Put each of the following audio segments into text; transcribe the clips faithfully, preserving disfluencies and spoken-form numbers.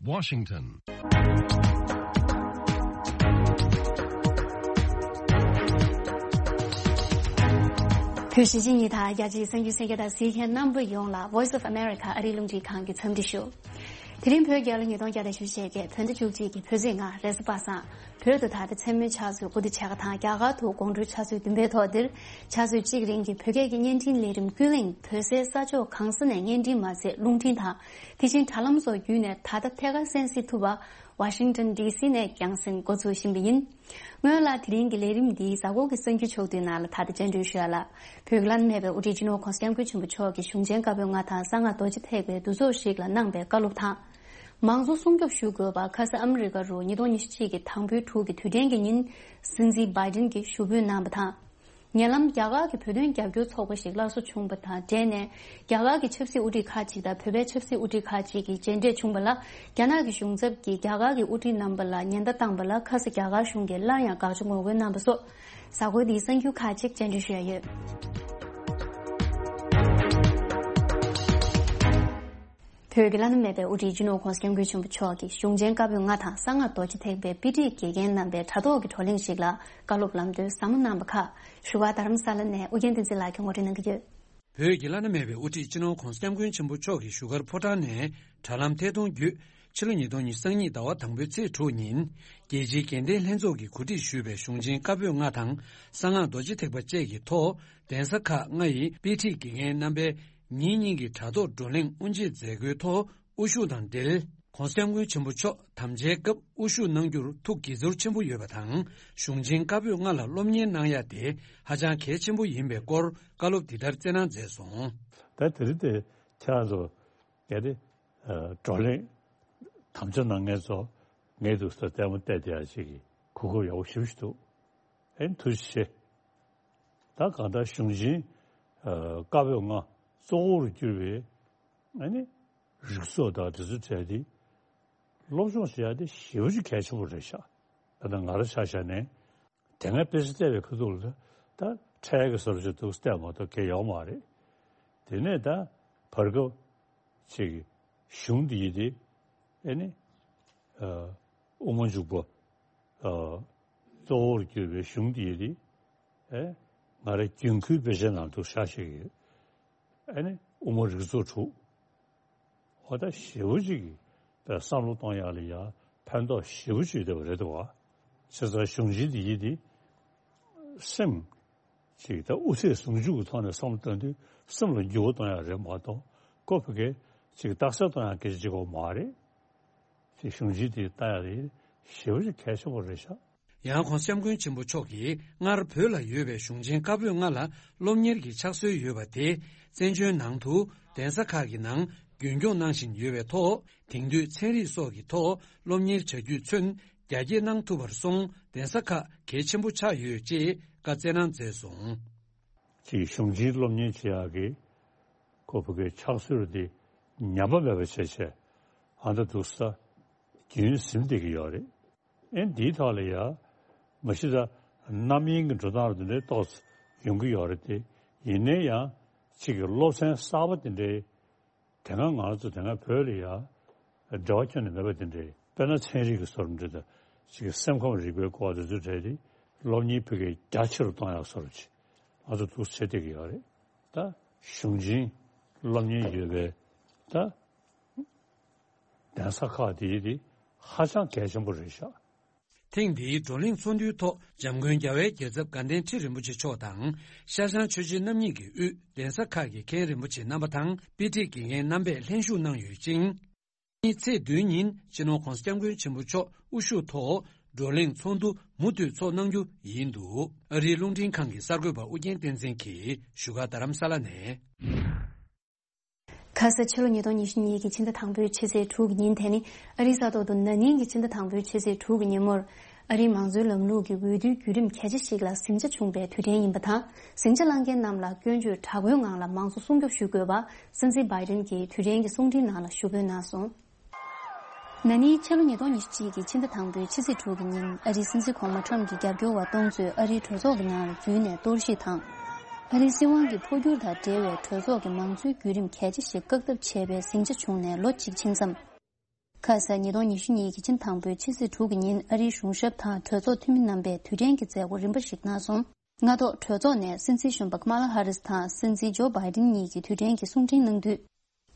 Washington. བོད་གཞིས་བྱེས་གཉིས་དང་རྒྱ་ཆེའི་གསར་འགྱུར་གསན་མཁན་དང་གཟིགས་མཁན་རྣམ་པ་ཡོངས་ལ་Voice of America ཨ་རིའི་རླུང་འཕྲིན་ཁང་གི་འཚམས་འདྲི་ཞུ། དེ་རིང་བོད་རྒྱལ་ལོ་ཉིས་སྟོང་བརྒྱ་དང་བཞི་བཅུ་ཞེ་བརྒྱད་བོད་ཟླ་བཅུ་གཅིག་གི་བོད་ཚེས་ལྔ་རེས་གཟའ་པ་སངས། བོད་དུ་ད་ལྟ་མཚན་མོའི་ཆུ་ཚོད་དགུ་དང་ཕྱེད་ཀ་དང་རྒྱ་གར་དུ་དགོང་དྲོའི་ཆུ་ཚོད་བདུན་པའི་ཐོག་འདིར་ཆུ་ཚོད་གཅིག་རིང་གི་བོད་སྐད་ཀྱི་བརྙན་འཕྲིན་ལས་རིམ་ཀུན་གླེང་བོད་སའི་ས་ཕྱོགས་གང་ས་ནས་བརྙན་འཕྲིན་མ་ཚད་རླུང་འཕྲིན་དང་དེ་བཞིན་དྲ་ལམ་སོགས་བརྒྱུད་ནས་ད་ལྟ་ཐད་ཀར་གསན་གཟིགས་ཐུབ་པ་ཝ་ཤིང་ཊོན་ཌི་སི་ནས་རྒྱང་སྲིང་འགོ་ཚུགས་བཞིན་པ་ཡིན། སྔོན་ལ་དེ་རིང་གི་ལས་རིམ་འདིའི་གཟའ་འཁོར་གྱི་གསར་འགྱུར་ཕྱོགས་བསྡུས་ནང་ལ་ད་ལྟ་བཅར་འདྲི་ཞུ་ཡ་ལ། བོད་ཀྱི་བླ་ན་མེད་པའི་དབུ་ཁྲིད་སྤྱི་ནོར་༸གོང་ས་༸སྐྱབས་མགོན་ཆེན་པོ་མཆོག་གིས་གཞུང་ཆེན་བཀའ་པོད་ལྔ་དང་གསང་སྔགས་རྡོ་རྗེ་ཐེག་པའི་འདུ་ཚོགས་ཤིག་ལ་གནང་པའི་བཀའ་སློབ་དང་། མང་གཙོ་སྲུང་སྐྱོབ་ཞུ་དགོས་པ་ཁ་ས་ཨ་མི་རི་ཀ་རུ་ཉིས་སྟོང་ཉི་ཤུ་གཅིག་གི་དང་པོའི་དྲུག་གི་དུས་དྲན་གྱི་ཉིན། སྲིད་འཛིན་བྷའི་ཌེན་གྱིས་ཞུ་འབོད་གནང་བ་དང་། ཉེ་ལམ་རྒྱ་གར་གྱི་བོད་དོན་རྒྱབ་སྐྱོར་ཚོགས་པ་ཞིག་སླར་གསོ་བྱུང་བ་དང་འབྲེལ་ནས། རྒྱ་གར་གྱི་ཆབ་སྲིད་དབུ་ཁྲིད་ཁག་ཅིག་དང་བོད་པའི་ཆབ་སྲིད་དབུ་ཁྲིད་ཁག་ཅིག་གིས་མཇལ་འཕྲད་བྱུང་བ་ལ། རྒྱ་ནག་གི་གཞུང་ཚབ་ཀྱིས་རྒྱ་གར་གྱི་དབུ་ཁྲིད་རྣམ་པ་ལ་ཉེན་བརྡ་བཏང་བ་ལ་ཁ་ས་རྒྱ་གར་གཞུང་གིས་སླར་ཡང་དགག་བྱ་ངོ་རྒོལ་གནང་བ་སོགས། གཟའ་འཁོར་འདིའི་གསར་འགྱུར་ཁག་ཅིག་བཅར་འདྲི་ཞུ་ཡ་ཡོད། བོད་ཀྱི་བླ་ན་མེད་པའི་དབུ་ཁྲིད་སྤྱི་ནོར་༸གོང་ས་༸སྐྱབས་མགོན་ཆེན་པོ་མཆོག་གིས་གཞུང་ཆེན་བཀའ་པོད་ལྔ་དང་གསང་སྔགས་རྡོ་རྗེ་ཐེག་པའི་དཔེ་ཁྲིད་དགེ་རྒན་རྣམ་པའི་དྲ་ཐོག་གི་བགྲོ་གླེང་ཞིག་ལ་བཀའ་སློབ་ལམ་སྟོན་ཟབ་མོ་གནང་བ་ཁག་བཞུགས་སྒར་རྡ་རམ་ས་ལ་ནས་ཨུ་རྒྱན་བསྟན་འཛིན་ལགས་ཀྱིས་ངོ་སྤྲོད་གནང་གི་ཡོད། བོད་ཀྱི་བླ་ན་མེད་པའི་དབུ་ཁྲིད་སྤྱི་ནོར་༸གོང་ས་༸སྐྱབས་མགོན་ཆེན་པོ་མཆོག་གིས་བཞུགས་སྒར་ཕོ་བྲང་ནས་དྲ་ལམ་ཐད་གཏོང་བརྒྱུད། ཕྱི་ལོ་ཉིས་སྟོང་ཉི་ཤུ་རྩ་གཉིས་ཟླ་བ་དང་པོའི་ཚེས་དྲུག་ཉིན། རྒྱལ་སྤྱིའི་དགེ་ལྡན་ལྷན་ཚོགས་ཀྱིས་གོ་སྒྲིག་ཞུས་པའི་གཞུང་ཆེན་བཀའ་པོད་ལྔ་དང་གསང་སྔགས་རྡོ་རྗེ་ཐེག་པ་བཅས་ཀྱི་ཐོག་གདན་ས་ཁག་ལྔ་ཡི་དཔེ་ཁྲིད་དགེ་རྒན་རྣམ་པས་ཉིན་གཉིས་ཀྱི་དྲ་ཐོག་བགྲོ་གླེང་དབུ་འབྱེད་མཛད་སྒོའི་ཐོག་དབུ་བཞུགས་དང་འབྲེལ། ༸གོང་ས་༸སྐྱབས་མགོན་ཆེན་པོ་མཆོག་དམ་བཅའི་སྐབས་དབུ་བཞུགས་གནང་རྒྱུར་ཐུགས་དགྱེས་ཚོར་ཆེན་པོ་ཡོད་པ་དང་། གཞུང་ཆེན་བཀའ་པོད་ལྔ་ལ་སློབ་གཉེར་གནང་ཡ་དེ་ཧ་ཅང་གལ་ཆེན་པོ་ཡིན་པའི་སྐོར་བཀའ་སློབ་འདི་ལྟར་སྩལ་གནང་མཛད་སོང་། ད་དེ་རིང་དེ་ཁྱེད་རང་ཚོ་གལ་ཏེ་བགྲོ་གླེང་དམ་བཅའ་གནང་མཁན་ཚོ་ངས་འདུག་ས་ལྟད་མོ་བལྟས་བསྡད་ཡ་ཅིག་གི་གོ་སྐབས་ཡག་པོ་ཞེ་པོ་ཞིག་འདུག་ཨེ་ཐུགས་རྗེ་ཆེ། ད་གང་ལྟར་གཞུང་ཆེན་བཀའ་པོད་ལྔ་གཙོ་བོར་གྱུར་པའི་ཨ་ནི་རིགས་ཚོགས་དང་དེ་ཚོ་གྲས་དེ་སློབ་སྦྱོང་བྱེད་ཡ་དེ་ཞེ་པོ་ཅིག་གལ་ཆེན་པོ་རེད་ཤག་ད་ལྟ་ང་རང་ཆ་བཞག་ནས་དེ་སྔ་དཔེ་ཆ་བལྟས་པའི་ཁ་ཐུག་ལ་ད་འཕྲལ་གྱི་བཟོ་འདྲ་ཅིག་འདུག་བལྟས་མ་གཏོགས་གལ་ཡོད་མ་རེད། དེ་ནས་ད་བར་སྐབས་ཅིག་གཞུང་འདི་ཡི་དེ་ཨེ་ནི་དབུ་མ་འཇུག་པ་གཙོ་བོར་གྱུར་པའི་གཞུང་འདི་ཡི་དེ་ཨེ་ང་རང་རྒྱུན་མཁོའི་དཔེ་ཆའི་ནང་འདུག་ཤག་ཤིག་ཡོད། ཨ་ནི་དབུ་མ་རིགས་ཚོགས་དྲུག་འོ་ད་ཞེ་པོ་ཅིག་གི་བསམ་བློ་གཏོང་ཡག་ལ་ཡ་ཕན་ཐོགས་ཞེ་པོ་ཅིག་ཡོད་པ་རེད་འདུག་བ། བྱས་ཙང་གཞུང་ཆེན་འདི་ཡིན་ཏེ་སེམས་ཅིག་ད་དབུ་ཚད་ཟུང་འཇུག་གི་ཐོག་ནས་བསམ་བློ་གཏོང་དུས་སེམས་ལ་འགྱུར་བ་གཏོང་ཡག་རེད་མ་གཏོགས་ཁོ་ཕ་གི་ཅིག་རྟགས་གསལ་གཏོང་ཡག་སྐད་ཆ་ཅིག་གོ་མ་རེད། དེ་གཞུང་ཆེན་དེ་ལྟ་ཡག་དེ་ཞེ་པོ་ཅིག་གལ་ཆེན་པོ་རེད་ཤག་ཡང་༸གོང་ས་༸སྐྱབས་མགོན་ཆེན་པོ་མཆོག་གིས་སྔར་བོད་ལ་ཡོད་པའི་གཞུང་ཆེན་བཀའ་པོད་ལྔ་ལ་སློབ་གཉེར་གྱི་ཕྱག་སྲོལ་ཡོད་པ་དེ་བཙན་བྱོལ་ནང་དུ་གདན་ས་ཁག་གི་ནང་རྒྱུན་སྐྱོང་གནང་བཞིན་ཡོད་པའི་ཐོག་དེང་དུས་ཚན་རིག་སོགས་ཀྱི་ཐོག་སློབ་གཉེར་བྱ་རྒྱུས་ཚུན་རྒྱ་སྐྱེད་གནང་ཐུབ་པར་སོང་གདན་ས་ཁག་གལ་ཆེན་པོ་ཆགས་ཡོད་ཅེས་བཀའ་སྩལ་གནང་མཛད་སོང་། ཅིག་གཞུང་ཆེན་སློབ་གཉེར་བྱེད་ཡག་གི་ཁོ་ཕ་གའི་ཕྱག་སྲོལ་དེ་ཉམས་པ་མེད་པ་བྱས་བྱས་ཨ་མདའ་འདུག་ས་རྒྱུན་ཟིན་བསྡད་ཀྱི་ཡོད་རེད། ཨེ་འདིའི་ཐོག་ལ་ཡ་མ་གཞི་ད་རྣམ་གཡེང་གི་འགྲོ་སྟངས་དེ་འདྲའི་ཏོག་ཙམ་ཡོང་གི་ཡོད་རེད་དེ། ཡིན་ནའི་ཡང་ཅིག་གི་སློབ་ཚན་གསར་པ་དེ་འདྲའི་དེ་སྔ་ང་ཚོ་དེ་སྔ་བོད་ལ་ཡ་འབྲེལ་བ་ཁྱོན་ནས་མེད་པ་དེ་འདྲའི་དཔེར་ན་ཚན་རིག་གི་སོར་འདྲ་དང་ཅིག་གི་སེམས་ཁམས་རིག་པའི་སྐོར་དེ་ཚོ་གྲས་དེ་སློབ་གཉེར་ཕ་གིའི་རྒྱ་ཆེ་རུ་གཏོང་ཡག་སོར་ཅིག་ང་ཚོ་འདུག་བྱེད་བསྡད་ཀྱི་ཡོད་རེད། ད་གཞུང་ཆེན་སློབ་གཉེར་ཡོད་པའི་ད་གདན་ས་ཁག་དེའི་དེ་ཧ་ཅང་གལ་ཆེན་པོ་རེད་ཤག་ཐེངས་འདིའི་བགྲོ་གླེང་ཚོགས་འདུའི་ཐོག་འཇམ་མགོན་རྒྱལ་བའི་རྒྱལ་ཚབ་དགའ་ལྡན་ཁྲི་རིན་པོ་ཆེ་མཆོག་དང་ཤར་བྱང་ཆོས་རྗེ་རྣམ་གཉིས་ཀྱི་དབུས་གདན་ས་ཁག་གི་མཁན་རིན་པོ་ཆེ་རྣམ་པ་དང་དཔེ་ཁྲིད་དགེ་རྒན་རྣམ་པས་ལྷན་ཞུགས་གནང་ཡོད་ཅིང་། ཉིན་ཚེས་བདུན་ཉིན་སྤྱི་ནོར་༸གོང་ས་༸སྐྱབས་མགོན་ཆེན་པོ་མཆོག་དབུ་བཞུགས་ཐོག་བགྲོ་གླེང་ཚོགས་འདུ་མུ་མཐུད་ཚོགས་གནང་རྒྱུ་ཡིན་འདུག་ཨ་རིའི་རླུང་འཕྲིན་ཁང་གི་གསར་འགོད་པ་ཨུ་རྒྱན་བསྟན་འཛིན་གྱིས་བཞུགས་སྒར་རྡ་རམ་ས་ལ་ནས། ཁ་ས་ཕྱི་ལོ་ཉིས་སྟོང་ཉི་ཤུ་གཉིས་ཀྱི་ཕྱི་ཟླ་དང་པོའི་ཕྱི་ཚེས་དྲུག་གི་ཉིན་དེ་ནི་ཨ་རིའི་ས་ཐོག་ཏུ་ན་ནིང་གི་ཕྱི་ཟླ་དང་པོའི་ཕྱི་ཚེས་དྲུག་གི་ཉིན་མོར་ཨ་རིའི་མང་གཙོའི་ལམ་ལུགས་ཀྱི་འོས་བསྡུའི་བརྒྱུད་རིམ་གལ་ཆེ་ཞིག་ལ་ཟིང་ཆ་བྱུང་པའི་དུས་དྲན་ཡིན་པ་དང་། ཟིང་ཆ་བསླངས་མཁན་རྣམས་ལ་སྐྱོན་བརྗོད་དྲག་པོའི་ངང་ལ་མང་གཙོ་སྲུང་སྐྱོབ་ཞུ་དགོས་པ་སྲིད་འཛིན་བྷའི་ཌེན་གྱིས་དུས་དྲན་གྱི་གསུང་འཕྲིན་ནང་ལ་ཞུ་འབོད་གནང་སོང་། ན་ནིང་ཕྱི་ལོ་ཉིས་སྟོང་ཉི་ཤུ་གཅིག་གི་ཕྱི་ཟླ་དང་པོའི་ཕྱི་ཚེས་དྲུག་གི་ཉིན་ཨ་རིའི་སྲིད་འཛིན་གོང་མ་ཁྲམ་གྱི་རྒྱབ་སྐྱོར་བ་སྟོང་ཚོས་ཨ་རིའི་གྲོས་ཚོགས་ཀྱི་ནང་ལ་འཛུལ་ནས་གཏོར་བཤིག་དང་། ཨ་རིའི་སྲིད་དབང་གི་འཕོ་འགྱུར་དང་འབྲེལ་བའི་གྲོས་ཚོགས་ཀྱི་མང་གཙོའི་བརྒྱུད་རིམ་གལ་ཆེ་ཞིག་བཀག་ཐབས་བྱས་པའི་ཟིང་ཆ་བྱུང་ནས་ལོ་གཅིག་ཕྱིན་མཚམས། ཁ་སང་ཉིས་སྟོང་ཉི་ཤུ་གཉིས་ཀྱི་ཕྱི་ཟླ་དང་པོའི་ཕྱི་ཚེས་དྲུག་གི་ཉིན་ཨ་རིའི་གཞུང་ཞབས་དང་གྲོས་ཚོགས་འཐུས་མི་རྣམ་པས་དུས་དྲན་གྱི་མཛད་སྒོ་རིམ་པ་ཞིག་གནང་སོང་། སྔ་ཐོག་གྲོས་ཚོགས་ནས་སྲིད་འཛིན་གཞོན་པ་ཀ་མ་ལ་ཧ་རིས་དང་སྲིད་འཛིན་ཇོ་བྷའི་ཏིན་གཉིས་ཀྱིས་དུས་དྲན་གྱི་གསུང་འཕྲིན་གནང་དུས།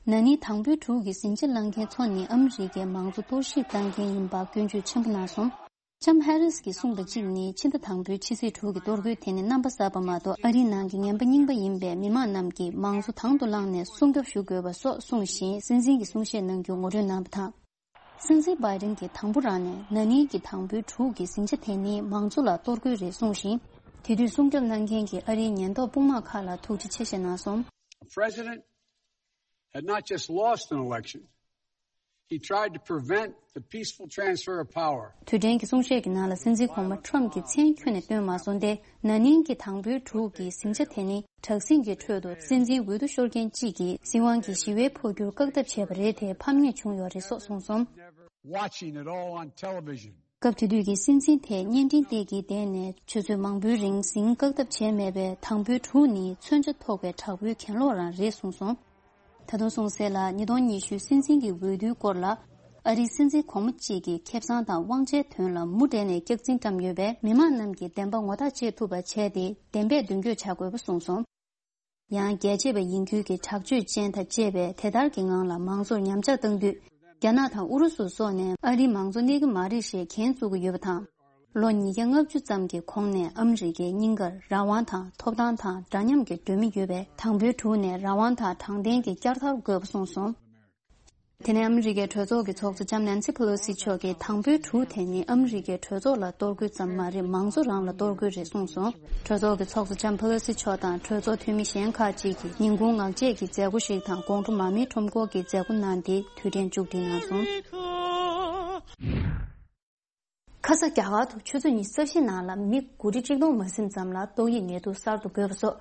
ན་ནིང་དང་པོའི་དྲུག་གི་ཟིང་ཆ་བསླངས་མཁན་ཚོ་ནི་ཨ་མི་རི་ཀའི་མང་གཙོ་གཏོར་བཤིག་བཏང་མཁན་ཡིན་པ་སྐྱོན་བརྗོད་ཆེན་པོ་གནང་སོང་། ལྕམ་ཧེ་རིས་ཀྱིས་གསུངས་པ་གཅིག་ནི། ཕྱི་ཟླ་དང་པོའི་ཕྱི་ཚེས་དྲུག་གི་གཏོར་རྒོལ་དེ་ནི་རྣམ་པ་གསར་པ་མ་གཏོགས་ཨ་རིའི་ནང་གི་ངན་པ་རྙིང་པ་ཡིན་པས། མི་མང་རྣམས་ཀྱིས་མང་གཙོ་དང་དུ་བླངས་ནས་སྲུང་སྐྱོབ་ཞུ་དགོས་པ་སོགས་གསུངས་ཤིང་། སྲིད་འཛིན་གྱི་གསུང་བཤད་གནང་རྒྱུ་ངོ་སྤྲོད་གནང་བ་དང་། སྲིད་འཛིན་བྷའི་ཏིན་གྱིས་དང་པོ་རང་ནས་ན་ནིང་གི་དང་པོའི་དྲུག་གི་ཟིང་ཆ་དེ་ནི་མང་གཙོ་ལ་གཏོར་རྒོལ་རེད་གསུངས་ཤིང་། དེ་དུས་སྲུང་སྐྱོབ་གནང་མཁན་གྱི་ཨ་རིའི་ཉེན་རྟོག་དཔུང་དམག་ཁག་ལ་ཐུགས་རྗེ་ཆེ་ཞེས་གནང་སོང་། A president had not just lost an election, he tried to prevent the peaceful transfer of power. དུས་དྲན་གྱི་གསུང་བཤད་ཀྱི་ནང་ལ་སྲིད་འཛིན་གོང་མ་ཁྲོམ་གྱི་མཚན་ཁྱོན་ནས་བཏོན་མ་སོང་སྟེ། ན་ནིང་གི་དང་པོའི་དྲུག་གི་ཟིང་ཆ་དེ་ནི་དྲག་ཟིང་གི་ཁྲོད་དུ་སྲིད་འཛིན་འོས་བསྡུ་ཤོར་མཁན་གཅིག་གིས་སྲིད་དབང་གི་ཞི་བའི་འཕོ་འགྱུར་བཀག་ཐབས་བྱས་པ་རེད་དེ། ཕམ་ཉེས་བྱུང་ཡོད་རེད་སོགས་གསུངས་སོང་། Watching it all on television. སྐབས་དེ་དུས་ཀྱི་སྲིད་འཛིན་དེས་བརྙན་འཕྲིན་སྟེགས་ཀྱི་སྟེང་ནས་ཆུ་ཚོད་མང་པོའི་རིང་ཟིང་བཀག་ཐབས་བྱས་མེད་པས། དང་པོའི་དྲུག་ནི་མཚོན་ཆ་ཐོགས་པའི་དྲག་པོའི་གྱེན་ལོག་རང་རེད་གསུངས་སོང་། ད་དུང་གསུངས་གསལ་ལ། ཉིས་སྟོང་ཉི་ཤུ་སྲིད་འཛིན་གྱི་འོས་བསྡུའི་སྐོར་ལ་ཨ་རིའི་སྲིད་འཛིན་གོང་མ་གཅིག་གིས་ཁེ་བཟང་དང་དབང་ཆའི་དོན་ལ་མུ་འབྲེལ་ནས་སྐྱག་རྫུན་བཀྲམ་ཡོད་པས། མི་མང་རྣམས་ཀྱིས་བདེན་པ་ངོ་ཐག་བཅད་ཐུབ་པ་བྱས་ཏེ། བདེན་པས་མདུན་སྐྱོད་བྱ་དགོས་པ་གསུངས་སོང་། ཡང་རྒྱལ་གཅེས་པ་ཡིན་ཁུལ་གྱི་དྲག་སྤྱོད་ཅན་དང་བཅས་པས་དེ་ལྟར་གྱི་ངང་ལ་མང་གཙོར་ཉམས་ཆག་བཏང་དུས། རྒྱ་ནག་དང་ཨུ་རུ་སུ་སོགས་ནས་ཨ་རིའི་མང་གཙོ་གནས་ཀྱི་མ་རེད་ཞེས་འགན་བཙུགས་ཀྱི་ཡོད་པ་དང་། ལོ་ཉིས་བརྒྱ་ལྔ་བཅུ་ཙམ་གྱི་གོང་ནས་ཨ་མི་རི་ཀའི་སྙིང་གར་རང་དབང་དང་ཐོབ་ཐང་དང་འདྲ་མཉམ་གྱི་སྒྲོན་མེ་ཡོད་པས། དང་པོའི་དྲུག་ནས་རང་དབང་དང་དྲང་བདེན་གྱི་བསྐྱར་དར་དགོས་པ་གསུངས་སོང་། དེ་ནས་ཨ་མི་རི་ཀའི་གྲོས་ཚོགས་ཀྱི་ཚོགས་གཙོ་ལྕམ་ནན་སི་ཕེ་ལོ་སི་མཆོག་གིས། དང་པོའི་དྲུག་དེ་ནི་ཨ་མི་རི་ཀའི་གྲོས་ཚོགས་ལ་གཏོར་རྒོལ་ཙམ་མ་རེད། མང་གཙོ་རང་ལ་གཏོར་རྒོལ་རེད་གསུངས་སོང་། གྲོས་ཚོགས་ཀྱི་ཚོགས་གཙོ་ལྕམ་ཕེ་ལོ་སི་མཆོག་དང་གྲོས་ཚོགས་འཐུས་མི་གཞན་ཁག་ཅིག་གིས་ཉིན་གུང་ངག་བཅད་ཀྱི་མཛད་སྒོ་ཞིག་དང་། དགོང་དྲོ་མར་མེའི་ཁྲོམ་སྐོར་གྱི་མཛད་སྒོ་གནང་སྟེ་དུས་དྲན་མཇུག་སྒྲིལ་གནང་སོང་། ཁ་ས་རྒྱ་གར་དུ་ཆུ་ཚོད་ཉི་ཤུ་རྩ་བཞིའི་ནང་ལ་མི་དགུ་ཁྲི་གཅིག་སྟོང་མ་ཟིན་ཙམ་ལ་ཏོག་དབྱིབས་ནད་དུག་གསར་དུ་འགོས་པ་སོགས།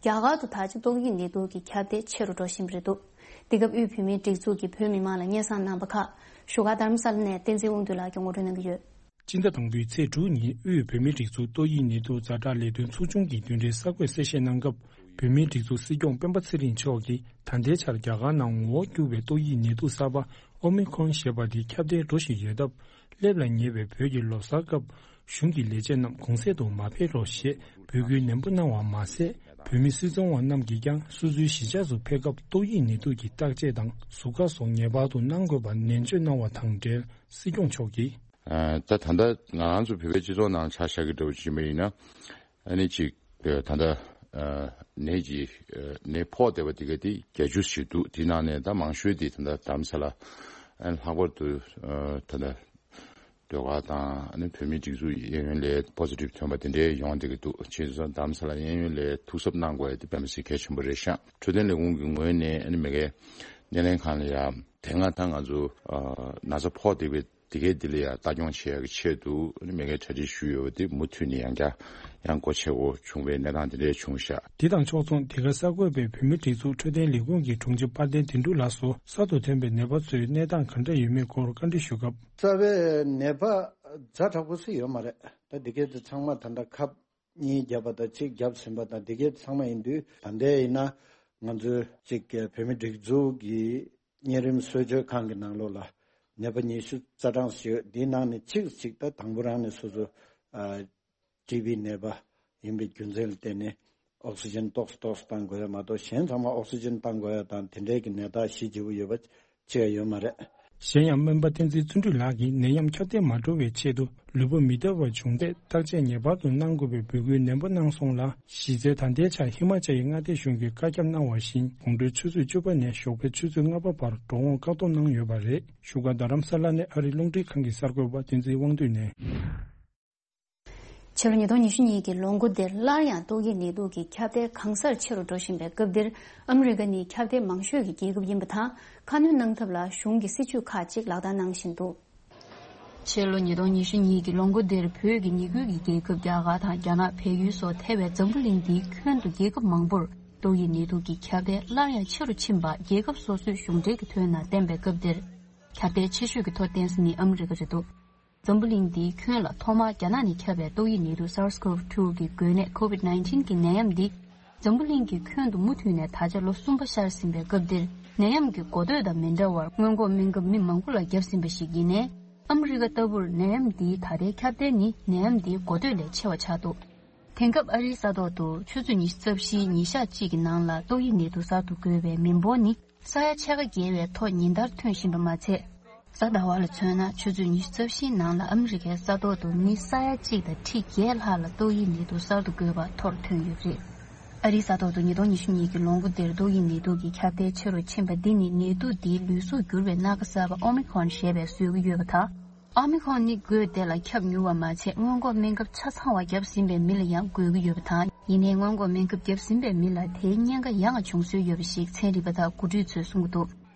རྒྱ་གར་དུ་ད་ཆ་ཏོག་དབྱིབས་ནད་དུག་གི་ཁྱབ་གདལ་ཆེ་རུ་འགྲོ་བཞིན་པ་རེད་འདུག། འདི་སྐབས་དབུས་བོད་མིའི་སྒྲིག་འཛུགས་ཀྱིས་བོད་མི་མང་ལ་སྙན་སེང་གནང་བ་ཁག་བཞུགས་སྒར་རྡ་རམ་ས་ལ་ནས་བསྟན་འཛིན་དབང་འདུས་ལགས་ཀྱིས་ངོ་སྤྲོད་གནང་གི་ཡོད། སྤྱི་ཟླ་དང་པོའི་ཚེས་དྲུག་ཉིན་དབུས་བོད་མིའི་སྒྲིག་འཛུགས་ཏོག་དབྱིབས་ནད་དུག་ཛ་དྲག་ལས་དོན་ཚོགས་ཆུང་གི་བདུན་ཕྲག་གསར་འགོད་གསལ་བཤད་གནང་སྐབས། བོད་མིའི་སྒྲིག་འཛུགས་སྲིད་སྐྱོང་སྤེན་པ་ཚེ་རིང་མཆོག་གིས། ད་ལྟའི་ཆར་རྒྱ་གར་ནང་ངོ་བོ་འགྱུར་བའི་ཏོག་དབྱིབས་ནད་དུག་གསར་པ་ཨོ་མི་ཁོན་ཞེས་པ་འདི་ཁྱབ་གདལ་འགྲོ་བཞིན་ཡོད་སྟབས། སླེབས་ལ་ཉེ་བའི་བོད་ཀྱི་ལོ་གསར་སྐབས་གཞུང་གི་ལས་བྱེད་རྣམས་གུང་གསེང་དུ་མ་ཕེབས་རོགས་ཞེས་འབོད་སྐུལ་ནན་པོ་གནང་བ་མ་ཟད། བོད་མི་སྲིད་ཚོང་བ་རྣམས་ཀྱིས་ཀྱང་སོ་སོའི་གཞིས་ཆགས་སུ་ཕེབས་སྐབས་ཏོག་དབྱིབས་ནད་དུག་གི་བརྟག་དཔྱད་དང་ཟུར་བཀག་སོགས་ངེས་པར་དུ་གནང་དགོས་པ་ནན་བརྗོད་གནང་བ་དང་འབྲེལ། སྲིད་སྐྱོང་མཆོག་གིས། ཨ། ད་ད་ལྟ་ང་རང་ཚོ་བོད་པའི་སྤྱི་ཚོགས་ནང་ཆ་བཞག་གི་འདྲ་བོ་ཅིག་ཡིན་པ་ཡིན་ན། ཨ་ནི་ཅིག་ཨ། ད་ལྟ་ཨ། ནད་ཀྱི་ཨ། ནད་ཕོག་བསྡད་པ་དེ་ག་དེ་བརྒྱད་ཅུ་ཞིག་འདུག། དེའི་ནང་ནས་ད་མང་ཤོས་དེ་ད་ལྟ་རྡ་རམ་ས་ལ། ཨ་ནི་ལྷག་པར་དུ་ཨ། ད་ལྟ་ཟློས་གར་དང་། ཨ་ནི་བོད་མིའི་སྒྲིག་འཛུགས་གཡས་གཡོན་ལ་པོ་སི་ཊིབ་ཐོན་པ་དེ་འདྲའི་ཡོང་བསྡད་ཀྱི་འདུག། བྱས་ཙང་རྡ་རམ་ས་ལ་གཡས་གཡོན་ལ་ཐུགས་གཟབ་གནང་དགོས་ཡ་དེ་དཔེ་མི་སྲིད་གལ་ཆེན་པོ་རེད་ཤག། འཕྲོད་བསྟེན་ལས་ཁུངས་ཀྱི་ངོས་ནས། ཨ་ནི་མ་གིའི་སྣེ་ལེན་ཁང་ལ་ཡ་དེ་སྔ་ད་ང་ཚོ་ཨ། ན་ཚ་ཕོག་བསྡད་པའི་དེ་གའི་འདི་ལ་ཡང་ལྟ་སྐྱོང་བྱེད་ཡག་གི་ཆེད་དུ། ཨ་ནི་མ་གིའི་གྲ་སྒྲིག་ཞུས་ཡོད་པ་དེ་མུ་མཐུད་ནས་ཡང་བསྐྱར་ཡང་སྒོ་ཕྱེ་དགོས་བྱུང་བའི་གནས་སྟངས་དེ་འདྲ་བྱུང་ཤག། དེ་དང་ཕྱོགས་མཚུངས། འདི་ག་གསར་འགོད་པས་བོད་མིའི་སྒྲིག་འཛུགས་འཕྲོད་བསྟེན་ལས་ཁུངས་ཀྱི་དྲུང་ཆེ་དཔལ་ལྡན་དོན་གྲུབ་ལགས་སུ་གསར་དུ་ཐོན་པའི་ནད་པ་ཚོའི་གནས་སྟངས་ག་འདྲ་ཡོད་མེད་སྐོར་བཀའ་འདྲི་ཞུ་སྐབས། རྩ་བའི་ནད་པ་ཛ་དྲག་པོ་སུ་ཡོད་མ་རེད། ད་འདི་གའི་དེ་ཚང་མ་ད་ལྟ་ཁབ་གཉིས་བརྒྱབ་པ་དང་གཅིག་བརྒྱབ་ཟིན་པ་དང་འདི་གའི་ཚང་མ་ཡིན་དུས། ད་ལྟའི་ཡིན་ན་ང་ཚོའི་གཅིག་བོད་མིའི་སྒྲིག་འཛུགས་ཀྱི་གཉན་རིམས་གསོ་བཅོས་ཁང་གི་ནང་ལོགས་ལ་ནད་པ་ཉི་ཤུ་རྩ་གྲངས་ཤིག་ཡོད། འདིའི་ནང་ནས་གཅིག་གཅིག་ད་དང་པོ་རང་ནས་སོ་སོ་ཨ། ཊི་བི་ནད་པ་ཡིན་པའི་རྒྱུ་མཚན་ལ་བརྟེན་ནས་ཨོག་སི་ཇན་ཏོག་ཙམ་ཏོག་ཙམ་བཏང་དགོས་ཡ་མ་གཏོགས། གཞན་ཚང་མ་ཨོག་སི་ཇན་བཏང་དགོས་ཡ་དང་དེ་འདྲའི་གི་ནད་རྟགས་གཞི་བརྗིད་པོ་ཡོད་པ་ཅི་ཡང་ཡོད་མ་རེད། གཞན་ཡང་སྨན་པ་བསྟན་འཛིན་བརྩོན་འགྲུས་ལགས་ཀྱིས་ནད་ཡམས་ཁྱབ་གདལ་མ་འགྲོ་བའི་ཆེད་དུ་ལུས་པོ་མི་བདེ་བ་བྱུང་ཚེ་བརྟག་དཔྱད་ངེས་པར་དུ་གནང་དགོས་པའི་འབོད་སྐུལ་ནན་པོ་གནང་སོང་ལ། གཞི་རྩའི་ད་ལྟའི་ཆར་ཧི་མ་ཅལ་ཡི་མངའ་སྡེ་གཞུང་གིས་བཀའ་ཁྱབ་གནང་བ་བཞིན། དགོང་དྲོའི་ཆུ་ཚོད་བཅུ་པ་ནས་ཞོགས་པའི་ཆུ་ཚོད་ལྔ་པ་བར་འགྲོ་འོང་བཀག་སྡོམ་གནང་ཡོད་པ་རེད། བཞུགས་སྒར་རྡ་རམ་ས་ལ་ནས་ཨ་རིའི་རླུང་འཕྲིན་ཁང་གི་གསར་འགོད་པ་བསྟན་འཛིན་དབང་འདུས་ནས། ཕྱི་ལོ་ཉིས་སྟོང་ཉི་ཤུ་གཉིས་ཀྱི་ལོ་འགོ་འདིར་སླར་ཡང་ཏོག་དབྱིབས་ནད་དུག་གི་ཁྱབ་གདལ་གང་སར་ཆེ་རུ་འགྲོ་བཞིན་པའི་སྐབས་འདིར། ཨ་མི་རི་ཀ་ནི་ཁྱབ་གདལ་མང་ཤོས་ཀྱི་རྒྱལ་ཁབ་ཡིན་པ་དང་། ཁ་སྣོན་གནང་ཐབས་ལ་གཞུང་གི་སྲིད་ཇུས་ཁག་ཅིག་ལག་བསྟར་གནང་བཞིན་འདུག། ཕྱི་ལོ་ཉིས་སྟོང་ཉི་ཤུ་གཉིས་ཀྱི་ལོ་འགོ་འདིར་བོད་ཀྱི་ཉེ་ཁུལ་གྱི་རྒྱལ་ཁབ་རྒྱ་གར་དང་རྒྱ་ནག་བལ་ཡུལ་སོགས་ཐེ་བའི་འཛམ་བུ་གླིང་འདིའི་ཁྱོན་དུ་རྒྱལ་ཁབ་མང་པོར་ཏོག་དབྱིབས་ནད་དུག་གི་ཁྱབ་གདལ་སླར་ཡང་ཆེ་རུ་ཕྱིན་པ་རྒྱལ་ཁབ་སོ་སོའི་གཞུང་འབྲེལ་གྱི་དོན་ནང་བསྟན་པའི་སྐབས་འདིར། ཁྱབ་གདལ་ཆེ་ཤོས་ཀྱི་ཐོ་བསྟན་ས་ནི་ཨ་མི་རི་ཀ་རེད་འདུག། འཛམ་བུ་གླིང་འདིའི་ཁྱོན་ལ་ཐོག་མར་རྒྱ་ནག་ནས་ཁྱབ་པའི་ཏོག་དབྱིབས་ནད་དུག་SARS-CoV two གི་འགོས་ནད་COVID nineteen གི་ནད་ཡམས་འདི། འཛམ་བུ་གླིང་གི་ཁྱོན་དུ་མུ་མཐུད་ནས་ད་ཆ་ལོ་གསུམ་པ་ཤར་ཟིན་པའི་སྐབས་འདིར། ནད་ཡམས་ཀྱི་འགོ་སྟོད་དང་མི་འདྲ་བར་སྔོན་འགོག་སྨན་ཁབ་མི་མང་པོ་ལ་བརྒྱབ་ཟིན་པ་ཞིག་ཡིན་ནའི། ཨ་མི་རི་ཀ་ལྟ་བུར་ནད་ཡམས་འདིའི་ད་ལྟའི་ཁྱབ་གདལ་ནི་ནད་ཡམས་འདིའི་འགོ་སྟོད་ལས་ཆེ་བ་ཆགས་འདུག་དེང་སྐབས་ཨ་རིའི་ས་ཐོག་ཏུ་ཆུ་ཚོད་ཉི་ཤུ་རྩ་བཞིའི་ཉིན་ཞག་གཅིག་གི་ནང་ལ་ཏོག་དབྱིབས་ནད་དུག་གསར་དུ་འགོས་པའི་མི་འབོར་ནི་ས་ཡ་ཕྱེད་ཀ་བརྒལ་བའི་ཐོག་ཉིན་ལྟར་ཐོན་བཞིན་པ་མ་ཚད། གཟའ་ཟླ་བ་ལ་མཚོན་ན་ཆུ་ཚོད་ཉི་ཤུ་རྩ་བཞིའི་ནང་ལ་ཨ་མི་རི་ཀའི་ས་ཐོག་ཏུ་མི་ས་ཡ་གཅིག་དང་ཁྲི་བརྒྱད་ལྷག་ལ་ཏོག་དབྱིབས་ནད་དུག་གསར་དུ་འགོས་པ་ཐོར་ཐོན་ཡོད་པ་རེད། ཨ་རིའི་ས་ཐོག་ཏུ་ཉིས་སྟོང་ཉི་ཤུ་གཉིས་ཀྱི་ལོ་འགོ་འདིར་ཏོག་དབྱིབས་ནད་དུག་གི་ཁྱབ་གདལ་ཆེ་རུ་ཕྱིན་པ་འདི་ནི་ནད་དུག་འདིའི་ལུས་གཟུགས་འགྱུར་བའི་སྣ་ཁ་གསར་པ་ཨོ་མི་ཁོན་ཞེས་པས་བཟོས་ཀྱི་ཡོད་པ་དང་། ཨོ་མི་ཁོན་ནི་འགོས་དེ་ལ་ཁྱབ་མྱུར་བ་མ་ཚད་སྔོན་འགོག་སྨན་ཁབ་ཆ་ཚང་བ་བརྒྱབ་ཟིན་པའི་མི་ལ་ཡང་འགོས་ཀྱི་ཡོད་པ་དང་། ཡིན་ནའི་སྔོན་འགོག་སྨན་ཁབ་བརྒྱབ་ཟིན་པའི་མི་ལ་དེའི་ཉེན་ཁ་ཡང་བྱུང་སྲོལ་ཡོད་པ་ཞིག་ཚན་རིག་པ་དང་འགོ་ཁྲིད་ཚོས་གསུང་གི་འདུག་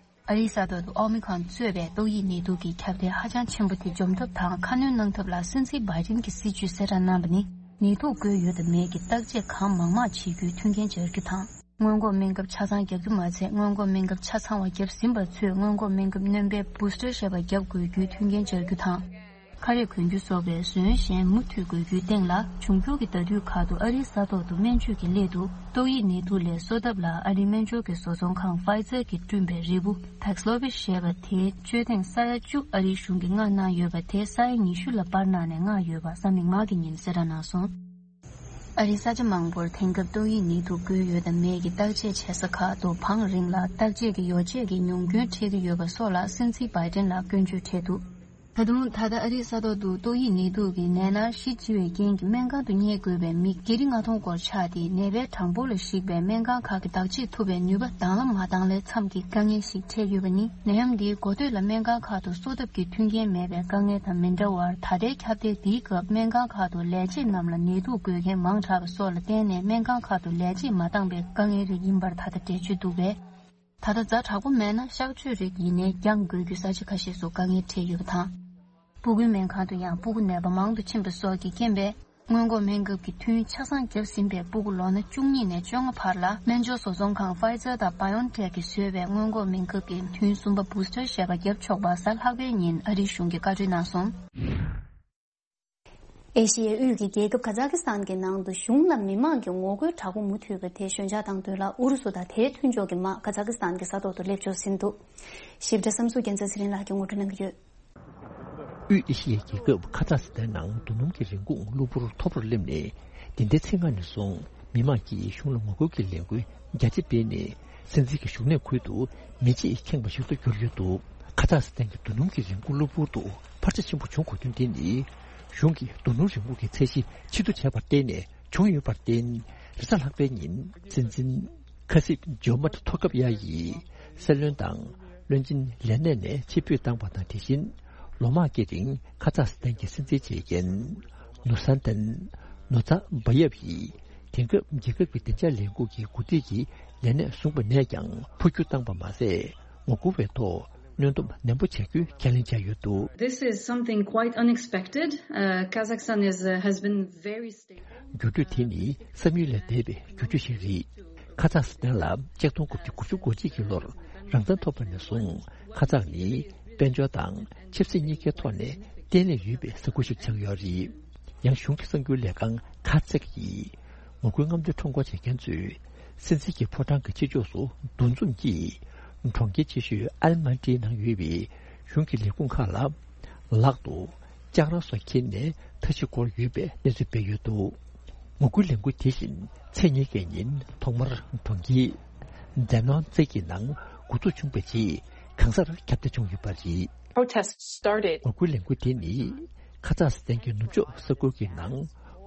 ཨ་རིའི་ས་ཐོག་ཏུ་ཨོ་མི་ཁོན་གཙོས་པའི་ཏོག་དབྱིབས་ནད་དུག་གི་ཁྱབ་གདལ་ཧ་ཅང་ཆེན་པོ་དེ་འཇོམས་ཐབས་དང་ཁ་སྣོན་གནང་ཐབས་ལ་སྲིད་འཛིན་བྷའི་ཌེན་གྱི་སྲིད་བྱུས་གསལ་བསྒྲགས་གནང་བ་ནི། ནད་དུག་འགོས་ཡོད་དམ་མེད་ཀྱི་བརྟག་དཔྱད་གང་མང་མང་བྱེད་རྒྱུའི་མཐུན་རྐྱེན་སྦྱར་རྒྱུ་དང་། སྔོན་འགོག་སྨན་ཁབ་ཆ་ཚང་བརྒྱབ་རྒྱུ་མ་ཚད་སྔོན་འགོག་སྨན་ཁབ་ཆ་ཚང་བ་བརྒྱབ་ཟིན་པ་ཚོས་སྔོན་འགོག་སྨན་ཁབ་སྣོན་པའི་བུ་སི་ཊར་ཞེས་པ་བརྒྱབ་དགོས་རྒྱུའི་མཐུན་རྐྱེན་སྦྱར་རྒྱུ་དང་། ཁ་རས་གོན་རྒྱུ་སོགས་པའི་ཟོན་གཞན་མུ་མཐུད་དགོས་རྒྱུའི་སྟེང་ལ། འབྱུང་འགྱུར་གྱི་ཟླ་དུས་ཁག་ཏུ་ཨ་རིའི་ས་ཐོག་ཏུ་སྨན་བཅོས་ཀྱི་སླད་དུ་ཏོག་དབྱིབས་ནད་དུག་ལས་གསོ་ཐབས་ལ་ཨ་རིའི་སྨན་སྦྱོར་གྱི་བཟོ་ཚོང་ཁང་Pfizer གྱིས་བསྐྲུན་པའི་རིལ་བུ་Paxlovid ཞེས་པ་དེའི་བཅོས་ཐེངས་ས་ཡ་བཅུ་ཨ་རིའི་གཞུང་གིས་མངགས་གནང་ཡོད་པ་དེ་ས་ཡ་ཉི་ཤུ་ལ་སྤར་གནང་ནས་མངགས་ཡོད་པ་གཟའ་མིག་དམར་གྱི་ཉིན་གསལ་བསྒྲགས་གནང་སོང་། ཨ་རིའི་ས་ཆ་མང་པོར་དེང་སྐབས་ཏོག་དབྱིབས་ནད་དུག་འགོས་ཡོད་དམ་མེད་ཀྱི་བརྟག་དཔྱད་བྱེད་ས་ཁག་ཏུ་བང་རིམ་ལ་བརྟག་དཔྱད་ཀྱི་ཡོ་བྱད་ཀྱི་ཉུང་སྐྱོན་འཕྲད་ཀྱི་ཡོད་པ་སོགས་ལ་སྲིད་འཛིན་བྷའི་ཌེན་ལ་སྐྱོན་བརྗོད་འཕྲད་འདུག་ད་དུང་ད་ལྟ་ཨ་རིའི་ས་ཐོག་ཏུ་ཏོག་དབྱིབས་ནད་དུག་གི་ནད་མནར་གཞི་ལྕི་བའི་རྐྱེན་གྱིས་སྨན་ཁང་དུ་གཉེར་དགོས་པའི་མི་བརྒྱ་རེ་ལྔ་སྟོང་སྐོར་ཆགས་ཏེ། ནད་པའི་གྲངས་འབོར་ལ་གཞིགས་པའི་སྨན་ཁང་ཁག་གི་བདག་གཅེས་ཐུབ་པའི་ནུས་པ་དང་ལ་མ་བཏང་ལས་མཚམས་ཀྱི་དཀའ་ངལ་ཞིག་འཕྲད་ཡོད་པ་ནི། ནད་ཡམས་འདིའི་འགོ་སྟོད་ལ་སྨན་ཁང་ཁག་ཏུ་གསོ་ཐབས་ཀྱི་མཐུན་རྐྱེན་མེད་པའི་དཀའ་ངལ་དང་མི་འདྲ་བར། ད་ལྟའི་ཁྱབ་གདལ་འདིའི་སྐབས་སྨན་ཁང་ཁག་ཏུ་ལས་བྱེད་རྣམས་ལ་ནད་དུག་འགོས་མཁན་མང་དྲགས་པ་སོགས་ལ་བརྟེན་ནས་སྨན་ཁང་ཁག་ཏུ་ལས་བྱེད་མ་འདང་པའི་དཀའ་ངལ་རིགས་ཡིན་པར་ད་ལྟ་འགྲེལ་བརྗོད་འདུག་པས། ད་ལྟ་ཛ་དྲག་པོ་མེད་ན་གཤག་བཅོས་རིགས་ཡིན་ནའི་འགྱངས་དགོས་རྒྱུ་ས་ཆ་ཁ་ཤས་སུ་དཀའ་ངལ་འཕྲད་ཡོད་པ་དང་། སྤུ་གུའི་སྨན་ཁང་དུ་ཡང་སྤུ་གུ་ནད་པ་མང་དུ་ཕྱིན་པ་སོགས་ཀྱི་རྐྱེན་པས། སྔོན་འགོག་སྨན་ཁབ་ཀྱི་ཐུན་ཆ་ཚང་བརྒྱབ་ཟིན་པའི་སྤུ་གུ་ལོ་ན་བཅུ་གཉིས་ནས་བཅོ་ལྔ་བར་ལ་སྨན་སྦྱོར་བཟོ་ཚོང་ཁང་Pfizer་དང་BioNTech གིས་བཟོས་པའི་སྔོན་འགོག་སྨན་ཁབ་ཀྱི་ཐུན་གསུམ་པ་བུ་སི་ཊར་ཞེས་པ་བརྒྱབ་ཆོག་པ་གཟའ་ལྷག་པའི་ཉིན་ཨ་རིའི་གཞུང་གིས་བཀའ་འཁྲོལ་གནང་སོང་། ཨེ་ཤི་ཡའི་དབུས་ཀྱི་རྒྱལ་ཁབ་ཁ་ཛ་ཀི་སི་ཐན་གྱི་ནང་དུ་གཞུང་ལ་མི་མང་གི་ངོ་རྒོལ་དྲག་པོ་མུ་མཐུད་པ་དེ་ཞོད་འཇགས་བཏང་དོན་ལ། ཨུ་རུ་སུ་དང་དེའི་མཐུན་ཕྱོགས་ཀྱི་དམག་ཁ་ཛ་ཀི་སི་ཐན་གྱི་ས་ཐོག་ཏུ་སླེབས་འབྱོར་ཟིན་འདུག་ཞིབ་ཕྲ་བསམ་གཟིགས་རྒྱལ་མཚན་ཚེ་རིང་ལགས་ཀྱིས་ངོ་སྤྲོད་གནང་གི་ཡོད། དབུས་ཨེ་ཤི་ཡའི་རྒྱལ་ཁབ་ཁ་ཛ་སི་ཐན་ནང་རྡོ་སྣུམ་གྱི་རིན་གོང་གློ་བུར་མཐོ་པོར་སླེབས་ནས། འདི་ཟླའི་ཚེས་ལྔ་ནས་བཟུང་མི་མང་གིས་གཞུང་ལ་ངོ་རྒོལ་གྱི་ལས་འགུལ་རྒྱ་ཆེ་སྤེལ་ནས། སྲིད་འཛིན་གྱི་བཞུགས་གནས་ཁུལ་དུ་མེ་ལྕེས་ཁེངས་པ་ཞིག་ཏུ་གྱུར་ཡོད་འདུག་ཁ་ཛ་སི་ཐན་གྱི་རྡོ་སྣུམ་གྱི་རིན་གོང་གློ་བུར་དུ་འཕར་ཆ་ཆེན་པོ་བྱུང་དགོས་དོན་དེ་ནི། གཞུང་གིས་རྡོ་སྣུམ་རིན་གོང་གི་ཚད་གཞི་ཕྱིར་བསྡུ་བྱས་པར་བརྟེན་ནས་བྱུང་ཡོད་པར་བརྟེན། རེས་གཟའ་ལྷག་པའི་ཉིན་སྲིད་འཛིན་ཁ་སིབ་ཇོ་མད་ཐོ་ཁབ་ཡ་ཡིས་སྲིད་བློན་དང་བློན་ཆེན་ལས་གནས་ནས་ཕྱིར་འབུད་བཏང་བ་དང་། དེ་བཞིན་ལོ་མང་སྐྱེལ་རིང་ཁ་ཛ་སི་ཐན་གྱི་སྲིད་འཛིན་བྱེད་མཁན་ནུ་སན་ཏན་ནུ་ཛ་བྷ་ཡེབ་ཡིས་དེང་སྐབས་རྒྱལ་ཁབ་ཀྱི་བདེ་འཇགས་ལས་ཁུངས་ཀྱི་འགོ་ཁྲིད་ཀྱི་ལས་གནས་བཟུང་བ་ནས་ཀྱང་འཕོ་འགྱུར་བཏང་པ་མ་ཟད། ངོ་རྒོལ་བའི་ཐོག་གནོན་སྡོམ་ནན་པོ་བྱ་རྒྱུའི་ཁས་ལེན་བྱས་ཡོད་འདུག This is something quite unexpected. Uh, Kazakhstan is, uh, has been very stable. འགྱུར་འགྲོས་དེ་ནི་བསམ་ཡུལ་ལས་འདས་པའི་འགྱུར་འགྲོས་ཤིག་རེད། ཁ་ཛ་སི་ཐན་ལ་ཆིག་སྟོང་དགུ་བརྒྱ་དགུ་བཅུ་གོ་གཅིག་གི་ལོར་རང་བཙན་ཐོབ་པ་ནས་བཟུང་། ཁ་ཛ་ནི་དཔལ་འབྱོར་དང་ཆབ་སྲིད་གཉིས་ཀའི་ཐོག་ནས་བརྟན་ལྷིང་ཡོད་པའི་ས་ཁུལ་ཞིག་ཆགས་ཡོད་རེད། ཡང་གཞུང་གི་གསར་འགྱུར་ལས་ཁང་ཁ་ཛེག་གིས་ངོ་རྒོལ་རྔམ་སྟོན་ཁྲོམ་སྐོར་བྱེད་མཁན་ཚོས་སྲིད་འཛིན་གྱི་ཕོ་བྲང་གི་ཕྱི་ཕྱོགས་སུ་འདུ་འཛོམས་ཀྱིས། གྲོང་ཁྱེར་ཆེ་ཤོས་ཨལ་མན་ཏིའི་ནང་ཡོད་པའི་གཞུང་གི་ལས་ཁུངས་ཁག་ལ་ལག་ཏུ་ལྕགས་ར་སོགས་འཁྱེར་ནས་མཐའ་བཞི་བསྐོར་ཡོད་པའི་གནས་ཚུལ་སྤེལ་ཡོད་འདུག་ངོ་རྒོལ་ལས་འགུལ་དེ་བཞིན་ཚེས་ཉེར་བརྒྱད་ཉིན་ཐོག་མར་གྲོང་ཁྱེར་ཛེ་ནོན་ཙེ་གི་ནང་འགོ་འཛུགས་བྱུང་བའི་རྗེས་གང་སར་ཁྱབ་གདལ་བྱུང་ཡོད་པ་རེད། Protests started. ངོ་རྒོལ་ལས་འགུལ་དེ་ནི་ཁ་ཛག་སི་ཐན་གྱི་ནུབ་ཕྱོགས་ས་ཁུལ་གྱི་ནང་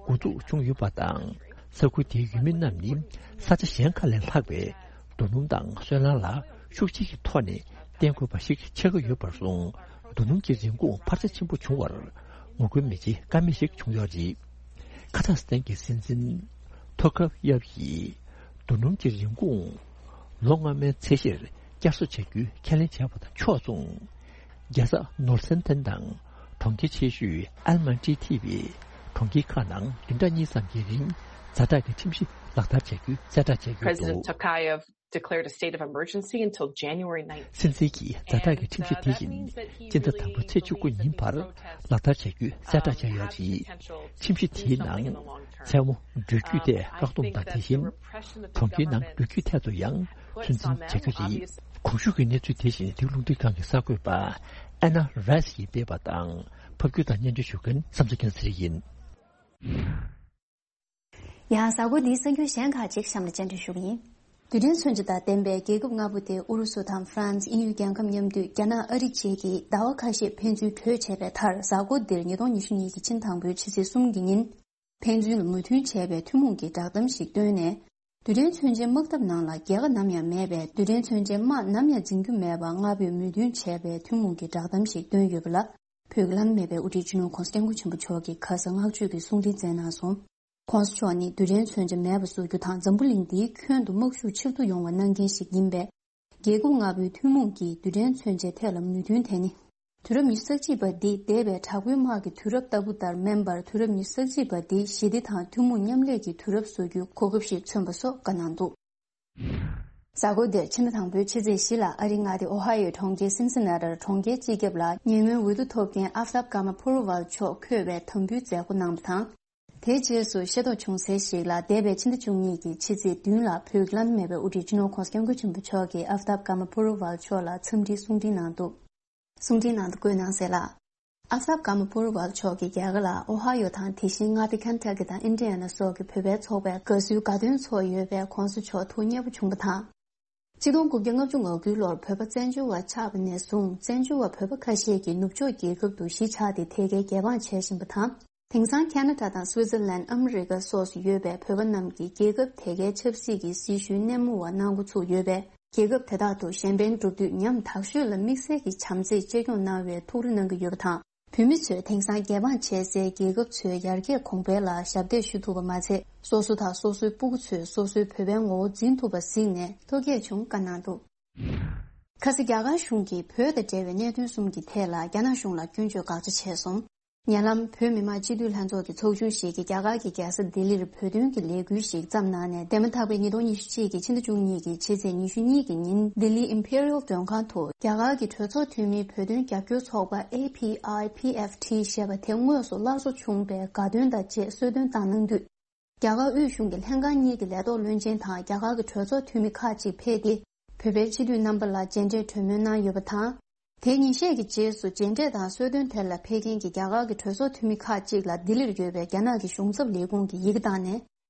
འགོ་འཛུགས་བྱུང་ཡོད་པ་དང་། ས་ཁུལ་དེའི་ཡུལ་མི་རྣམས་ནི་ས་ཆ་གཞན་ཁག་ལས་ལྷག་པའི་རྡོ་སྣུམ་དང་སོལ་རླངས་ལ་ཤུགས་ཆེ་གི་ཐོག་ནས་བརྟེན་དགོས་པ་ཞིག་ཆགས་ཀྱི་ཡོད་པར་སོང་། རྡོ་སྣུམ་གྱི་རིན་གོང་འཕར་ཆ་ཆེན་པོ་བྱུང་བར་ངོ་རྒོལ་མི་བྱེད་ཀ་མེད་ཞིག་བྱུང་ཡོད་རེད། ཁ་ཛག་སི་ཐན་གྱི་སྲིད་འཛིན་ཐོ་ཁབ་ཡབ་ཡིས་རྡོ་སྣུམ་གྱི་རིན་གོང་ལོ་སྔ་མའི་ཚད་གཞིར་བསྐྱར་གསོ་བྱ་རྒྱུའི་ཁས་ལེན་བྱས་པ་དང་ཕྱོགས་མཚུངས། རྒྱལ་ས་ནོར་སན་ཐན་དང་གྲོང་ཁྱེར་ཆེ་ཤོས་ཨལ་མན་ཏི་ཐེ་བའི་གྲོང་ཁྱེར་ཁག་ནང་བདུན་ཕྲག་གཉིས་ཙམ་གྱི་རིང་ཛ་དྲག་གི་ཁྲིམས་གཞི་ལག་བསྟར་བྱ་རྒྱུའི་གསལ་བསྒྲགས་བྱས་ཡོད་འདུག President Tokayev declared a state of emergency until January nineteenth. སྲིད་འཛིན་གྱིས་ཛ་དྲག་གི་ཁྲིམས་གཞི་དེ་བཞིན་སྤྱི་ཟླ་དང་པོའི་ཚེས་བཅུ་དགུ་ཉིན་བར་ལག་བསྟར་བྱ་རྒྱུའི་གསལ་བསྒྲགས་བྱས་ཡོད་རེད། ཁྲིམས་གཞི་དེའི་ནང་མཚན་མོ་འགྲུལ་སྐྱོད་ཐད་བཀག་སྡོམ་དང་། དེ་བཞིན་གྲོང་ཁྱེར་ནང་འགྲུལ་སྐྱོད་ཐད་དུ་ཡང་ཚོད་འཛིན་བྱ་རྒྱུ་རེད། གོང་ཞུས་ཀྱི་གནས་ཚུལ་དེ་བཞིན་དེའི་རླུང་འཕྲིན་ཁང་གི་གསར་འགོད་པ་ཨ་ན་རཱས་ཀྱིས་སྤེལ་བ་དང་། ཕབ་སྒྱུར་དང་སྙན་སྒྲོན་ཞུ་མཁན་བསམ་གཟིགས་སྐྱབས་མགོན་ཡིན། ཡང་གཟའ་འཁོར་འདིའི་གསར་འགྱུར་གཞན་ཁག་ཅིག་གཤམ་ལ་སྤྱན་འདྲེན་ཞུ་གི་ཡིན། རྡུལ་ཕྲན་མཚོན་ཆ་དང་ལྡན་པའི་རྒྱལ་ཁབ་ལྔ་པོ་སྟེ། ཨུ་རུ་སུ་དང་ཧྥ་རན་སི། དབྱིན་ཡུལ་རྒྱལ་ཁབ་མཉམ་འདུས། རྒྱ་ནག། ཨ་རི་བཅས་ཀྱིས་ཟླ་བ་ཁ་ཤས་ཕན་ཚུན་གྲོས་བྱས་པའི་མཐར། གཟའ་འཁོར་འདིར་ཉིས་སྟོང་ཉི་ཤུ་གཉིས་ཀྱི་ཕྱི་ཟླ་དང་པོའི་ཕྱི་ཚེས་གསུམ་གྱི་ཉིན། ཕན་ཚུན་ལ་མོས་མཐུན་བྱས་པའི་ཐུན་མོང་གི་བསྒྲགས་གཏམ་ཞིག་བཏོན་ནས། རྡུལ་ཕྲན་མཚོན་ཆའི་དམག་འཐབ་ནང་ལ་རྒྱལ་ཁ་ནམ་ཡང་མེད་པས། རྡུལ་ཕྲན་མཚོན་ཆའི་དམག་ནམ་ཡང་འཛིང་རྒྱུ་མེད་པར་ལྔ་པོས་མོས་མཐུན་བྱས་པའི་ཐུན་མོང་གི་བསྒྲགས་གཏམ་ཞིག་བཏོན་ཡོད་པ་ལ། བོད་ཀྱི་བླ་ན་མེད་པའི་དབུ་ཁྲིད་སྤྱི་ནོར་༧གོང་ས་༧སྐྱབས་མགོན་ཆེན་པོ་མཆོག་གིས་ཁ་ས་བསྔགས་བརྗོད་ཀྱི་གསུང་འཕྲིན་བསྩལ་གནང་སོང་། ༧གོང་ས་མཆོག་ནི་རྡུལ་ཕྲན་མཚོན་ཆ་མེད་པ་བཟོ་རྒྱུ་དང་། འཛམ་བུ་གླིང་འདིའི་ཁྱོན་དུ་དམག་ཤུགས་ཆེ་རུ་ཡོང་བ་གནང་མཁན་ཞིག་ཡིན་པས། རྒྱལ་ཁབ་ལྔ་པོའི་ཐུན་མོང་གི་རྡུལ་ཕྲན་མཚོན་ཆའི་ཐད་ལ་མོས་མཐུན་དེ་ནི། དུས་རབས་ཉི་ཤུ་རྩ་གཅིག་པ་འདི་འདས་པའི་དྲག་པོའི་དམག་གི་དུས་རབས་ལྟ་བུ་ལྟར་མིན་པར། དུས་རབས་ཉི་ཤུ་རྩ་གཅིག་པ་འདི་ཞི་བདེ་དང་ཐུན་མོང་མཉམ་ལས་ཀྱི་དུས་རབས་བཟོ་རྒྱུའི་གོ་སྐབས་ཤིག་མཚོན་པ་སོགས་བཀའ་གནང་འདུག། གཟའ་འཁོར་འདིར་ཕྱི་ཟླ་དང་པོའི་ཕྱི་ཚེས་བཞི་ལ་ཨ་རིའི་མངའ་སྡེ་ཨོ་ཧའི་ཡོའི་གྲོང་ཁྱེར་སིན་སི་ན་ཏིར་གྲོང་ཁྱེར་སྤྱི་ཁྱབ་ལ་ཉེ་སྔོན་འོས་བསྡུ་ཐོབ་མཁན་ཨབ་ཐབ་ཀ་མ་པུ་རུ་ཝལ་མཆོག་འཁོད་པའི་དམ་འབུལ་མཛད་སྒོ་གནང་བ་དང་། དེའི་རྗེས་སུ་ཤེས་རྟོགས་བྱུང་གསལ་ཞིག་ལ། འདས་པའི་ཕྱི་ཟླ་བཅུ་གཉིས་ཀྱི་ཕྱི་ཚེས་བདུན་ལ་བོད་ཀྱི་བླ་ན་མེད་པའི་དབུ་ཁྲིད་སྤྱི་ནོར་༧གོང་ས་༧སྐྱབས་མགོན་ཆེན་པོ་མཆོག་གིས་ཨབ་ཐབ་ཀ་མ་པུ་རུ་ཝལ་མཆོག་ལ་འཚམས་འདྲིའི་གསུང་འཕྲིན་གནང་འདུག། གསུང་འཕྲིན་ནང་དུ་བཀོད་གནང་གསལ་ལ། ཨབ་ཐབ་ཀ་མ་པུ་རུ་ཝལ་མཆོག་གིས་རྒྱ་གར་ལ་ཨོ་ཧའི་ཡོ་དང་། དེ་བཞིན་མངའ་སྡེ་ཁན་ཊ་ཀི་དང་ཨིན་ཌི་ཡ་ན་སོགས་ཀྱི་བོད་པའི་ཚོགས་པའི་དགའ་བསུའི་དགའ་སྟོན་ཚོགས་ཡོད་པས། ྋགོང་ས་མཆོག་ཐུགས་མཉེས་པོ་བྱུང་བ་དང་། ཆིག་སྟོང་དགུ་བརྒྱ་ལྔ་བཅུ་ང་དགུའི་ལོར་བོད་པ་བཙན་བྱོལ་བ་ཆགས་པ་ནས་བཟུང་། བཙན་བྱོལ་བ་བོད་པ་ཁ་ཤས་ཀྱིས་ནུབ་ཕྱོགས་རྒྱལ་ཁབ་ཏུ་གཞིས་ཆགས་ཏེ་དེ་གའི་རྒྱལ་འབངས་བྱས་བཞིན་པ་དང་། དེང་སང་ཁ་ན་ཌ་དང་སུའི་ཙར་ལན། ཨ་མི་རི་ཀ་སོགས་སུ་ཡོད་པའི་བོད་པ་རྣམས་ཀྱིས་རྒྱལ་ཁབ་དེ་གའི་ཆབ་སྲིད་ཀྱི་སྲི་ཞུའི་སྣེ་མོ་བ་གནང་འགོ་ཚུགས་ཡོད་པས། རྒྱལ་ཁབ་དེ་དག་ཏུ་གཞན་ཕན་སྒྲུབ་དུས་ཉམ་ཐག་ཤོས་ལ་དམིགས་བསལ་གྱི་བྱམས་བརྩེས་གཅེས་སྐྱོང་གནང་བའི་ཐུགས་རེ་གནང་གི་ཡོད་པ་དང་། བོད་མི་ཚོས་དེང་སང་རྒྱལ་འབངས་བྱེད་སའི་རྒྱལ་ཁབ་ཚོའི་ཡར་རྒྱས་གོང་འཕེལ་ལ་ཞབས་འདེགས་ཞུ་ཐུབ་པ་མ་ཚད། སོ་སོ་དང་སོ་སོའི་སྤུ་གུ་ཚོས་སོ་སོའི་བོད་པའི་ངོ་བོ་འཛིན་ཐུབ་པ་གཟིགས་ནས་ཐུགས་དགྱེས་བྱུང་བཀའ་གནང་འདུག། ཁ་སང་རྒྱ་གར་གཞུང་གིས་བོད་དང་འབྲེལ་བའི་གནད་དོན་གསུམ་གྱི་ཐད་ལ་རྒྱ་ནག་གཞུང་ལ་སྐྱོན་བརྗོད་དགག་བྱ་བྱས་སོང་། ཉེ་ལམ་བོད་མི་མང་སྤྱི་འཐུས་ལྷན་ཚོགས་ཀྱི་ཚོགས་ཆུང་ཞིག་གིས་རྒྱ་གར་གྱི་རྒྱལ་ས་ལྡི་ལིར་བོད་དོན་གྱི་ལས་འགུལ་ཞིག་བརྩམས་གནང་ནས། འདས་མ་ཐག་པའི་ཉིས་སྟོང་ཉི་ཤུ་གཅིག་གི་ཕྱི་ཟླ་བཅུ་གཉིས་ཀྱི་ཕྱི་ཚེས་ཉི་ཤུ་གཉིས་ཀྱི་ཉིན། ལྡི་ལི་ཨིམ་པི་རི་ཡལ་མགྲོན་ཁང་དུ་རྒྱ་གར་གྱི་གྲོས་ཚོགས་འཐུས་མིའི་བོད་དོན་རྒྱབ་སྐྱོར་ཚོགས་པ་ཨེ་ཕི་ཨའི་པི་ཨེཕ་ཊི་ཞེས་པ་དེ་དངོས་སུ་སླར་གསོ་བྱུང་བའི་དགའ་སྟོན་དང་བཅས་གསོལ་སྟོན་བཏང་གནང་དུས། རྒྱ་གར་དབུས་གཞུང་གི་ལྷན་ཁང་གཉིས་ཀྱི་ལས་ཐོག་བློན་ཆེན་དང་རྒྱ་གར་གྱི་གྲོས་ཚོགས་འཐུས་མི་ཁག་ཅིག་ཕེབས་ཏེ། བོད་པའི་སྤྱི་འཐུས་རྣམ་པ་ལ་མཇལ་འཕྲད་གྲོས་མོལ་གནང་ཡོད་པ་དང་། དེ་ཉིན་ཤས་ཀྱི་རྗེས་སུ་མཇལ་འཕྲད་དང་གསོལ་སྟོན་དེ་ལ་ཕེབས་མཁན་གྱི་རྒྱ་གར་གྱི་གྲོས་ཚོགས་འཐུས་མི་ཁག་ཅིག་ལ་ལྡི་ལིར་ཡོད་པའི་རྒྱ་ནག་གི་གཞུང་ཚབ་ལས་ཁུངས་ཀྱིས་ཡི་གེ་བཏང་ནས།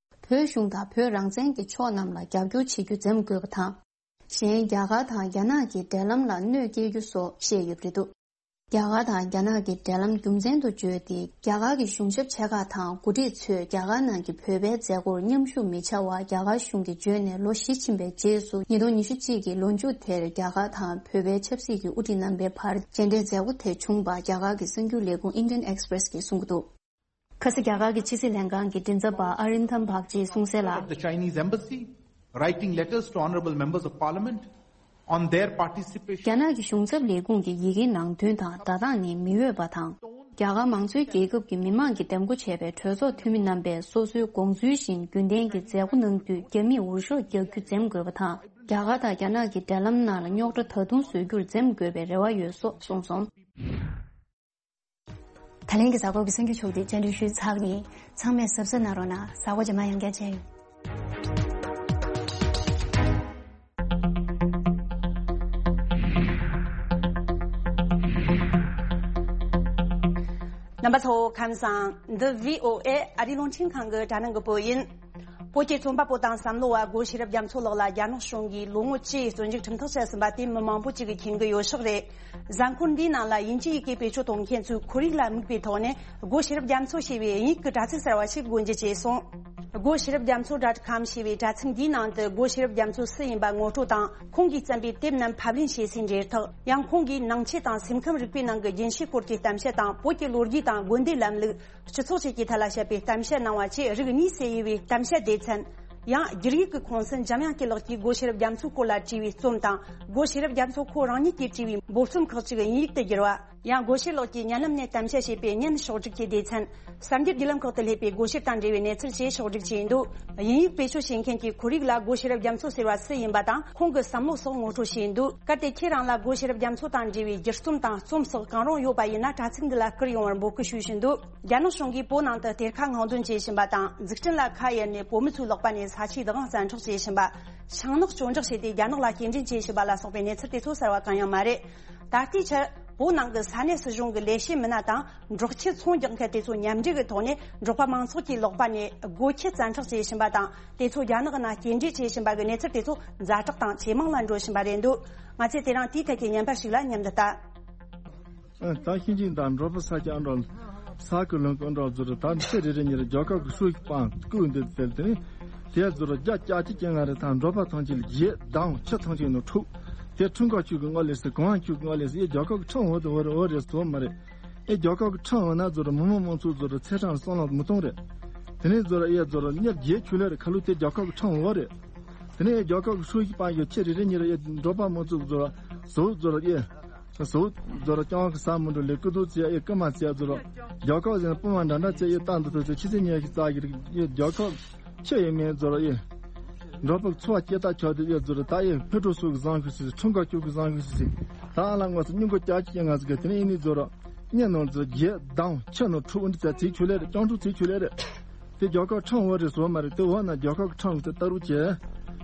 བོད་གཞུང་དང་བོད་རང་བཙན་གྱི་ཕྱོགས་རྣམས་ལ་རྒྱབ་སྐྱོར་བྱེད་རྒྱུ་འཛེམ་དགོས་པ་དང་། གཞན་རྒྱ་གར་དང་རྒྱ་ནག་གི་འབྲེལ་ལམ་ལ་གནོད་སྐྱེལ་རྒྱུ་སོགས་བཤད་ཡོད་པ་རེད་འདུག། རྒྱ་གར་དང་རྒྱ་ནག་གི་འབྲེལ་ལམ་རྒྱུ་མཚན་དུ་བརྗོད་དེ། རྒྱ་གར་གྱི་གཞུང་ཞབས་ཆེ་ཁག་དང་འགོ་ཁྲིད་ཚོས་རྒྱ་གར་ནང་གི་བོད་པའི་མཛད་སྒོར་མཉམ་ཞུགས་མི་བྱ་བར་རྒྱ་གར་གཞུང་གིས་བརྗོད་ནས་ལོ་བཞི་ཕྱིན་པའི་རྗེས་སུ། ཉིས་སྟོང་ཉི་ཤུ་གཅིག་གི་ལོ་མཇུག་དེར་རྒྱ་གར་དང་བོད་པའི་ཆབ་སྲིད་ཀྱི་དབུ་ཁྲིད་རྣམ་པའི་བར་མཇལ་འཕྲད་མཛད་སྒོ་དེ་བྱུང་བ་རྒྱ་གར་གྱི་གསར་འགྱུར་ལས་ཁུངས་Indian Express གིས་གསུངས་ཀྱི་འདུག། ཁ་སང་རྒྱ་གར་གྱི་ཕྱི་སྲིད་ལྷན་ཁང་གི་མགྲིན་ཚབ་པ་ཨ་རིན་དམ་བག་ཅིས་གསུངས་གསལ་ལ། Of the Chinese Embassy, writing letters to honorable members of parliament on their participation. རྒྱ་ནག་གི་གཞུང་ཚབ་ལས་ཁུངས་ཀྱི་ཡི་གེའི་ནང་དོན་དང་སྒྲ་གདངས་ནི་མི་འོས་པ་དང་། རྒྱ་གར་མང་གཙོའི་རྒྱལ་ཁབ་ཀྱི་མི་མང་གིས་འདེམས་བསྐོ་བྱས་པའི་གྲོས་ཚོགས་འཐུས་མི་རྣམ་པས་སོ་སོའི་དགོངས་ཚུལ་བཞིན་རྒྱུན་ལྡན་གྱི་མཛད་སྒོ་གནང་དུས་རྒྱ་མིས་འུར་ཤོག་རྒྱག་རྒྱུ་འཛེམ་དགོས་པ་དང་། རྒྱ་གར་དང་རྒྱ་ནག་གི་འབྲེལ་ལམ་ནང་ལ་རྙོག་དྲ་ད་དུང་བཟོ་རྒྱུར་འཛེམ་དགོས་པའི་རེ་བ་ཡོད་སོགས་གསུངས་སོང་། ད་ལན་གྱི་གཟའ་འཁོར་གྱི་གསར་འགྱུར་ཕྱོགས་བསྡུས་སྤྱན་འདྲེན་ཞུས་ཚར་བ་ཡིན། ཚང་མས་གཟབ་གཟབ་གནང་རོགས་གནང་། གཟའ་འཁོར་རྗེས་མ་ཡང་བསྐྱར་མཇལ་ཡོང་། རྣམ་པ་ཚོ་ཁམས་བཟང་། འདི་བྷི་ཨོ་ཨེ་ཨ་རིའི་རླུང་འཕྲིན་ཁང་གི་དྲ་སྣང་གི་བོད་ཡིན། བོད་ཀྱི་རྩོམ་པ་པོ་དང་བསམ་བློ་བ་སྒོ་ཤེས་རབ་རྒྱ་མཚོ་ལགས་ལ་རྒྱ་ནག་གཞུང་གིས་ལོ་ངོ་བཅུའི་བཙོན་འཇུག་ཁྲིམས་ཐག་བཅད་ཟིན་པ་དེ་མི་མང་པོ་ཅིག་གིས་མཁྱེན་གྱི་ཡོད་ཤག་རེད། གཟའ་འཁོར་འདིའི་ནང་ལ་དབྱིན་ཇིའི་ཡི་གེ་བེད་སྤྱོད་གཏོང་མཁན་ཚོའི་ཁོར་ཡུག་ལ་དམིགས་པའི་ཐོག་ནས་སྒོ་ཤེས་རབ་རྒྱ་མཚོ་ཞེས་པའི་དབྱིན་ཡིག་གི་དྲ་ཚིགས་གསར་བ་ཞིག་སྒོ་འབྱེད་བྱས་སོང་། སྒོ་ཤེས་རབ་རྒྱ་མཚོ་ཌོཊ་ཀོམ་ཞེས་པའི་དྲ་ཚིགས་འདིའི་ནང་དུ་སྒོ་ཤེས་རབ་རྒྱ་མཚོ་སུ་ཡིན་པ་ངོ་སྤྲོད་དང་། ཁོང་གིས་བརྩམས་པའི་དེབ་རྣམས་ཕབ་ལེན་བྱེད་སའི་འབྲེལ་ཐག་ཡང་། ཁོང་གིས་ནང་ཆོས་དང་སེམས་ཁམས་རིག་པའི་ནང་གི་རྒྱུན་ཤེས་སྐོར་གྱི་གཏམ་བཤད་དང་། བོད་ཀྱི་ལོ་རྒྱུས་དང་དགོན་སྡེའི་ལམ་ལུགས། སྤྱི་ཚོགས་བཅས་ཀྱི་ཐད་ལ་བཤད་པའི་གཏམ་བཤད་གནང་བ་བཅས་རིགས་གཉིས་སུ་དབྱེ་བའི་གཏམ་བཤད་སྡེ་ཚན། ཡང་། སྒྱུར་ཡིག་གི་ཁོངས་སུ་འཇམ་དབྱངས་སྐྱིད་ལགས་ཀྱིས་སྒོ་ཤེས་རབ་རྒྱ་མཚོའི་སྐོར་ལ་བྲིས་པའི་རྩོམ་དང་། སྒོ་ཤེས་རབ་རྒྱ་མཚོ་ཁོ་རང་ཉིད་ཀྱིས་བྲིས་པའི་འབོལ་རྩོམ་ཁག་ཅིག་དབྱིན་ཡིག་ཏུ་བསྒྱུར་བ། ཡང་སྒོ་ཤེས་ལགས་ཀྱིས་བརྙན་ལམ་ནས་གཏམ་བཤད་བྱས་པའི་བརྙན་ཕྱོགས་སྒྲིག་གི་སྡེ་ཚན། གསར་འགྱུར་བརྒྱུད་ལམ་ཁག་ཏུ་སླེབས་པའི་སྒོ་ཤེས་དང་འབྲེལ་བའི་གནས་ཚུལ་བཅས་ཕྱོགས་སྒྲིག་བྱས་འདུག། དབྱིན་ཡིག་བེད་སྤྱོད་བྱེད་མཁན་གྱི་ཁོར་ཡུག་ལ་སྒོ་ཤེས་རབ་རྒྱ་མཚོ་ཟེར་བ་སུ་ཡིན་པ་དང་། ཁོང་གི་བསམ་བློ་སོགས་ངོ་སྤྲོད་བྱས་འདུག། གལ་ཏེ་ཁྱེད་རང་ལ་སྒོ་ཤེས་རབ་རྒྱ་མཚོ་དང་འབྲེལ་བའི་བསྒྱུར་རྩོམ་དང་རྩོམ་སོགས་གང་རུང་ཡོད་པ་ཡིན་ན། དྲ་ཚིགས་འདི་ལ་བསྐུར་ཡོང་བར་འབོད་སྐུལ་ཞུ་བཞིན་འདུག། རྒྱ་ནག་གཞུང་གིས་བོད་ནང་དུ་གཏེར་ཁ་སྔོག་འདོན་བྱེད་བཞིན་པ་དང་། འཛུགས་སྐྲུན་ལ་ཁ་གཡར་ནས་བོད་མི་ཚོའི་ལག་པ་ནས་ས་ཆའི་བདག་དབང་བཙན་འཕྲོག་བྱེད་བཞིན་པ། ཤིང་ནགས་གཅོད་འབྲེག་བྱས་ཏེ་རྒྱ་ནག་ལ་སྐྱེལ་འདྲེན་བྱེད་བཞིན་པ་ལ་སོགས་པའི་གནས་ཚུལ་དེ་ཚོ་གསར་བ་གང་ཡང་མ་རེད། ད་ལྟའི་ཆར་བོད་ནང་གི་ས་གནས་སྲིད་གཞུང་གི་ལས་བྱེད་མི་སྣ་དང་། འབྲོག་ཁྱི་ཚོང་རྒྱག་མཁན་དེ་ཚོ་མཉམ་འབྲེལ་གྱི་ཐོག་ནས་འབྲོག་པ་མང་ཚོགས་ཀྱི་ལག་པ་ནས་སྒོ་ཁྱི་བཙན་འཕྲོག་བྱེད་བཞིན་པ་དང་། དེ་ཚོ་རྒྱ་ནག་ནང་སྐྱེལ་འདྲེན་བྱེད་བཞིན་པ་གི་གནས་ཚུལ་དེ་ཚོ་ཛ་དྲག་དང་ཇེ་མང་ལ་འགྲོ་བཞིན་པ་རེད་འདུག། ང་ཚོས་དེ་རིང་དེའི་ཐད་ཀྱི་བརྙན་པར་ཞིག་ལ་མཉམ་དུ་ལྟ། ད་ཤིང་ཆེན་དང་འབྲོག་པ་ས་སྐྱ་འགྲོ། ས་ཁུལ་ལུང་ཀུན་འགྲོ་ཟུར་ད་ཚེ་རེ་རེ་ཉིན་རྒྱལ་ཁབ་ཀྱི་ཧྲུའུ་ཅི་པང་བསྐུལ་འདེབས་དེ་དེ་ནི་དེ་ཟུར་རྒྱ་སྐྱ་ཅི་ཅན་ང་རེ་ད་འབྲོག་པ་ཐང་ཆེན་ལ་རྒྱས་དང་ཁྱི་ཐང་ཆེན་ནོ་ཁྲུག་དེ་ཁྲུང་ཀ་ཁྱུ་གི་ངོ་ལས་སི་གོང་ཁྱུ་གི་ངོ་ལས་སི་ཨེ་རྒྱལ་ཁབ་ཀྱི་ཁྲང་འོ་དེ་འོ་རེ་འོ་རེ་སོ་མ་རེད། ཨེ་རྒྱལ་ཁབ་ཀྱི་ཁྲང་འོ་ན་ཟུར་མི་མང་མང་ཚོགས་ཟུར་ཚེ་ཁྲང་སོང་ལ་མི་གཏོང་རེད། དེ་ནས་ཟུར་ཨེ་ཟུར་གཉེར་རྒྱས་ཁྱུ་ལེ་རེ་ཁ་ལུ་དེ་རྒྱལ་ཁབ་ཀྱི་ཁྲང་འོ་རེད། དེ་ནས་རྒྱལ་ཁབ་ཀྱི་ཧྲུའུ་ཅི་པང་ཡོད་ཁྱེད་རེ་རེ་ཉིན་རེ་འབྲོག་པ་མང་ཚོགས་ཟུར་ཟུར་ཟུར་ཨེ། ཟུར་ཟུར་རྐྱང་གི་ས་མི་འགྲོ་ལས་ཀུ་དུ་ཚེ་ཨེ་ཀུ་མ་ཚེ་ཟུར། རྒྱལ་ཁབ་ཟེར་ན་སྤུ་མ་འདྲ་འདྲ་ཚེ་ཨེ་བཏང་འདུག་ཚེ་ཆི་ཚེ་ཉལ་གི་རྩ་གི་རིགས་ཨེ་རྒྱལ་ཁབ་ཁྱེད་ཡོད་མེད་ཟུར་ཨེ། འབྲོག་པ་འཚོ་བ་སྐྱེལ་ཐབས་ཆགས་དུས་ཨེ་ཟུར་ད་ཨེ་ཕེ་ཀྲོ་སུ་གི་བཟང་ཤུ་སི་ཁྲུང་ཀ་ཁྱུ་གི་བཟང་ཤུ་སི་ད་ཨ་ལ་ངོ་སུ་སྙུང་གོ་ཀྱག་ཀྱི་ང་ཟིག་གི་དེ་ནས་ཨེ་ནི་ཟུར། གཉེན་ནོར་ཚོ་རྒྱས་དང་ཁྱི་ནོར་ཕྲུག་འདི་ཚ་ཚིག་ཆུ་ལེ་རེད། སྤྱང་ཕྲུག་ཚིག་ཆུ་ལེ་རེད། དེ་རྒྱལ་ཁབ་ཁྲང་འོ་རེད་བཟོ་མ་རེད། དེ་འོ་ན་རྒྱལ་ཁབ་ཁྲང་དེ་ལྟ་རུ་བྱས།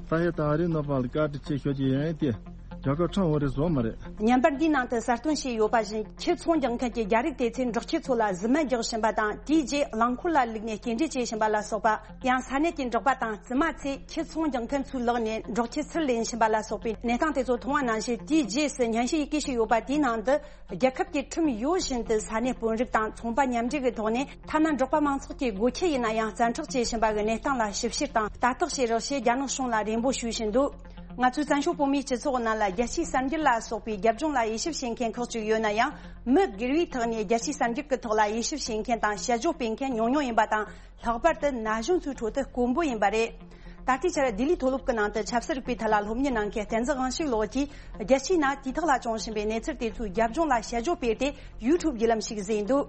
ད་ཧེ་ད་རེ་ནོར་བ་ལ་བཀའ་དྲིན་ཆེ་ཤོད་ཀྱི་ཡིན་ཏེ། རྒྱལ་ཁབ་ཁྲང་འོ་རེད་བཟོ་མ་རེད། བརྙན་པར་འདིའི་ནང་དུ་གསལ་སྟོན་བྱས་ཡོད་པ་བཞིན་ཁྱི་ཚོང་རྒྱག་མཁན་གྱི་རྒྱ་རིགས་དེ་ཚོས་འབྲོག་ཁྱི་ཚོ་ལ་གཟི་སྨན་རྒྱག་བཞིན་པ་དང་དེའི་རྗེས་རླངས་འཁོར་ལ་བླུགས་ནས་སྐྱེལ་འདྲེན་བྱེད་བཞིན་པ་ལ་སོགས་པ། ཡང་ས་གནས་ཀྱི་འབྲོག་པ་དང་བཙུན་མ་ཚོས་ཁྱི་ཚོང་རྒྱག་མཁན་ཚོའི་ལག་ནས་འབྲོག་ཁྱི་ཚུར་ལེན་བཞིན་པ་ལ་སོགས་པའི་གནས་སྟངས་དེ་ཚོ་མཐོང་བ་ནང་བཞིན་དེའི་རྗེས་སུ་སྙན་ཞུ་ཡི་གེ་ཞིག་ཡོད་པ་དེའི་ནང་དུ། རྒྱལ་ཁབ་ཀྱི་ཁྲིམས་ཡོད་བཞིན་དུ་ས་གནས་དཔོན་རིགས་དང་ཚོང་པ་མཉམ་འབྲེལ་གྱི་ཐོག་ནས་ཐ་ན་འབྲོག་པ་མང་ཚོགས་ཀྱི་སྒོ་ཁྱི་ཡིན་ན་ཡང་བཙན་འཕྲོག་བྱེད་བཞིན་པ་གི་གནས་སྟངས་ལ་ཞིབ་བཤེར་དང་ལྟ་རྟོག་བྱེད་རོགས་ཞེས་རྒྱ་ནག་གཞུང་ལ་རེ་འབོད་ཞུ་བཞིན་འདུག། ང་ཚོའི་བཙན་བྱོལ་བོད་མིའི་སྤྱི་ཚོགས་ནང་ལ་རྒྱལ་སྤྱིའི་གསར་འགྱུར་ལ་སོགས་པའི་རྒྱབ་ལྗོངས་ལ་དབྱེ་ཞིབ་བྱེད་མཁན་ཁག་ཅིག་ཡོད་ན་ཡང་། མི་སྒེར་བའི་ཐོག་ནས་རྒྱལ་སྤྱིའི་གསར་འགྱུར་གྱི་ཐོག་ལ་དབྱེ་ཞིབ་བྱེད་མཁན་དང་དཔྱད་བརྗོད་སྤེལ་མཁན་ཉུང་ཉུང་ཡིན་པ་དང་། ལྷག་པར་དུ་ན་གཞོན་ཚོའི་ཁྲོད་དུ་དཀོན་པོ་ཡིན་པ་རེད། ད་ལྟའི་ཆར་ལྡི་ལིའི་མཐོ་སློབ་ཀྱི་ནང་དུ་ཆབ་སྲིད་རིག་པའི་ཐད་ལ་སློབ་གཉེར་གནང་མཁན་བསྟན་འཛིན་དབང་ཕྱུག་ལགས་ཀྱིས་རྒྱལ་སྤྱིའི་ནང་དུས་ཐོག་ལ་བྱུང་བཞིན་པའི་གནས་ཚུལ་དེ་ཚོའི་རྒྱབ་ལྗོངས་ལ་དཔྱད་བརྗོད་སྤེལ་ཏེ་ཡུ་ཊུབ་བརྒྱུད་ལམ་ཞིག་བཟོས་འདུག།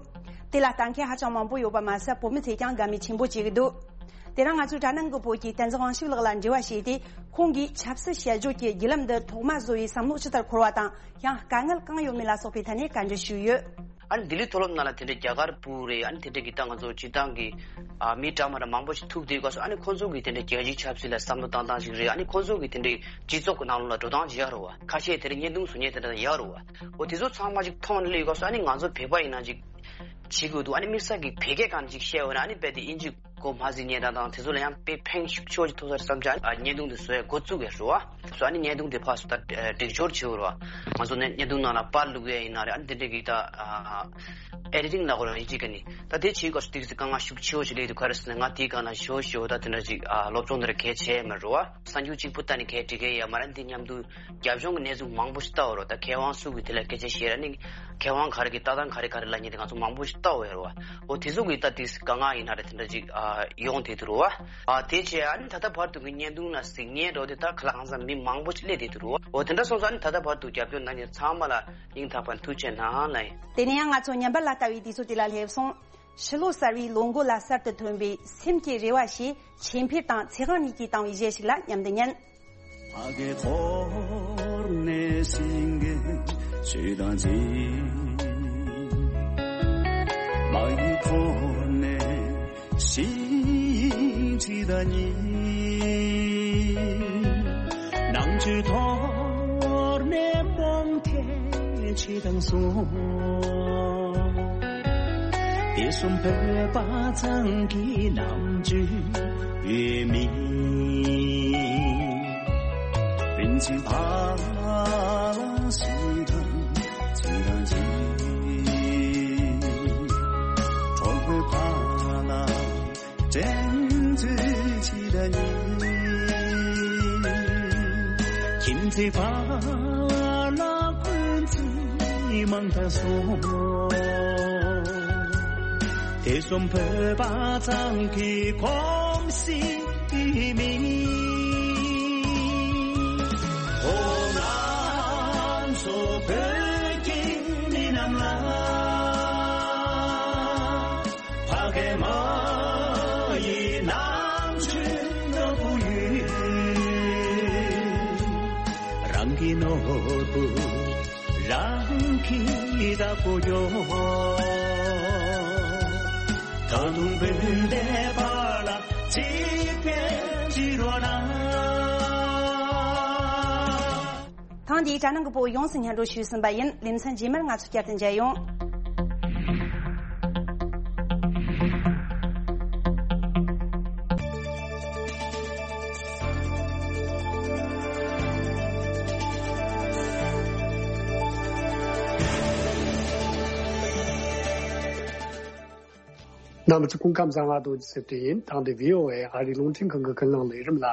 དེ་ལ་ལྟ་མཁན་ཧ་ཅང་མང་པོ་ཡོད་པ་མ་ཟད་བོད་མི་ཚོས་ཀྱང་དགའ་མོས་ཆེན་པོ་བྱེད་ཀྱི་འདུག། དེ་རིང་ང་ཚོའི་དྲ་ནང་གི་བོད་ཀྱི་བསྟན་འཛིན་དབང་ཕྱུག་ལགས་ལ་འབྲེལ་བ་བྱས་ཏེ་ཁོང་གིས་ཆབ་སྲིད་དཔྱད་བརྗོད་ཀྱི་བརྒྱུད་ལམ་འདི་ཐོག་མ་བཟོ་བའི་བསམ་བློ་ཇི་ལྟར་འཁོར་བ་དང་ཡང་དཀའ་ངལ་གང་ཡོད་མེད་ལ་སོགས་པའི་ཐད་ནས་བཀའ་འདྲི་ཞུས་ཡོད། ཨ་ནི་ལྡི་ལི་མཐོ་སློབ་ནང་ལ་དེ་འདྲའི་རྒྱ་གར་བུ་རེད། ཨ་ནི་དེ་འདྲའི་གི་ད་ང་ཚོ་སྤྱི་བཏང་གི་ཨ་མི་འདྲ་མ་འདྲ་མང་པོ་ཞིག་ཐུག་དུས་སྐབས་སུ་ཨ་ནི་ཁོང་ཚོ་གི་དེ་འདྲའི་རྒྱལ་སྤྱིའི་ཆབ་སྲིད་ལ་བསམ་བློ་བཏང་སྟངས་ཤིག་རེད། ཨ་ནི་ཁོང་ཚོ་གི་དེ་འདྲའི་སྤྱི་ཚོགས་ཀྱི་ནང་ལོགས་ལ་འགྲོ་སྟངས་ཅིག་ཡག་རུ་བ། ཁ་ཤས་དེ་འདྲའི་བརྙན་ཐུང་བཟོ་མཁན་དེ་འདྲ་ཡག་རུ་བ། འོ་དེ་ཚོ་ཚང་མ་ཅིག་མཐོང་ནས་སླེབས་སྐབས་སུ་ཨ་ནི་ང་ཚོ་བོད་པ་ཡིན་ན་ཅིག་བྱེད་དགོས་འདུག། ཨ་ནི་དམིགས་བསལ་གྱི་བོད་སྐད་སྒང་ཅིག་བཤད་འོས་ན་ཨ་ནི་རྦད་དེ་དབྱིན་ཇི་གོ་མ་གཟིགས་མཁན་དང་དང་དེ་ཚོ་ལ་ཡང་དཔེ་ཕན་ཤུགས་ཆེ་བོ་ཅིག་ཐོགས་ས་རེད་བསམ་བྱས། ཨ་ནི་བརྙན་ཐུང་དེ་བཟོ་ཡ་འགོ་བཙུགས་ཡ་རུ་བ། སོ་ཨ་ནི་བརྙན་ཐུང་དེ་ཕར་ཚུར་ད་སྒྲིག་སྦྱོར་བྱེད་དགོས་རེད་བ། ང་ཚོ་ནས་བརྙན་ཐུང་ནང་ལ་པར་བླུགས་ཡས་ཡིན་ན་རེད། ཨ་ནི་དེ་འདྲའི་གི་ད་ཨ་ཨེ་ཌི་ཊིང་ལབ་དགོས་རེད་ཡིན་གཅིག་ག་ནི། ད་དེ་བྱེད་སྐབས་སུ་ཏོག་ཙམ་དཀའ་ངལ་ཤུགས་ཆེ་བོ་ཞིག་སླེབས་འདུག། ག་རེ་ཟེར་ན་ང་དེའི་སྒང་ལ་ཞོ་ཞོ་ད་དེ་འདྲ་ཅིག་ཨ་སློབ་སྦྱོང་དེ་འདྲ་གལ་ཆེ་མ་རེད་བ། གསར་འགྱུར་གཅིག་པུ་ལྟ་ནས་གལ་འགྲིག་གི་ཡོད་མ་རེད། འདི་མཉམ་དུ་རྒྱབ་ལྗོངས་ཀྱི་གནས་ཚུལ་མང་པོ་ཞིག་ལྟ་དགོས་རེད་བ། ད་མཁས་དབང་སུ་གིས་དེ་ལ་སྐད་ཆ་བཤད་ར་ནི་མཁས་དབང་ག་རེ་གི་ལྟ་སྟངས་ག་རེ་ག་རེ་ལབ་མཁན་དེ་ང་ཚོ་མང་པོ་ཞིག་ལྟ་དགོས་ཡོད་རེད་བ། འོ་དེ་ཚོ་གི་ད་ཏོག་ཙམ་དཀའ་ངལ་ཡིན་ན་རེད་དེ་འདྲ་ཅིག་ཨ་ཡོང་བསྡད་འདུག་རེད་བ། ཨ་དེ་བྱས་ཨ་ནི་ད་ལྟ་བར་དུ་གི་བརྙན་ཐུང་ལ་གཟིགས་མཁན་འདྲ་བོ་དེ་ད་ག་ལ་གང་འཚམ་མི་མང་པོ་ཞིག་སླེབས་བསྡད་འདུག་རེད་བ། འོ་དེ་འདྲ་སོང་ཙང་ཨ་ནི་ད་ལྟ་བར་དུ་རྒྱབ་སྐྱོར་གནང་མཁན་ཚང་མ་ལ་སྙིང་ཐག་པ་ནས་ཐུགས་རྗེ་གནང་ལབ་ཡིན། དེ་ནས་ཡང་ང་ཚོ་བརྙན་པར་ལ་ལྟ་བའི་དུས་ཚོད་དེ་ལ་སླེབས་སོང་། ཕྱི་ལོ་གསར་བའི་ལོ་མགོ་ལ་གསར་དུ་ཐོན་པའི་སེམས་ཀྱི་རེ་བ་ཞེས་ཆོས་འཕེལ་དང་ཚེ་དབང་གཉིས་ཀྱིས་བཏང་བའི་གཞས་ཤིག་ལ་མཉམ་དུ་ཉན། ཕ་གི་འཁོར་ནས་སེང་གེ་ཆོས་དང་མཛད། མ་ཡི་འཁོར་ནས་ཞིང་ཁྲི་དང་ཉེ། ནང་ཆོས་འཐོར་ནས་སྤོང་ཐེ་ཆེ་དང་སོང་། དེ་གསུམ་བོད་པ་ཚང་གི་རྣམ་དཔྱོད་ཡོད་མིན། བན་ཆེན་ཕ་ལ་སུ་དང་ཚུ་དང་ཅི། གྲོགས་པོའི་ཕ་ལ་དྲན་ཚུལ་ཅི་དང་ཉིད། ཁྱིམ་མཚེས་ཕ་ལ་ཀུན་གྱིས་མང་དྲགས་སོང་། དེ་གསུམ་བོད་པ་ཚང་གི་གོམས་གཤིས་མིན། འོ་ང་ཚོ་བོད་ཀྱི་མི་རྣམས་ལ། ཕ་གི་མ་ཡི་རྣམ་དཔྱོད་ནོར་བུ་ཡིན། རང་གི་ནོར་བུ་རང་གིས་བདག་པོ་ཡོད། ད་དུང་བོད་འདིའི་བར་ལ་གཅིག་གིས་གཅིག་རོགས་གནང་། འདིའི་དྲ་ནང་གི་བོད་ཡོངས་སུ་སྙན་སྒྲོན་ཞུས་ཟིན་པ་ཡིན། ལེ་ཚན་རྗེས་མར་ང་ཚོ་བསྐྱར་དུ་མཇལ་ཡོང་། རྣམ་པ་ཚོ་སྐུ་ཁམས་བཟང་། ང་རྡོ་རྗེ་སེ་བཀྲ་ཡིན། ཐེངས་འདིའི་ཝི་ཨོ་ཨེ་ཨ་རིའི་རླུང་འཕྲིན་ཁང་གི་ཀུན་གླེང་ལས་རིམ་ལ།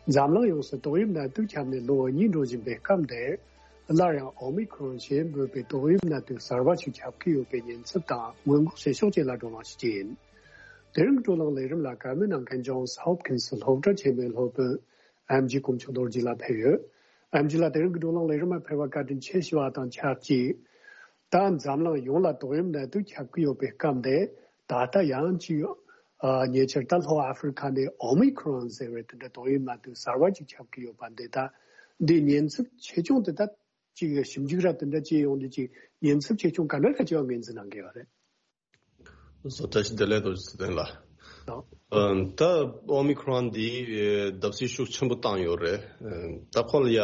འཛམ་གླིང་ཡོངས་སུ་ཏོག་དབྱིབས་ནད་དུག་ཁྱབ་ནས་ལོ་གཉིས་འགྲོ་བཞིན་པའི་སྐབས་འདིར། སླར་ཡང་ཨོ་མི་ཁྲོན་ཞེས་འབོད་པའི་ཏོག་དབྱིབས་ནད་དུག་གསར་བ་ཞིག་ཁྱབ་ཀྱི་ཡོད་པའི་ཉེན་ཚབས་དང་སྔོན་འགོག་བྱེད་ཕྱོགས་བཅས་ལ་བགྲོ་གླེང་ཞུ་རྒྱུ་ཡིན། དེ་རིང་གི་བགྲོ་གླེང་ལས་རིམ་ལ་བཀའ་མོལ་གནང་མཁན་ཇོན་སི་ཧོབ་ཀིན་སི་སློབ་གྲྭ་ཆེན་མོའི་སློབ་དཔོན་ཨེམ་ཆི་དཀོན་མཆོག་རྡོ་རྗེ་ལགས་ཕེབས་ཡོད། ཨེམ་ཆི་ལགས། དེ་རིང་གི་བགྲོ་གླེང་ལས་རིམ་ལ་ཕེབས་པར་བཀའ་དྲིན་ཆེ་ཞུ་བ་དང་ཆབས་ཅིག་ད་འཛམ་གླིང་ཡོངས་ལ་ཏོག་དབྱིབས་ནད་དུག་ཁྱབ་ཀྱི་ཡོད་པའི་སྐབས་འདིར། ད་ལྟ་ཡང་ཅིག་ཨ། ཉེ་ཆར་ད་ལྷོ་ཨ་ཧྥེ་རི་ཁ་ནས་ཨོ་མི་ཁྲོན་ཟེར་བའི་དེ་འདྲ་ཏོག་དབྱིབས་ནད་དུག་གསར་བ་ཅིག་ཁྱབ་ཀྱི་ཡོད་པ་འདི། ད་འདི་ཉེན་ཚབས་ཆེ་ཆུང་དེ་དག་ཅིག་ཞིབ་འཇུག་ར་དེ་འདྲ་བྱས་ཡོང་དུས། ཅིག་ཉེན་ཚབས་ཆེ་ཆུང་ག་འདྲ་ག་ཅིག་ངོས་འཛིན་གནང་གི་ཡོད་རེད། བཀྲ་ཤིས་བདེ་ལེགས། རྡོ་རྗེ་ཚེ་བརྟན་ལགས། ཨ། ད་ཨོ་མི་ཁྲོན་འདི་ཨེ་བརྡབ་གསིག་ཤུགས་ཆེན་པོ་བཏང་ཡོད་རེད། ཨ། ད་ཁོ་ལ་ཡ་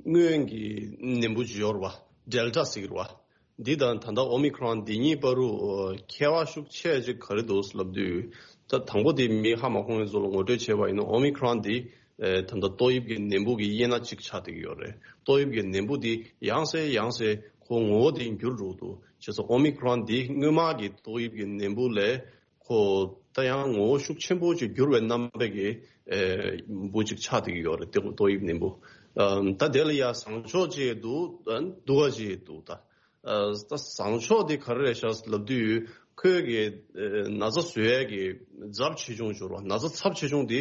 སྔོན་གྱི་ནད་འབུ་ཅིག་ཡོད་རེད་བ། ཌེལ་ཊ་ཟེར་གྱི་རེད་བ། འདི་དང་ད་ལྟ་ཨོ་མི་ཁྲོན་འདི་གཉིས་བར་དུ་ཨ་ཁྱད་པར་ཤུགས་ཆེ་ཅིག་ག་རེ་འདུག་ལབ་དུས། ད་དང་པོ་དེ་མི་ཧ་མ་གོ་མཁན་ཚོ་ལ་ངོ་སྤྲོད་བྱས་པ་ཡིན་ན། ཨོ་མི་ཁྲོན་འདི་ཨེ་ད་ལྟ་ཏོག་དབྱིབས་ཀྱི་ནད་འབུ་གི་དབྱེ་ན་གཅིག་ཆགས་བསྡད་ཀྱི་ཡོད་རེད། ཏོག་དབྱིབས་ཀྱི་ནད་འབུ་འདི་ཡང་སེ་ཡང་སེ་ཁོ་ངོ་བོ་དེ་འགྱུར་འགྲོ་གི་འདུག་བྱས་ཙང་ཨོ་མི་ཁྲོན་འདི་སྔོན་མ་གི་ཏོག་དབྱིབས་ཀྱི་ནད་འབུ་ལས་ཁོ་ད་ཡང་ངོ་བོ་ཤུགས་ཆེན་པོ་ཅིག་འགྱུར་བའི་རྣམ་པའི་གི་ཨེ་འབུ་ཅིག་ཆགས་བསྡད་ཀྱི་ཡོད་རེད། ཏོག་ཏོག་དབྱིབས་ནད་འབུ། ཨམ། ད་དེ་ལ་ཡ་བཟང་ཕྱོགས་ཅིག་འདུག་ཨ། སྡུག་པ་ཅིག་འདུག་ད་ཨ་ད་བཟང་ཕྱོགས་དེ་ག་རེ་རེད་ཤག་ལབ་དུས། ཁོའི་གི་ཨེ་ན་ཚ་བཟོ་ཡས་ཀྱི་ཚབས་ཆེ་ཆུང་འབྱོར་བ། ན་ཚ་ཚབས་ཆེ་ཆུང་དེ་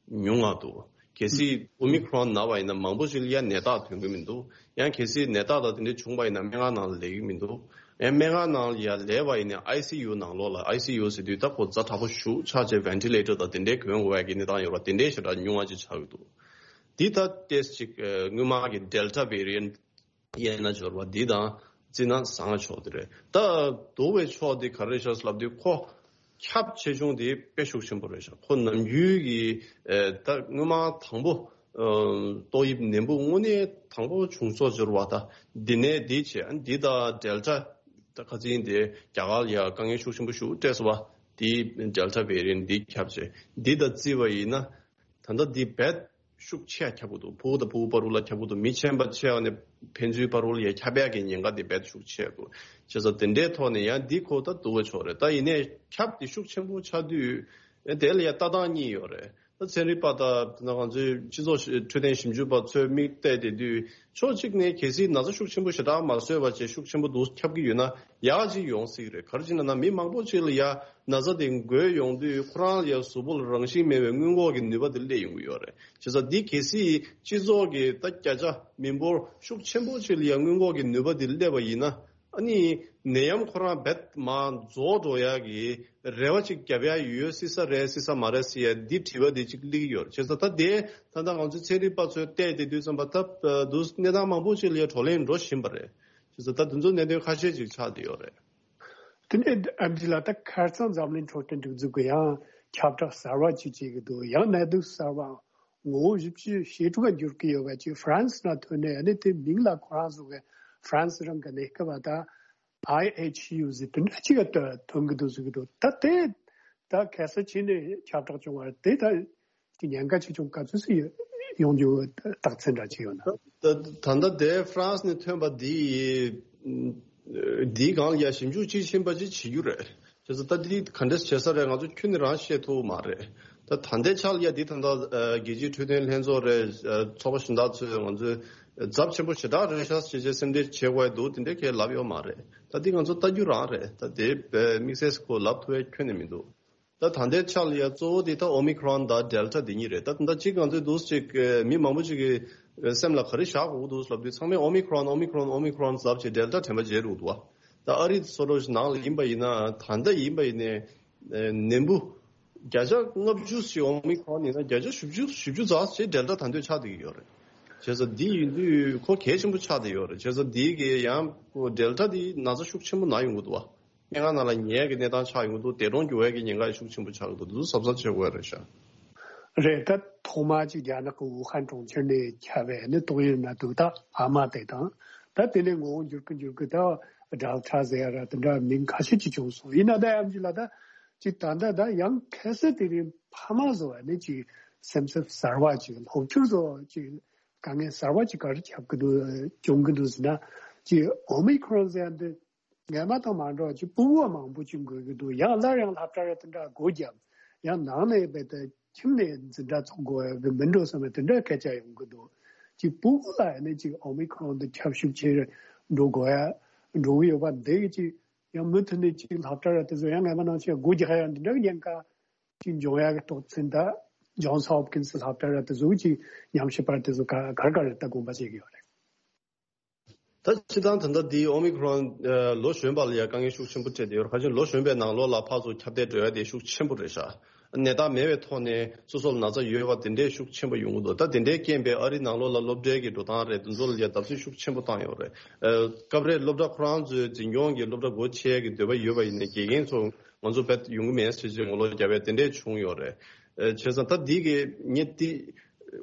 ཉུང་ང་འདུག་གལ་སྲིད་ཨོ་མི་ཁྲོན་ན་བ་ཡིན་ན་མང་པོ་ཞིག་ལ་ཡ་ནད་རྟགས་ཐོན་གྱི་མི་འདུག་ཡང་གལ་སྲིད་ནད་རྟགས་དང་དེ་འདྲ་བྱུང་བ་ཡིན་ན་སྨན་ཁང་ནང་ལ་སླེབས་ཀྱི་མི་འདུག་ཡང་སྨན་ཁང་ནང་ལ་ཡ་སླེབས་པ་ཡིན་ན་ཨའི་སི་ཡུ་ནང་ལོགས་ལ། ཨའི་སི་ཡུ་ཟེར་དུས་ད་ཁོ་ཛ་དྲག་པོ་ཞེ་དྲག་ཆགས་བྱས་ཝེན་ཊི་ལེ་ཊར་དང་དེ་འདྲའི་གོན་དགོས་པའི་གི་གནས་སྟངས་ཡོད་པ། དེ་འདྲའི་ཞེ་དྲག་ཉུང་བ་ཅིག་ཆགས་ཀྱི་འདུག་འདི་ད་ཏོག་ཙམ་ཅིག་ཨ་སྔོན་མ་གི་ཌེལ་ཊ་ཝེ་རི་ཡན་ཊི་དབྱེ་ན་སྦྱོར་བ་འདི་དང་བརྩིས་ན་བཟང་ཕྱོགས་དེ་རེད། ད་སྡུག་པའི་ཕྱོགས་དེ་ག་རེ་ཤག་ལབ་དུས། ཁོ་ཁྱབ་ཆེ་ཆུང་དེ་དཔེ་ཤུགས་ཆེན་པོ་རེད་ཤག་ཁོ་ནམ་རྒྱུན་གྱི་ཨེ་ད་སྔོན་མ་དང་པོ་ཨ་ཏོག་དབྱིབས་ནད་འབུ་དངོས་གནས་དང་པོ་བྱུང་ཚོད་སྦྱོར་བ། ད་འདི་ནས་འདི་བྱས། ཨ་འདི་ད་ཌེལ་ཊ། ད་ཁ་སང་དེ་རྒྱ་གར་ལ་ཡ་དཀའ་ངལ་ཤུགས་ཆེན་པོ་ཞིག་སྤྲད་སོང་བ། དེ་ཌེལ་ཊ་ཝེ་རི་ཡན་ཊི་འདི་ཁྱབ་བྱས། འདི་དང་བརྩིས་པ་ཡིན་ན། ད་ལྟ་འདི་རྦད་ཤུགས་ཆེ་ཁྱབ་ཀྱི་འདུག་ཕྲུ་གུ་དང་ཕྲུ་གུ་བར་དུ་ལ་ཁྱབ་ཀྱི་འདུག་མི་ཆེན་པོ་བྱས་ནས་ཕན་ཚུན་བར་དུ་ལ་ཡ་ཁྱབ་ཡག་གི་ཉེན་ཁ་དེ་རྦད་ཤུགས་ཆེ་འདུག་བྱས་ཙང་དེ་འདྲའི་ཐོག་ནས་ཡང་འདི་ཁོ་ད་སྡུག་པོ་ཆགས་རེད། ད་ཡིན་ནའི་ཁྱབ་དེ་ཤུགས་ཆེན་པོ་ཆགས་དུས་དེ་ལ་ཡ་ལྟ་སྟངས་གཉིས་ཡོད་རེད། ད་ཚན་རིག་པ་དང་ད་ང་ཚོའི་སྤྱི་ཚོགས་འཕྲོད་བསྟེན་ཞིབ་འཇུག་པ་ཚོས་མིག་བལྟས་བསྡད་དུས། ཕྱོགས་གཅིག་ནས་གལ་སྲིད་ན་ཚ་ཤུགས་ཆེན་པོ་ཞེ་དྲག་མ་བཟོས་པ་བྱས་ཤུགས་ཆེན་པོ་འདུག་ཁྱབ་ཀྱི་ཡོད་ན་ཡག་ཅིག་ཡོང་སྲིད་རེད། ག་རེ་བྱས་ན་ན་མི་མང་པོ་ཅིག་ལ་ཡ་ན་ཚ་དེ་འགོས་ཡོང་དུས་ཁོ་རང་ལ་ཡ་གཟུགས་པོ་ལ་རང་བཞིན་མེད་པའི་སྔོན་འགོག་གི་ནུས་པ་དེ་སླེབས་ཡོང་གི་ཡོད་རེད། བྱས་ཙང་འདི་གལ་སྲིད་སྤྱི་ཚོགས་ཀྱི་ད་བརྒྱ་ཆ་མི་འབོར་ཤུགས་ཆེན་པོ་ཅིག་ལ་ཡ་སྔོན་འགོག་གི་ནུས་པ་དེ་སླེབས་པ་ཡིན་ན། ཨ་ནི་ནད་ཡམས་ཁོ་རང་རྦད་མར་རྫོགས་འགྲོ་ཡག་གི་རེ་བ་ཅིག་བརྒྱབ་ཡག་ཡོད་སྲིད་ས་རེད། སྲིད་ས་མ་རེད་ཟེར་ཡ་འདི་དྲི་བ་འདི་ཅིག་སླེབས་ཀྱི་ཡོད་རེད། བྱས་ཙང་ད་དེ་ད་ལྟ་ང་ཚོའི་ཚན་རིག་པ་ཚོས་བལྟས་བསྡད་དུས་ཙམ་པ། ད་འདུག་གནས་སྟངས་མང་པོ་ཅིག་ལ་ཡ་བགྲོ་གླེང་འགྲོ་བཞིན་པ་རེད། བྱས་ཙང་ད་དེ་ཚོ་གནད་དོན་ཁ་ཤས་ཅིག་ཆགས་བསྡད་ཡོད་རེད། དེ་ནས་ཨེམ་ཆི་ལགས། ད་ཁ་སང་འཛམ་གླིང་འཕྲོད་བསྟེན་སྒྲིག་འཛུགས་ཀྱིས་ཡང་ཁྱབ་བསྒྲགས་གསར་བ་ཅིག་བྱེད་ཀྱི་འདུག་ཡང་ནད་དུག་གསར་བ་ངོ་བོ་བཞི་བཅུ་ཞེ་དྲུག་ག་འགྱུར་གྱི་ཡོད་པ་ཅིག་ཧྥ་རན་སི་ནང་ཐོན་ནས། ཨ་ནི་དེ་མིང་ལ་ཁོ་རང་ཚོ་གི་ཧྥ་རན་སི་རང་གི་གནས་སྐབས་ད་ཨའི་ཨེཆ་ཡུ་ཟེར་དེ་འདྲ་ཅིག་ག་ཐོན་གྱི་འདུག་ཟེར་གྱི་འདུག་ད་དེ་ད་ག་ས་ཕྱིན་ནས་ཁྱབ་བསྒྲགས་བྱུང་བ་དེ་ད་ཀྱི་ཉེན་ཁ་ཆེ་ཆུང་ག་ཚོད་ཅིག་ཡོང་རྒྱུ་རྟགས་མཚན་འདྲ་ཅིག་ཡོད་ན། ད་ད་ལྟ་དེ་ཧྥ་རན་སི་ནས་ཐོན་པ་འདི་འདིའི་སྒང་ལ་ཡ་ཞིབ་འཇུག་དཔྱིས་ཕྱིན་པ་ཅིག་བྱེད་རྒྱུ་རེད། བྱས་ཙང་ད་འདི་ག་འདྲས་བྱེད་ས་རེད། ང་ཚོ་ཁྱོན་ནས་རང་ཤེས་ཐུབ་མ་རེད། ད་ད་ལྟའི་ཆ་ལ་ཡ་འདི་ད་ལྟ་རྒྱལ་སྤྱིའི་འཕྲོད་བསྟེན་ལྷན་ཚོགས་རེད། ཚོགས་པ་གཞན་དག་ཚོས་ང་ཚོས་ཚབས་ཆེན་པོ་ཞེ་དྲག་རེད་ཤག་ཅེས་བྱས་སེམས་ཁྲལ་བྱེད་དགོས་འདུག་དེ་འདྲས་གས་ལབ་ཡོད་མ་རེད། ད་འདི་ང་ཚོ་ལྟ་རྒྱུ་རང་རེད། ད་དེ་དམིགས་བསལ་ཁོ་ལབ་ཐུབ་པའི་ཁྱོན་ནས་མི་འདུག་ད་ད་ལྟའི་ཆ་ལ་ཡ་གཙོ་བོ་དེ་ད་ཨོ་མི་ཁྲོན་དང་ཌེལ་ཊ་དེ་གཉིས་རེད། ད་ད་ལྟ་གཅིག་ང་ཚོས་འདུག་ཅིག་མི་མང་པོ་ཅིག་གི་སེམས་ལ་ག་རེ་བཞག་དགོས་འདུག་ལབ་དུས་ཚང་མས་ཨོ་མི་ཁྲོན་ཨོ་མི་ཁྲོན་ཨོ་མི་ཁྲོན་ལབ་བྱས་ཌེལ་ཊ་དྲན་པ་བརྗེད་འགྲོ་འདུག་བ། ད་ཨ་རི་སོ་རོ་ནང་ལ་ཡིན་པ་ཡིན་ན། ད་ལྟ་ཡིན་པ་ཡིན་ནའི་ནད་འབུ་བརྒྱ་ཆ་ལྔ་བཅུ་ཞིག་ཨོ་མི་ཁྲོན་ཡིན་ན་བརྒྱ་ཆ་བཞི་བཅུ་བཞི་བཅུ་ཙམ་ཞིག་ཌེལ་ཊ་ད་དུང་ཆགས་བསྡད་ཀྱི་ཡོད་རེད། བྱས་ཙང་འདི་ཡིན་དུས་ཁོ་གལ་ཆེན་པོ་ཆགས་བསྡད་ཡོད་རེད། བྱས་ཙང་འདི་གི་ཡང་ཁོ་ཌེལ་ཊ་འདི་ན་ཚ་ཤུགས་ཆེན་པོ་ན་ཡོང་གི་འདུག་བ། སྨན་ཁང་ནང་ལ་ཉལ་གྱི་གནས་སྟངས་ཆགས་ཡོང་གི་འདུག་འདས་གྲོངས་འགྱུར་བའི་གི་ཉེན་ཁ་ཤུགས་ཆེན་པོ་ཆགས་ཀྱི་འདུག་འདི་ཚོ་གཟབ་གཟབ་བྱེད་དགོས་རེད་ཤག་རེད། ད་ གོང་མ་ཅིག་རྒྱ་ནག་གི་ཝུ་ཧན་གྲོང་ཁྱེར་ནས་ཁྱབ་པའི་ནི་ཏོག་དབྱིབས་ནད་དུག་ད་ཨ་མ་དེ་དང་། ད་དེ་ནས་ངོ་བོ་འགྱུར་གི་འགྱུར་གི་ད་ཌེལ་ཊ་ཟེར་ཡ་ར་དེ་འདྲ་མིང་ཁ་ཤས་ཅིག་བྱུང་སོང་། ཡིན་ན་ད་ཡང་ཅིག་ལ་ད་ཅིག་ད་ད་ད་ཡང་ཁ་སང་དེ་རིང་ཕ་མ་བཟོ་བ་ནི་ཅིག་སེམས་འཚབ་གསར་བ་ཅིག་སློབ་ཕྲུག་བཟོ་ཅིག་དཀའ་ངལ་གསར་བ་ཅིག་ག་རེ་ཁྱབ་གི་འདུག་བྱུང་གི་འདུག་ཟེར་ན། ཅིག་ཨོ་མི་ཁོ་རོན་ཟེར་ཡ་འདི་སྔ་མ་དང་མ་འདྲ་བ་ཅིག་ཕྲུ་གུ་མང་པོ་ཅིག་འགོས་ཀྱི་འདུག་ཡང་སླར་ཡང་སློབ་གྲྭ་ར་དེ་འདྲ་སྒོ་བརྒྱབ། ཡང་ནང་ནས་རྦད་དེ་ཁྱིམ་ནས་འཛིན་གྲྭ་ཚོགས་དགོས་ཡ་གི་མི་འགྲོ་བསམ་པའི་དེ་འདྲ་སྐད་ཆ་ཡོང་གི་འདུག་ཅིག་ཕྲུ་གུ་ལ་ཡང་ནས་ཅིག་ཨོ་མི་ཁོ་རོན་འདི་ཁྱབ་ཤུགས་ཆེ་རུ་འགྲོ་དགོས་ཡ་འགྲོ་གི་ཡོད་པ་འདི་གི་ཅིག་ཡང་མུ་མཐུད་ནས་ཅིག་སློབ་གྲྭ་ར་དེ་ཚོ་ཡང་སྔ་མ་ནང་བཞིན་སྒོ་རྒྱག་ཡ་འདི་འདྲ་གི་ཉེན་ཁ་ཅིག་འབྱུང་ཡ་གི་རྟོགས་ཚུལ་ད་ཇོན་སི་ཧོབ་ཀིན་སི་སློབ་གྲྭ་ར་དེ་ཚོ་ཅིག་ཉམས་ཞིབ་པ་དེ་ཚོ་ག་ག་རེ་ག་རེ་ད་དགོངས་པ་བཞེས་ཀྱི་ཡོད་རེད། ད་སྤྱིར་བཏང་ད་ལྟ་འདི་ཨོ་མི་ཁོ་རོན་ལོ་གཞོན་པ་ལ་ཡང་དཀའ་ངལ་ཤུགས་ཆེན་པོ་འཕྲད་དེ་ཡོད་རེད། ཁ་ཅིག་ལོ་གཞོན་པའི་ནང་ལོགས་ལ་ཕར་ཚུར་ཁྱབ་གདལ་འགྲོ་ཡ་དེ་ཤུགས་ཆེན་པོ་རེད་ཤག་ནད་རྟགས་མེད་པའི་ཐོག་ནས་སོ་སོ་ལ་ན་ཚ་ཡོད་པ་དེ་འདྲའི་ཤུགས་ཆེན་པོ་ཡོང་གི་འདུག་ད་དེ་འདྲའི་རྐྱེན་པས་ཨ་རིའི་ནང་ལོགས་ལ་སློབ་གྲྭའི་གི་འགྲོ་སྟངས་རེད། དེ་ཚོ་ལ་ཡང་བརྡབ་གསིག་ཤུགས་ཆེན་པོ་བཏང་ཡོད་རེད། ཨ། སྐབས་རེ་སློབ་གྲྭ་ཁོ་རང་ཚོའི་འཛིན་སྐྱོང་གི་སློབ་གྲྭ་སྒོ་ཕྱེ་ཡ་གི་འདོད་པ་ཡོད་པ་ཡིན་ན་དགེ་རྒན་ཚོ་ང་ཚོ་བེད་ཡོང་གི་མེད་ཟེར་བྱས་ངོ་ལོག་བརྒྱབ་ཡ་དེ་འདྲས་བྱུང་ཡོད་རེད། ཨ། བྱས་ཙང་ད་འདི་གི་ངས་འདི་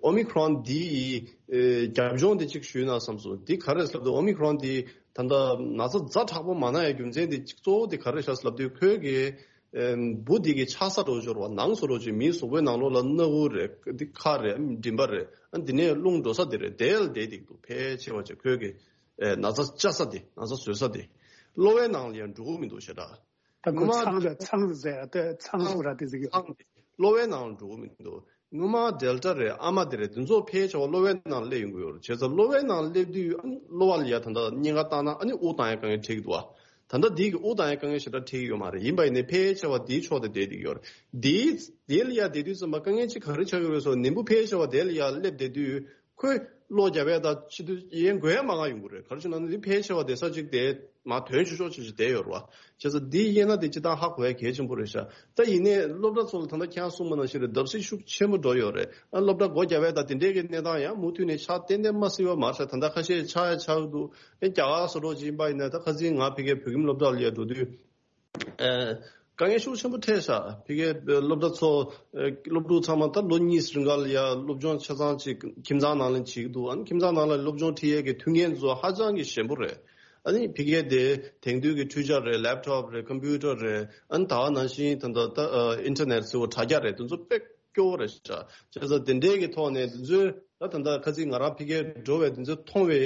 ཨོ་མི་ཁོ་རོན་འདི་ཡི་ཨེ་རྒྱབ་ལྗོངས་དེ་གཅིག་ཞུས་ན་བསམ་སོང་། འདི་ག་རེ་ཟེར་ལབ་དུས་ཨོ་མི་ཁོ་རོན་འདི་ད་ལྟ་ན་ཚ་ཛ་དྲག་པོ་མ་ན་ཡའི་རྒྱུ་མཚན་དེ་གཅིག་གཙོ་བོ་དེ་ག་རེ་ཤག་ཟེར་ལབ་དུས་ཁོའི་གི་ཨེ་འབུ་འདི་གི་ཆགས་ས་འདྲ་བོ་ཅིག་ཡོད་རེད་བ། ནང་སོ་འདྲ་བོ་ཅིག་མིའི་གཟུགས་པོའི་ནང་ལོགས་ལ་སྣ་ཁུག་རེད། འདི་ཁ་རེད། མགྲིན་པ་རེད། ཨ་འདི་ནས་རླུང་འགྲོ་ས་དེ་རེད། དེ་ལ་བསྡད་བསྡད་འདུག་ཕལ་ཆེ་བ་ཅིག་ཁོའི་གི་ཨེ་ན་ཚ་བཅག་ས་དེ་ན་ཚ་བཟོ་ས་དེ་གློ་བའི་ནང་ལ་ཡང་འགྲོ་གི་མི་འདུག་ཞེ་དྲག་ད་ཁོ་སྔོན་མ་ཚང་རེད། ཚང་ཟེར་ཡ་དེ་ཚང་ཟེར་ར་དེ་ཟེར་གི་ཡོད། ཚང་དེ་གློ་བའི་ནང་ལ་འགྲོ་གི་མི་འདུག་སྔོན་མ་ཌེལ་ཊ་རེད། ཨ་མ་དེ་རེད། དེ་ཚོ་ཕལ་ཆེ་བ་གློ་བའི་ནང་ལ་སླེབས་ཡོང་གི་ཡོད་རེད། བྱས་ཙང་གློ་བའི་ནང་ལ་སླེབས་དུས་ཨ་ནི་གློ་བ་ལ་ཡ་ད་ལྟ་སྙིང་ག་བཏང་ན་ཨ་ནི་དབུགས་བཏང་ཡ་དཀའ་ངལ་འཕྲད་ཀྱི་འདུག་བ། ད་ལྟ་འདི་གི་དབུགས་བཏང་ཡ་དཀའ་ངལ་ཞེ་དྲག་འཕྲད་ཀྱི་ཡོད་མ་རེད། ཡིན་པ་ཡིན་ནའི་ཕལ་ཆེ་བ་འདིའི་ཕྱོགས་དེ་བསྡད་བསྡད་ཀྱི་ཡོད་རེད། འདིའི་འདི་ལ་ཡ་བསྡད་དུས་ཙམ་པ་དཀའ་ངལ་གཅིག་ག་རེ་ཆགས་ཀྱི་རེད་ཟེར་ན་ནད་འབུ་ཕལ་ཆེ་བ་དེ་ལ་ཡ་སླེབས་བསྡད་དུས། ཁོས་གློ་རྒྱབ་ཡས་དང་ཕྱི་དུས་ཡན་འགོས་ཡས་མང་ང་ཡོང་གི་རེད། ག་རེ་ཞུ་ན་འདི་ཕལ་ཆེ་བ་བསྡད་ས་གཅིག་དེ་མ་དོན་ཆུང་ཆུང་ཅིག་ཅིག་བསྡད་ཡོད་རེད་བ། བྱས་ཙང་འདི་དབྱེ་ན་དེ་སྤྱིར་བཏང་ཧ་གོ་ཡ་གལ་ཆེན་པོ་རེད་ཤག་ད་ཡིན་ནའི་སློབ་གྲྭ་ཚོ་ལ་ད་ལྟ་ཁྱེད་རང་གསུངས་པ་ནང་བཞིན་རེད། བརྡབ་གསིག་ཤུགས་ཆེན་པོ་འགྲོ་ཡོད་རེད། ཨ་སློབ་གྲྭ་སྒོ་རྒྱབ་ཡས་དང་དེ་འདྲས་ཀྱི་གནས་སྟངས་ཡང་མུ་མཐུད་ནས་ཆགས་ཏན་ཏན་མ་སྲིད་པ་མ་རེད། ད་ལྟ་ཁ་ཤས་ཆགས་ཡ་ཆགས་ཀྱི་འདུག་ཨེ་རྒྱ་གར་སོ་འདྲ་ཅིག་ཡིན་པ་ཡིན་ན། ད་ཁ་སང་ང་ཕ་གིའི་བོད་ཁྱིམ་སློབ་གྲྭ་ལ་ཡ་འགྲོ་དུས། ཨ་དཀའ་ངལ་ཤུགས་ཆེན་པོ་འཕྲད་ཤག་ཕ་གིའི་སློབ་གྲྭ་ཚོ། ཨ་སློབ་ཕྲུག་ཚང་མ་ད་ལོ་གཉིས་རིང་ག་ལ་ཡ་སློབ་སྦྱོང་ཆ་ཚང་ཅིག་ཁྱིམ་ཚང་ནང་ལ་བྱེད་ཀྱི་འདུག་ཨ་ནི་ཁྱིམ་ཚང་ནང་ལ་སློབ་སྦྱོང་ཁྲིད་ཡས་ཀྱི་མཐུན་རྐྱེན་ཚོ་ཧ་ཅང་གི་ཞན་པོ་རེད། ཨ་ནི་ཕ་གིའི་དེ་དེང་དུས་ཀྱི་འཕྲུལ་ཆ་རེད། ལེབ་ཊོབ་རེད། ཀམ་པུ་ཊར་རེད། ཨ་ནི་ད་ག་ནང་བཞིན་ད་ལྟ་ད་ཨ་ཨིན་ཊར་ནེཊ་ཟེར་བ་དྲ་རྒྱ་རེད། དེ་ཚོ་དཔེ་སྐྱོ་བོ་རེད་ཤག་བྱས་ཙང་དེ་འདྲའི་གི་ཐོག་ནས་དེ་ཚོའི་ད་ད་ལྟ་ཁ་སང་ང་རང་ཕ་གིར་འགྲོ་བའི་དེ་ཚོ་མཐོང་བའི་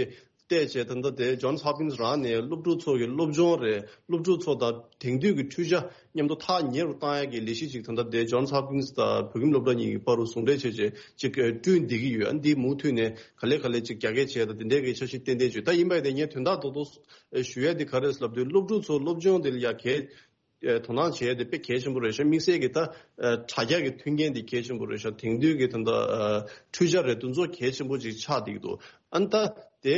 བལྟས་བྱས། ད་ལྟ་དེ་ཇོན་སི་ཧོབ་ཀིན་སི་རང་ནས་སློབ་ཕྲུག་ཚོ་གི་སློབ་སྦྱོང་རེད། སློབ་ཕྲུག་ཚོ་དང་དེང་དུས་ཀྱི་འཕྲུལ་ཆ་མཉམ་དུ་ཐག་ཉེ་རུ་བཏང་ཡ་གི་ལས་གཞི་ཅིག་ད་ལྟ་དེ་ཇོན་སི་ཧོབ་ཀིན་སི་དང་བོད་ཁྱིམ་སློབ་གྲྭ་གཉིས་ཀྱི་བར་དུ་ཟུང་འབྲེལ་བྱས་བྱས་ཅིག་བསྐྲུན་བསྡད་ཀྱི་ཡོད། ཨ་འདི་མུ་མཐུད་ནས་ག་ལེ་ག་ལེ་ཅིག་རྒྱ་སྐྱེད་བྱས་དང་དེ་འདྲའི་གི་འཆར་གཞི་ཏན་ཏན་བྱོས། ད་ཡིན་པ་ཡིན་ནའི་ངས་དོན་དག་རྡོག་རྡོག་ཞུ་ཡ་དེ་ག་རེ་ཟེར་ལབ་དུས་སློབ་ཕྲུག་ཚོ་སློབ་སྦྱོང་དེ་ལ་ཡ་གལ་དོ་སྣང་བྱེད་ཡ་དེ་དཔེ་གལ་ཆེན་པོ་རེད་ཤག་དམིགས་བསལ་གྱི་ད་ཨ་དྲ་རྒྱ་གི་མཐུན་རྐྱེན་དེ་གལ་ཆེན་པོ་རེད་ཤག་དེང་དུས་ཀྱི་ད་ལྟ་ཨ་འཕྲུལ་ཆ་རེད། དེ་ཚོ་གལ་ཆེན་པོ་ཅིག་ཆགས་བསྡད་ཀྱི་འདུག་ཨ་ནི་ད་དེ་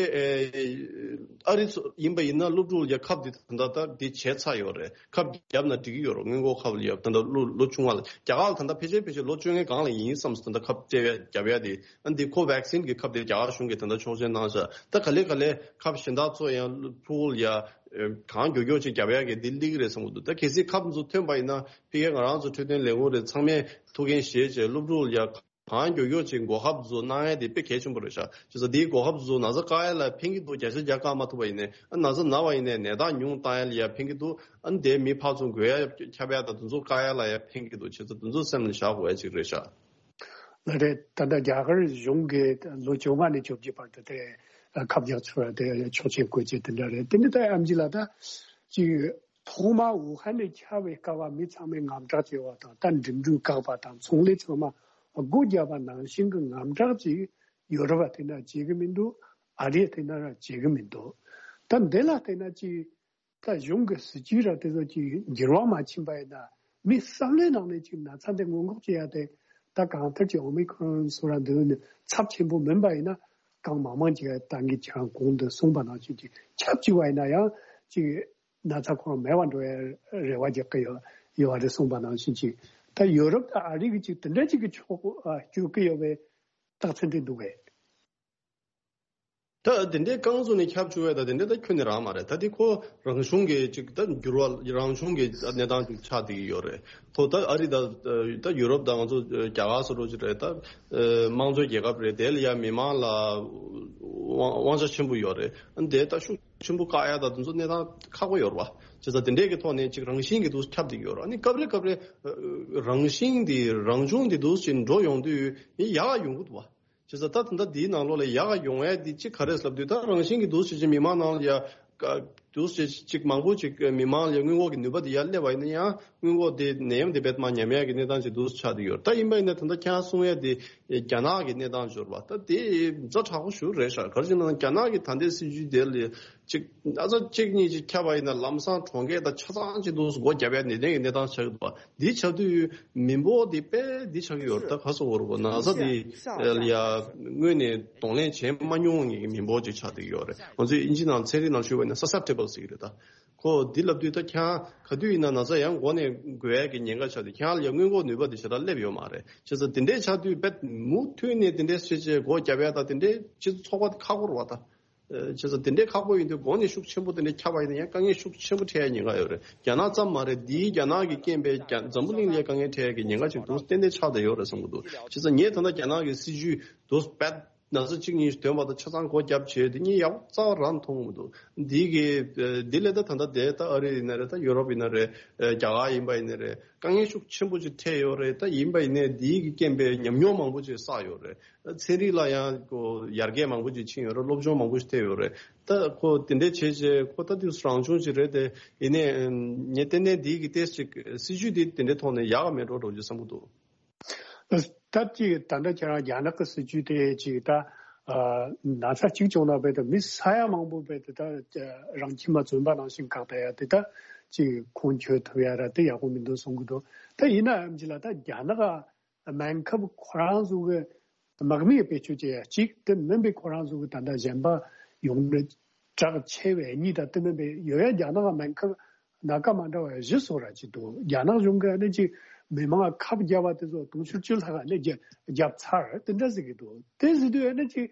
ཨ་རི་ཚོ་ཡིན་པ་ཡིན་ན་སློབ་ཕྲུག་ལ་ཡ་ཁབ་དེ་ད་ལྟ་ད་དེ་བྱས་ཚར་ཡོད་རེད། ཁབ་བརྒྱབ་ན་འགྲིག་གི་ཡོད་རེད། སྔོན་འགོག་ཁབ་ལ་ཡ་ད་ལྟ་ལོ་ལོ་ཆུང་བ་ལ། རྒྱ་གར་ལ་ད་ལྟ་ཕལ་ཆེར་ཕལ་ཆེར་ལོ་བཅོ་ལྔའི་སྒང་ལ་ཡིན་བསམ་སོང་། ད་ལྟ་ཁབ་སྤྲད་ཡ་རྒྱབ་ཡ་དེ། ཨ་འདི་ཁོ་ཝེག་སིན་གྱི་ཁབ་དེ་རྒྱ་གར་གཞུང་གིས་ད་ལྟ་ཆོག་མཆན་གནང་ཤག་ད་ག་ལེ་ག་ལེ་ཁབ་གཞན་དག་ཚོ་ཡང་ཕྲུ་གུ་ལ་ཡ་གང་མགྱོགས་མགྱོགས་ཅིག་རྒྱབ་ཡ་གི་འདི་སླེབས་ཀྱི་རེད་བསམ་གྱི་འདུག་ད་གལ་སྲིད་ཁབ་ཚོ་ཐོན་པ་ཡིན་ན་ཕ་གིའི་ང་རང་ཚོ་འཕྲོད་བསྟེན་ལས་ཁུངས་རེད། ཚང་མས་ཐུགས་འགན་བཞེས་བྱས་སློབ་ཕྲུག་ལ་ཡ་གང་མགྱོགས་མགྱོགས་ཅིག་འགོག་ཁབ་ཚོ་གནང་ཡ་དེ་དཔེ་གལ་ཆེན་པོ་རེད་ཤག་བྱས་ཙང་འདིའི་འགོག་ཁབ་ཚོ་ན་ཚ་བཀག་ཡ་ལ་ཕན་གྱི་འདུག་བརྒྱ་ཆ་བརྒྱ་བཀག་མ་ཐུབ་པ་ཡིན་ནའི། ཨ་ན་ཚ་ན་བ་ཡིན་ནའི་ནད་རྟགས་ཉུང་བཏང་ཡ་ལ་ཡ་ཕན་གྱི་འདུག་ཨ་ནི་དེ་མི་ཕར་ཚུར་འགོས་ཡ་ཁྱབ་ཡ་དང་དེ་ཚོ་བཀག་ཡ་ལ་ཡ་ཕན་གྱི་འདུག་བྱས་ཙང་དེ་ཚོ་སེམས་ལ་བཞག་དགོས་ཡ་ཅིག་རེད་ཤག་ལགས་རེད། ད་ལྟ་རྒྱ་གར་གཞུང་གིས་ལོ་བཅོ་ལྔ་ནས་བཅོ་བརྒྱད་བར་དུ་དེ་ཁབ་རྒྱག་ཚུལ་དེ་ཆོག་མཆན་བཀོད་ཅིག་དེ་འདྲ་རེད། དེ་ནི་ད་ཨེམ་ཆི་ལགས་ད་ཅིག་ཐོག་མ་ཝུ་ཧན་ནས་ཁྱབ་པའི་སྐབས་མི་ཚང་མས་དམ་དྲག་བྱས་པ་དང་། ད་འགྲིམ་འགྲུལ་བཀག་པ་དང་ཚོང་ལས་ཚང་མ་སྒོ་བརྒྱབ་པ་ནང་བཞིན་གྱི་དམ་དྲག་ཅིག་ཡོ་རོབ་པ་དེ་འདྲ་བྱེད་ཀྱི་མི་འདུག་ཨ་རི་དེ་འདྲ་བྱེད་ཀྱི་མི་འདུག་ད་འདི་ལ་བལྟས་ན་ཅིག་ད་གཞུང་གི་སྲིད་ཇུས་ར་དེ་ཚོ་ཅིག་འགྱུར་བ་མ་ཕྱིན་པ་ཡིན་ན། མི་བསམ་བློའི་ནང་ནས་ཅིག་ན་ཚ་འདི་སྔོན་འགོག་བྱེད་ཡ་དེ། ད་གང་ལྟར་ཅིག་ཨོ་མི་ཁོ་རོན་སོགས་ར་འདི་ནི་ཚབས་ཆེན་པོ་མིན་པ་ཡིན་ན། གང་མང་མང་ཅིག་ད་ངས་ཁྱེད་རང་གོང་དུ་གསུངས་པ་ནང་བཞིན་ཅིག་ཆབས་ཅིག་བ་ཡིན་ན་ཡང་ཅིག་ན་ཚ་ཁོ་རང་མེད་པ་འགྲོ་ཡ་རེ་བ་རྒྱག་གི་ཡོད་ཡོད་རེད་གསུངས་པ་ནང་བཞིན་ཅིག་ད་ཡོ་རོབ་དང་ཨ་རི་གི་ཅིག་དེ་འདྲ་ཅིག་གི་ཕྱོགས་སྐྱོད་ཀྱི་ཡོད་པའི་རྟགས་མཚན་དེ་འདུག་གས། ད་དེ་འདྲའི་རྐང་བཙུགས་ནས་ཁྱབ་བཅུག་པ་ད་དེ་འདྲ་ད་ཁྱོན་ནས་རག་མ་རེད། ད་དེ་ཁོ་རང་གཞུང་གི་ཅིག་ད་འགྱུར་བ་རང་བྱུང་གི་གནས་སྟངས་ཅིག་ཆགས་བསྡད་ཀྱི་ཡོད་རེད། ཁོ་ད་ཨ་རི་ད་ད་ཡུ་རོབ་ད་ང་ཚོ་རྒྱ་གར་སོགས་རོགས་ཅིག་རེད། ད་དམངས་གཙོའི་རྒྱལ་ཁབ་རེད། དེ་ལ་ཡ་མི་མང་ལ་དབང་དབང་ཆ་ཆེན་པོ་ཡོད་རེད། ཨ་ནི་དེ་ད་ཤུགས་ཆེན་པོ་བཀག་ཡ་ད་དེ་ཚོ་གནས་སྟངས་ཁག་པོ་ཡོད་རེད་བ། བྱས་ཙང་དེ་འདྲས་ཀྱི་ཐོག་ནས་ཅིག་རང་བཞིན་གྱི་འདུག་ཁྱབ་བསྡད་ཀྱི་ཡོད་རེད། ཨ་ནི་སྐབས་རེ་སྐབས་རེ་རང་བཞིན་འདི་རང་བྱུང་འདི་འདུག་ཅིག་འགྲོ་ཡོང་དུས་ཡ་ཡོང་གི་འདུག་བ། བྱས་ཙང་ད་ད་ལྟ་འདིའི་ནང་ལོགས་ལ་ཡག་ག་ཡོང་ཡས་འདི་གཅིག་ག་རེ་ལབ་དུས། ད་རང་བཞིན་གྱི་འདུག་ཟེར་ཅིག་མི་མང་ནང་ལ་ཡ་འདུག་ཟེར་ཅིག་མང་པོ་ཅིག་མི་མང་ལ་ཡ་སྔོན་འགོག་གི་ནུས་པ་འདི་ཡར་སླེབས་པ་ཡིན་ན་ཡང་སྔོན་འགོག་དེ་ནད་ཡམས་དེ་རྦད་མར་ཉམས་ཡས་ཀྱི་གནས་སྟངས་ཅིག་འདུག་ཆགས་བསྡད་ཡོད། ད་ཡིན་པ་ཡིན་ན་ད་ལྟ་ཁྱེད་རང་གསུང་ཡས་དེ་རྒྱ་ནག་གི་གནས་སྟངས་འབྱོར་བ་ད་དེ་ཛ་དྲག་པོ་ཞིག་རེད་ཤག་ག་རེ་ཟེར་ན་རྒྱ་ནག་གི་ད་ལྟའི་སྲིད་ཇུས་དེ་ལ་ཅིག་ཨ་ཙག་གཅིག་གཉིས་ཅིག་ཁྱབ་པ་ཡིན་ན་ལམ་སང་གྲོང་ཁྱེར་དང་ཆ་ཚང་ཅིག་འདུག་སྒོ་བརྒྱབ་ཡ་ནི་ལྡན་གྱི་གནས་སྟངས་ཆགས་ཀྱི་འདུག་འདི་ཆགས་དུས་མི་འབོར་འདི་དཔེ་འདི་ཆགས་ཀྱི་ཡོད་རེད། ད་ག་སོ་བོར་གོ་ན་ས་འདི་ཡ་སྔོན་ནས་གདོང་ལེན་བྱས་མ་མྱོང་བའི་མི་འབོར་ཅིག་ཆགས་བསྡད་ཀྱི་ཡོད་རེད། ང་ཚོས་ཨིན་ཇི་ནང་ཚན་རིག་ནང་ཞུས་པ་ཡིན་ན་susceptible་ཟེར་གྱི་རེད། ད་ཁོ་འདི་ལབ་དུས་ད་ཁྱེད་ག་དུས་ཡིན་ན་ན་ཚ་ཡང་འགོ་ནས་འགོས་ཡ་གི་ཉེན་ཁ་ཆགས་དུས་ཁྱེད་ལ་ཡ་སྔོན་འགོག་ནུས་པ་འདི་ཞེ་དྲག་སླེབས་ཡོད་མ་རེད། བྱས་ཙང་དེ་འདྲས་ཆགས་དུས་དཔེ་མུ་མཐུད་ནས་དེ་འདྲས་བྱས་བྱས་སྒོ་བརྒྱབ་ཡ་ད་དེ་འདྲས་སྤྱི་ཚོགས་ཁག་པོ་རེད་བ་ད། བྱས་ཙང་དེ་འདྲའི་ཁག་པོ་ཡིན་དུས་གོང་ནས་ཤུགས་ཆེན་པོ་དེ་འདྲའི་ཁྱབ་པ་ཡིན་ན་ཡང་དཀའ་ངལ་ཤུགས་ཆེན་པོ་འཕྲད་ཡ་ཉེན་ཁ་ཡོད་རེད། རྒྱ་ནག་ཙམ་མ་རེད། འདིའི་རྒྱ་ནག་གི་རྐྱེན་པས་རྒྱ་འཛམ་བུ་གླིང་ལ་ཡ་དཀའ་ངལ་འཕྲད་ཡ་གི་ཉེན་ཁ་ཅིག་འདུག་ཏན་ཏན་ཆགས་བསྡད་ཡོད་རེད་བསམ་གྱི་འདུག་བྱས་ཙང་ངས་ད་ལྟ་རྒྱ་ནག་གི་སྲིད་ཇུས་འདུག་བེད་ན་ཚ་གཅིག་གཉིས་ཐོན་པ་དང་ཆ་ཚང་སྒོ་བརྒྱབ་བྱས་དེ་གཉིས་ཡག་པོ་རྩ་བ་རང་མཐོང་གི་མི་འདུག་འདི་གི་འདི་ལས་ད་ད་ལྟ་དེ་ད་ཨ་རི་ཡིན་ན་རེད། ད་ཡུ་རོབ་ཡིན་ན་རེད། རྒྱ་གར་ཡིན་པ་ཡིན་ན་རེད། དཀའ་ངལ་ཤུགས་ཆེན་པོ་ཅིག་འཕྲད་ཡོད་རེད། ད་ཡིན་པ་ཡིན་ནའི་འདིའི་གི་རྐྱེན་པས་ཉམས་མྱོང་མང་པོ་ཅིག་བསགས་ཡོད་རེད། ཚན་རིག་ལ་ཡང་ཁོ་ཡར་རྒྱས་མང་པོ་ཅིག་ཕྱིན་ཡོད་རེད། སློབ་སྦྱོང་མང་པོ་ཞིག་ཐེབས་ཡོད་རེད། ད་ཁོ་དེ་འདྲའི་བྱས་རྗེས་ཁོ་ད་དུས་སུ་རང་བྱུང་ཅིག་རེད་དེ། ཡིན་ནའི་ངས་ཏན་ཏན་འདིའི་གི་ཏོག་ཙམ་ཅིག་སྲིད་ཇུས་དེ་དེ་འདྲའི་ཐོག་ནས་ཡག་ག་མེད་འགྲོ་འགྲོ་རྒྱུ་བསམ་གྱི་འདུག་ད་ཅིག་ད་ལྟ་ཁྱེད་རང་རྒྱ་ནག་གི་སྲིད་ཇུས་དེ་ཅིག་ད་ཨ་ན་ཚ་གཅིག་བྱུང་ན་རྦད་དེ་མི་ས་ཡ་མང་པོ་རྦད་དེ་ད་རང་ཁྱིམ་ལ་བཙོན་པ་ནང་བཞིན་བཀག་བསྡད་ཡ་དེ་ད་ཅིག་ཁུངས་འཁྱོལ་ཐུབ་ཡ་ར་དེ་ཡག་པོ་མི་འདུག་གསུང་གི་འདུག་ད་ཡིན་ནའང་ཅིག་ལ་ད་རྒྱ་ནག་སྨན་ཁབ་ཁོ་རང་ཚོ་གི་དམག་མིའི་བེད་སྤྱོད་བྱེད་ཡ་གཅིག་དེ་མིན་པའི་ཁོ་རང་ཚོ་གི་ད་ལྟ་གཞན་པ་ཡོང་ནས་དྲག་ཆེ་བའི་གཉིས་དང་དེ་མིན་པའི་ཡོད་ཡ་རྒྱ་ནག་སྨན་ཁབ་སྣ་ཁ་མ་འདྲ་བ་བཞི་བཟོ་ར་ཅིག་འདུག་རྒྱ་ནག་གཞུང་གི་ཨ་ནི་ཅིག་མི་མང་ཁབ་བརྒྱབ་པ་དེ་ཚོ་དུང་ཕྱུར་བཅུ་ལྷག་ཨ་ནི་བརྒྱབ་བརྒྱབ་ཚར་དེ་འདྲ་ཟེར་གི་འདུག་དེ་ཟེར་དུས་ཨ་ནི་ཅིག་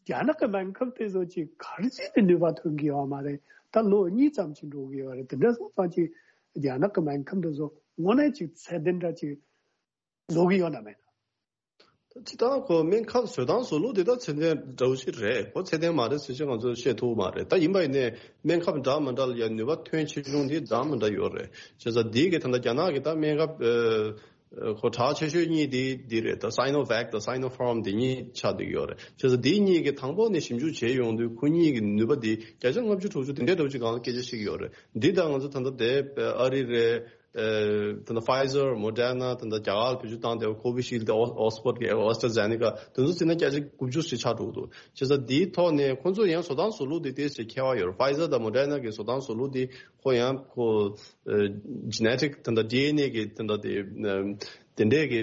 རྒྱ་ནག་གི་སྨན་ཁབ་དེ་ཚོ་ཅིག་ག་རེ་བྱས་ནས་ནུས་པ་ཐོན་གི་ཡོད་མ་རེད། ད་ལོ་གཉིས་ཙམ་ཅིག་འགྲོ་གི་ཡོད་རེད། དེ་འདྲ་སོང་ཙང་ཅིག་རྒྱ་ནག་གི་སྨན་ཁབ་དེ་ཚོ་དངོས་གནས་ཅིག་ཚད་ལྡན་འདྲ་ཅིག་བཟོ་གི་ཡོད་ན་མེད་ན། ད་སྤྱིར་བཏང་ཁོ་སྨན་ཁབ་བཟོ་སྟངས་བཟོ་ལུགས་དེ་ད་ཚད་ལྡན་འདྲ་བོ་ཞིག་རེད། ཁོ་ཚད་ལྡན་མ་རེད་ཟེར་ཅིག་ང་ཚོས་བཤད་ཐུབ་མ་རེད། ད་ཡིན་པ་ཡིན་ནའི་སྨན་ཁབ་འདྲ་མི་འདྲ་ལ་ཡང་ནུས་པ་ཐོན་ཆེ་ཆུང་དེ་འདྲ་མི་འདྲ་ཡོད་རེད། བྱས་ཙང་འདི་གི་ད་ལྟ་རྒྱ་ནག་གི་ད་སྨན་ཁབ་ཨ་ཁོ་གྲགས་ཆེ་ཤོས་གཉིས་དེ་འདི་རེད། ད་Sinovac་དང་Sinopharm་དེ་གཉིས་ཆགས་བསྡད་ཡོད་རེད། བྱས་ཙང་འདི་གཉིས་ཀྱི་དང་པོ་ནས་ཞིབ་འཇུག་བྱས་ཡོང་དུས་ཁོ་གཉིས་ཀྱི་ནུས་པ་དེ་བརྒྱ་ཆ་ལྔ་བཅུ་དྲུག་ཅུ་དེ་འདྲའི་འདྲ་བོ་ཅིག་སྒང་ལ་སྐད་ཆ་བཤད་ཀྱི་ཡོད་རེད། འདི་ད་ང་ཚོ་ད་ལྟ་དེ་ཨ་རི་རེད། ད་ལྟ་Pfizer Moderna་ད་ལྟ་རྒྱ་གར་བེད་སྤྱོད་བཏང་བསྡད་པ་Covishield་དང་Oxford་གི་AstraZeneca་དེ་ཚོ་བརྩིས་ན་བརྒྱ་ཆ་དགུ་བཅུ་ཞིག་ཆགས་འགྲོ་གི་འདུག་བྱས་ཙང་འདིའི་ཐོག་ནས་ཁོང་ཚོ་ཡང་བཟོ་སྟངས་བཟོ་ལུགས་དེ་ཏོག་ཙམ་ཁྱད་པར་ཡོད་རེད། Pfizer་དང་Moderna་གི་བཟོ་སྟངས་བཟོ་ལུགས་དེ་ཁོ་ཡང་ཁོ་genetic་ད་ལྟ་ཌི་ཨེན་ཨེ་གི་ད་ལྟ་དེ་དེ་འདྲས་ཀྱི་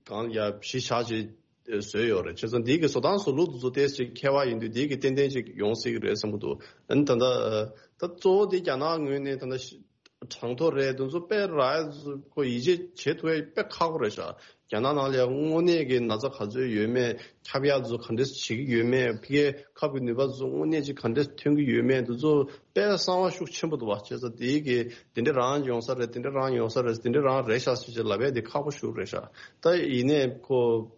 གང་ཡ་གཞི་བཞག་ཅིག་བཟོས་ཡོད་རེད། བྱས་ཙང་འདི་གི་བཟོ་སྟངས་བཟོ་ལུགས་དེ་ཚོ་ཏོག་ཙམ་ཁྱད་པར་ཡིན་དུས་འདི་གི་ཏན་ཏན་ཅིག་ཡོང་སྲིད་ཀྱི་རེད་བསམ་གྱི་འདུག་ཨ་ནི་ད་ལྟ་ད་གཙོ་བོ་དེ་རྒྱ་ནག་ངོས་ནས་ད་ལྟ་གྲངས་ཐོ་རེད། དེ་ཚོ་དཔེ་རག་ཡ་ཁོ་ཡིད་ཆེས་བྱེད་ཐུབ་ཡ་དཔེ་ཁག་པོ་རེད་ཤག་རྒྱ་ནག་ནང་ལ་ཡ་དངོས་གནས་ཀྱི་ན་ཚ་ག་ཚོད་ཡོད་མེད། ཁྱབ་ཡག་ཚོ་ག་འདྲས་བྱེད་ཀྱི་ཡོད་མེད། ཕ་གིའི་ཁབ་ཀྱི་ནུས་པ་ཚོ་དངོས་གནས་ཅིག་ག་འདྲས་ཐོན་གྱི་ཡོད་མེད། དེ་ཚོ་དཔེ་གསང་བ་ཤུགས་ཆེན་པོ་འདུག་བ། བྱས་ཙང་དེའི་གི་དེ་འདྲས་རང་ཡོང་ས་རེད། དེ་འདྲས་རང་ཡོང་ས་རེད། དེ་འདྲས་རང་རེད་ཤག་ཟེར་ཅིག་ལབ་ཡ་དེ་ཁག་པོ་ཞིག་རེད་ཤག་ད་ཡིན་ནའི་ཁོ་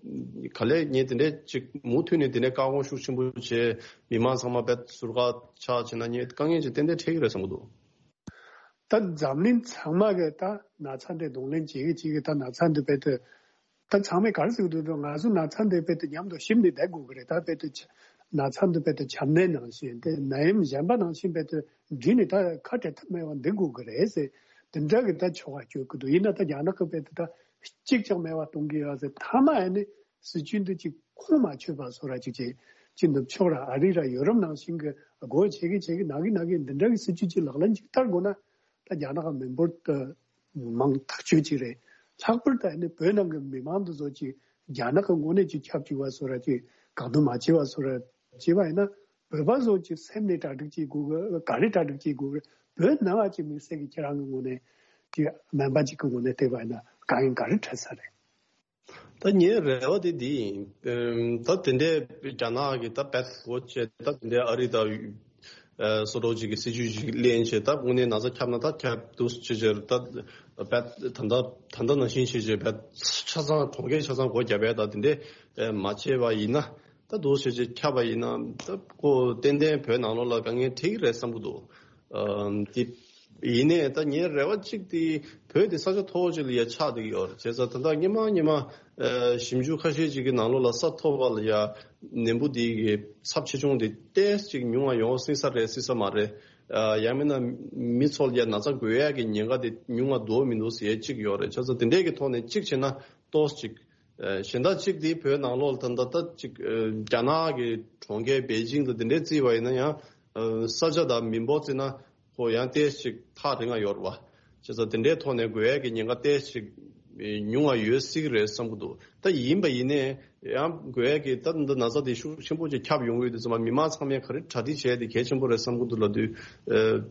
ག་ལེར་ངས་དེ་འདྲས་ཅིག་མུ་མཐུད་ནས་དེ་འདྲས་བཀག་འགོག་ཤུགས་ཆེན་པོ་བྱས་མི་མང་ཚང་མ་དཔེ་ཟུར་བཀག་ཆགས་བྱས་ན་ངས་དཀའ་ངལ་ཅིག་ཏན་ཏན་འཕྲད་ཀྱི་རེད་བསམ་གྱི་འདུག་ད་འཛམ་གླིང་ཚང་མ་གི་ད་ན་ཚ་འདི་གདོང་ལེན་བྱེད་ཀྱི་བྱེད་ཀྱི་ད་ན་ཚ་འདི་རྦད་དེ་ད་ཚང་མས་ག་རེ་ཟེར་གྱི་འདུག་ང་ཚོ་ན་ཚ་འདི་རྦད་དེ་མཉམ་དུ་ཞིབ་ནས་བསྡད་དགོས་ཀྱི་རེད། ད་རྦད་དེ་ཆ་ན་ཚ་འདི་རྦད་དེ་ཆམ་ནད་ནང་བཞིན་དེ་ནད་ཡམས་གཞན་པ་ནང་བཞིན་རྦད་དེ་འདྲིས་ནས་ད་ཁ་བྲལ་ཐབས་མེད་པ་འདི་དགོས་ཀྱི་རེད་ཟེར། དེ་འདྲ་གི་ད་ཆོ་ག་བསྐྱོད་ཀྱི་འདུག་ཡིན་ན་ད་རྒྱ་ནག་གི་རྦད་དེ་ད་གཅིག་ཀྱང་མེད་པ་གཏོང་གི་ཡོད་ཟེར། མཐའ་མ་ཡ་ནི་སྲིད་ཇུས་འདི་ཅིག་ཁོང་མ་ཆོད་པ་བཟོ་ར་ཅིག་བྱས། ཅིག་ནུབ་ཕྱོགས་ར་ཨ་རི་ར་ཡོ་རོབ་ནང་བཞིན་གྱི་སྒོ་ཕྱེ་གི་ཕྱེ་གི་ནང་གི་ནང་གི་འདི་འདྲ་གི་སྲིད་ཇུས་ཅིག་ལག་ལེན་ཅིག་བསྟར་དགོས་ན། ད་རྒྱ་ནག་གི་མི་འབོར་དུ་མང་ཐག་ཆོད་ཅིག་རེད། ལྷག་པར་དུ་ཨ་ནི་བོད་ནང་གི་མི་མང་དུ་བཟོ་ཅིག་རྒྱ་ནག་གི་དངོས་གནས་ཅིག་ཁྱབ་ཅིག་པ་བཟོ་ར་ཅིག་བཀག་སྡོམ་མ་བྱས་པ་བཟོ་ར་བྱས་པ་ཡིན་ན། བོད་པ་བཟོ་ཅིག་སེམས་ནས་གྲ་སྒྲིག་ཅིག་དགོས་གི་ག་རེ་གྲ་སྒྲིག་ཅིག་དགོས་གི་བོད་ནང་ང་ཅིག་དམིགས་བསལ་གྱི་ཁྱེད་རང་གི་ངོས་ནས་ཅིག་སྨན་པ་ཅིག་གི་ངོས་ནས་བལྟས་པ་ཡིན་ན་དཀའ་ངལ་ག་རེ་འཕྲད་ས་རེད། ད་ངའི་རེ་བ་དེ་འདི་ཡིན། ཨམ། ད་དེ་འདྲའི་རྒྱ་ནག་གི་ད་བེད་སྒོ་བྱས། ད་དེ་འདྲའི་ཨ་རི་དང་། ཨ། སོ་ཏོག་ཅིག་གི་སྲིད་ཇུས་ཅིག་ལེན་བྱས། ད་དངོས་གནས་ན་ཚ་ཁྱབ་ན་ད་ཁྱབ་འདུག་ཅེས་བྱས། ད་བེད་ད་ད་ད་ད་ནང་བཞིན་བྱས་བྱས་བེད་ཆ་ཚང་གྲོང་ཁྱེར་ཆ་ཚང་སྒོ་བརྒྱབ་པས། ད་དེ་འདྲའི་མ་བྱས་པ་ཡིན་ན། ད་འདུག་བྱས་བྱས་ཁྱབ་པ་ཡིན་ན། ད་ཁོ་ཏན་ཏན་བོད་ནང་ལོགས་ལ་དཀའ་ངལ་འཕྲད་ཀྱི་རེད་བསམ་གྱི་འདུག་ཨམ། དེ་ཡིན་ནའི་ད་ངའི་རེ་བ་གཅིག་དེ་བོད་དེ་ས་ཆ་མཐོ་པོ་ཅིག་ལ་ཡ་ཆགས་བསྡད་ཀྱི་ཡོད་རེད། བྱས་ཙང་ད་ལྟ་སྔོན་མ་སྔོན་མ། ཨ། ཞིབ་འཇུག་ཁ་ཤས་ཅིག་གི་ནང་ལོགས་ལ་ས་མཐོ་བ་ལ་ཡ་ནད་འབུ་དེ་གི་ཚབས་ཆེ་ཆུང་དེ་ཏོག་ཙམ་ཅིག་ཉུང་བ་ཡོང་སྲིད་ས་རེད་སྲིད་ས་མ་རེད། ཨ། ཡང་མིན་ན་མི་ཚོ་ལ་ཡ་ན་ཚ་འགོས་ཡག་གི་ཉེན་ཁ་དེ་ཉུང་བ་འདུག་མི་འདུག་ཟེར་ཡ་གཅིག་ཡོད་རེད། བྱས་ཙང་དེ་འདྲས་ཀྱི་ཐོག་ནས་གཅིག་བྱས་ན་ཏོག་ཙམ་ཅིག་ཨ། གཞན་དག་གཅིག་དེ་བོད་ནང་ལོགས་ལ་ད་ལྟ་ད་ཅིག་ཨ། རྒྱ་ནག་གི་གྲོང་ཁྱེར་པེ་ཅིང་དང་དེ་འདྲས་བརྩིས་པ་ཡིན་ན་ཡང་། ཨ། ས་ཆ་དང་མི་འབོར་བརྩིས་ན་ཁོ་ཡང་ཏོག་ཙམ་ཅིག་ཐག་རིང་ང་ཡོད་རེད་པ། བྱས་ཙང་དེ་འདྲའི་ཐོག་ནས་འགོས་ཡག་གི་ཉེན་ཁ་ཏོག་ཙམ་ཅིག་ཉུང་བ་ཡོད་སྲིད་ཀྱི་རེད་བསམ་གྱི་འདུག་ད་ཡིན་པ་ཡིན་ནའི་ཡང་འགོས་ཡག་གི་ད་འདི་ན་ཚ་དེ་ཤུགས་ཆེན་པོ་ཅིག་ཁྱབ་ཡོང་གི་ཡོད་དུས་ཙམ་པ། མི་མང་ཚང་མས་ག་རེ་གྲ་སྒྲིག་བྱས་དེ་གལ་ཆེན་པོ་རེད་བསམ་གྱི་འདུག་ལབ་དུས། ཨ།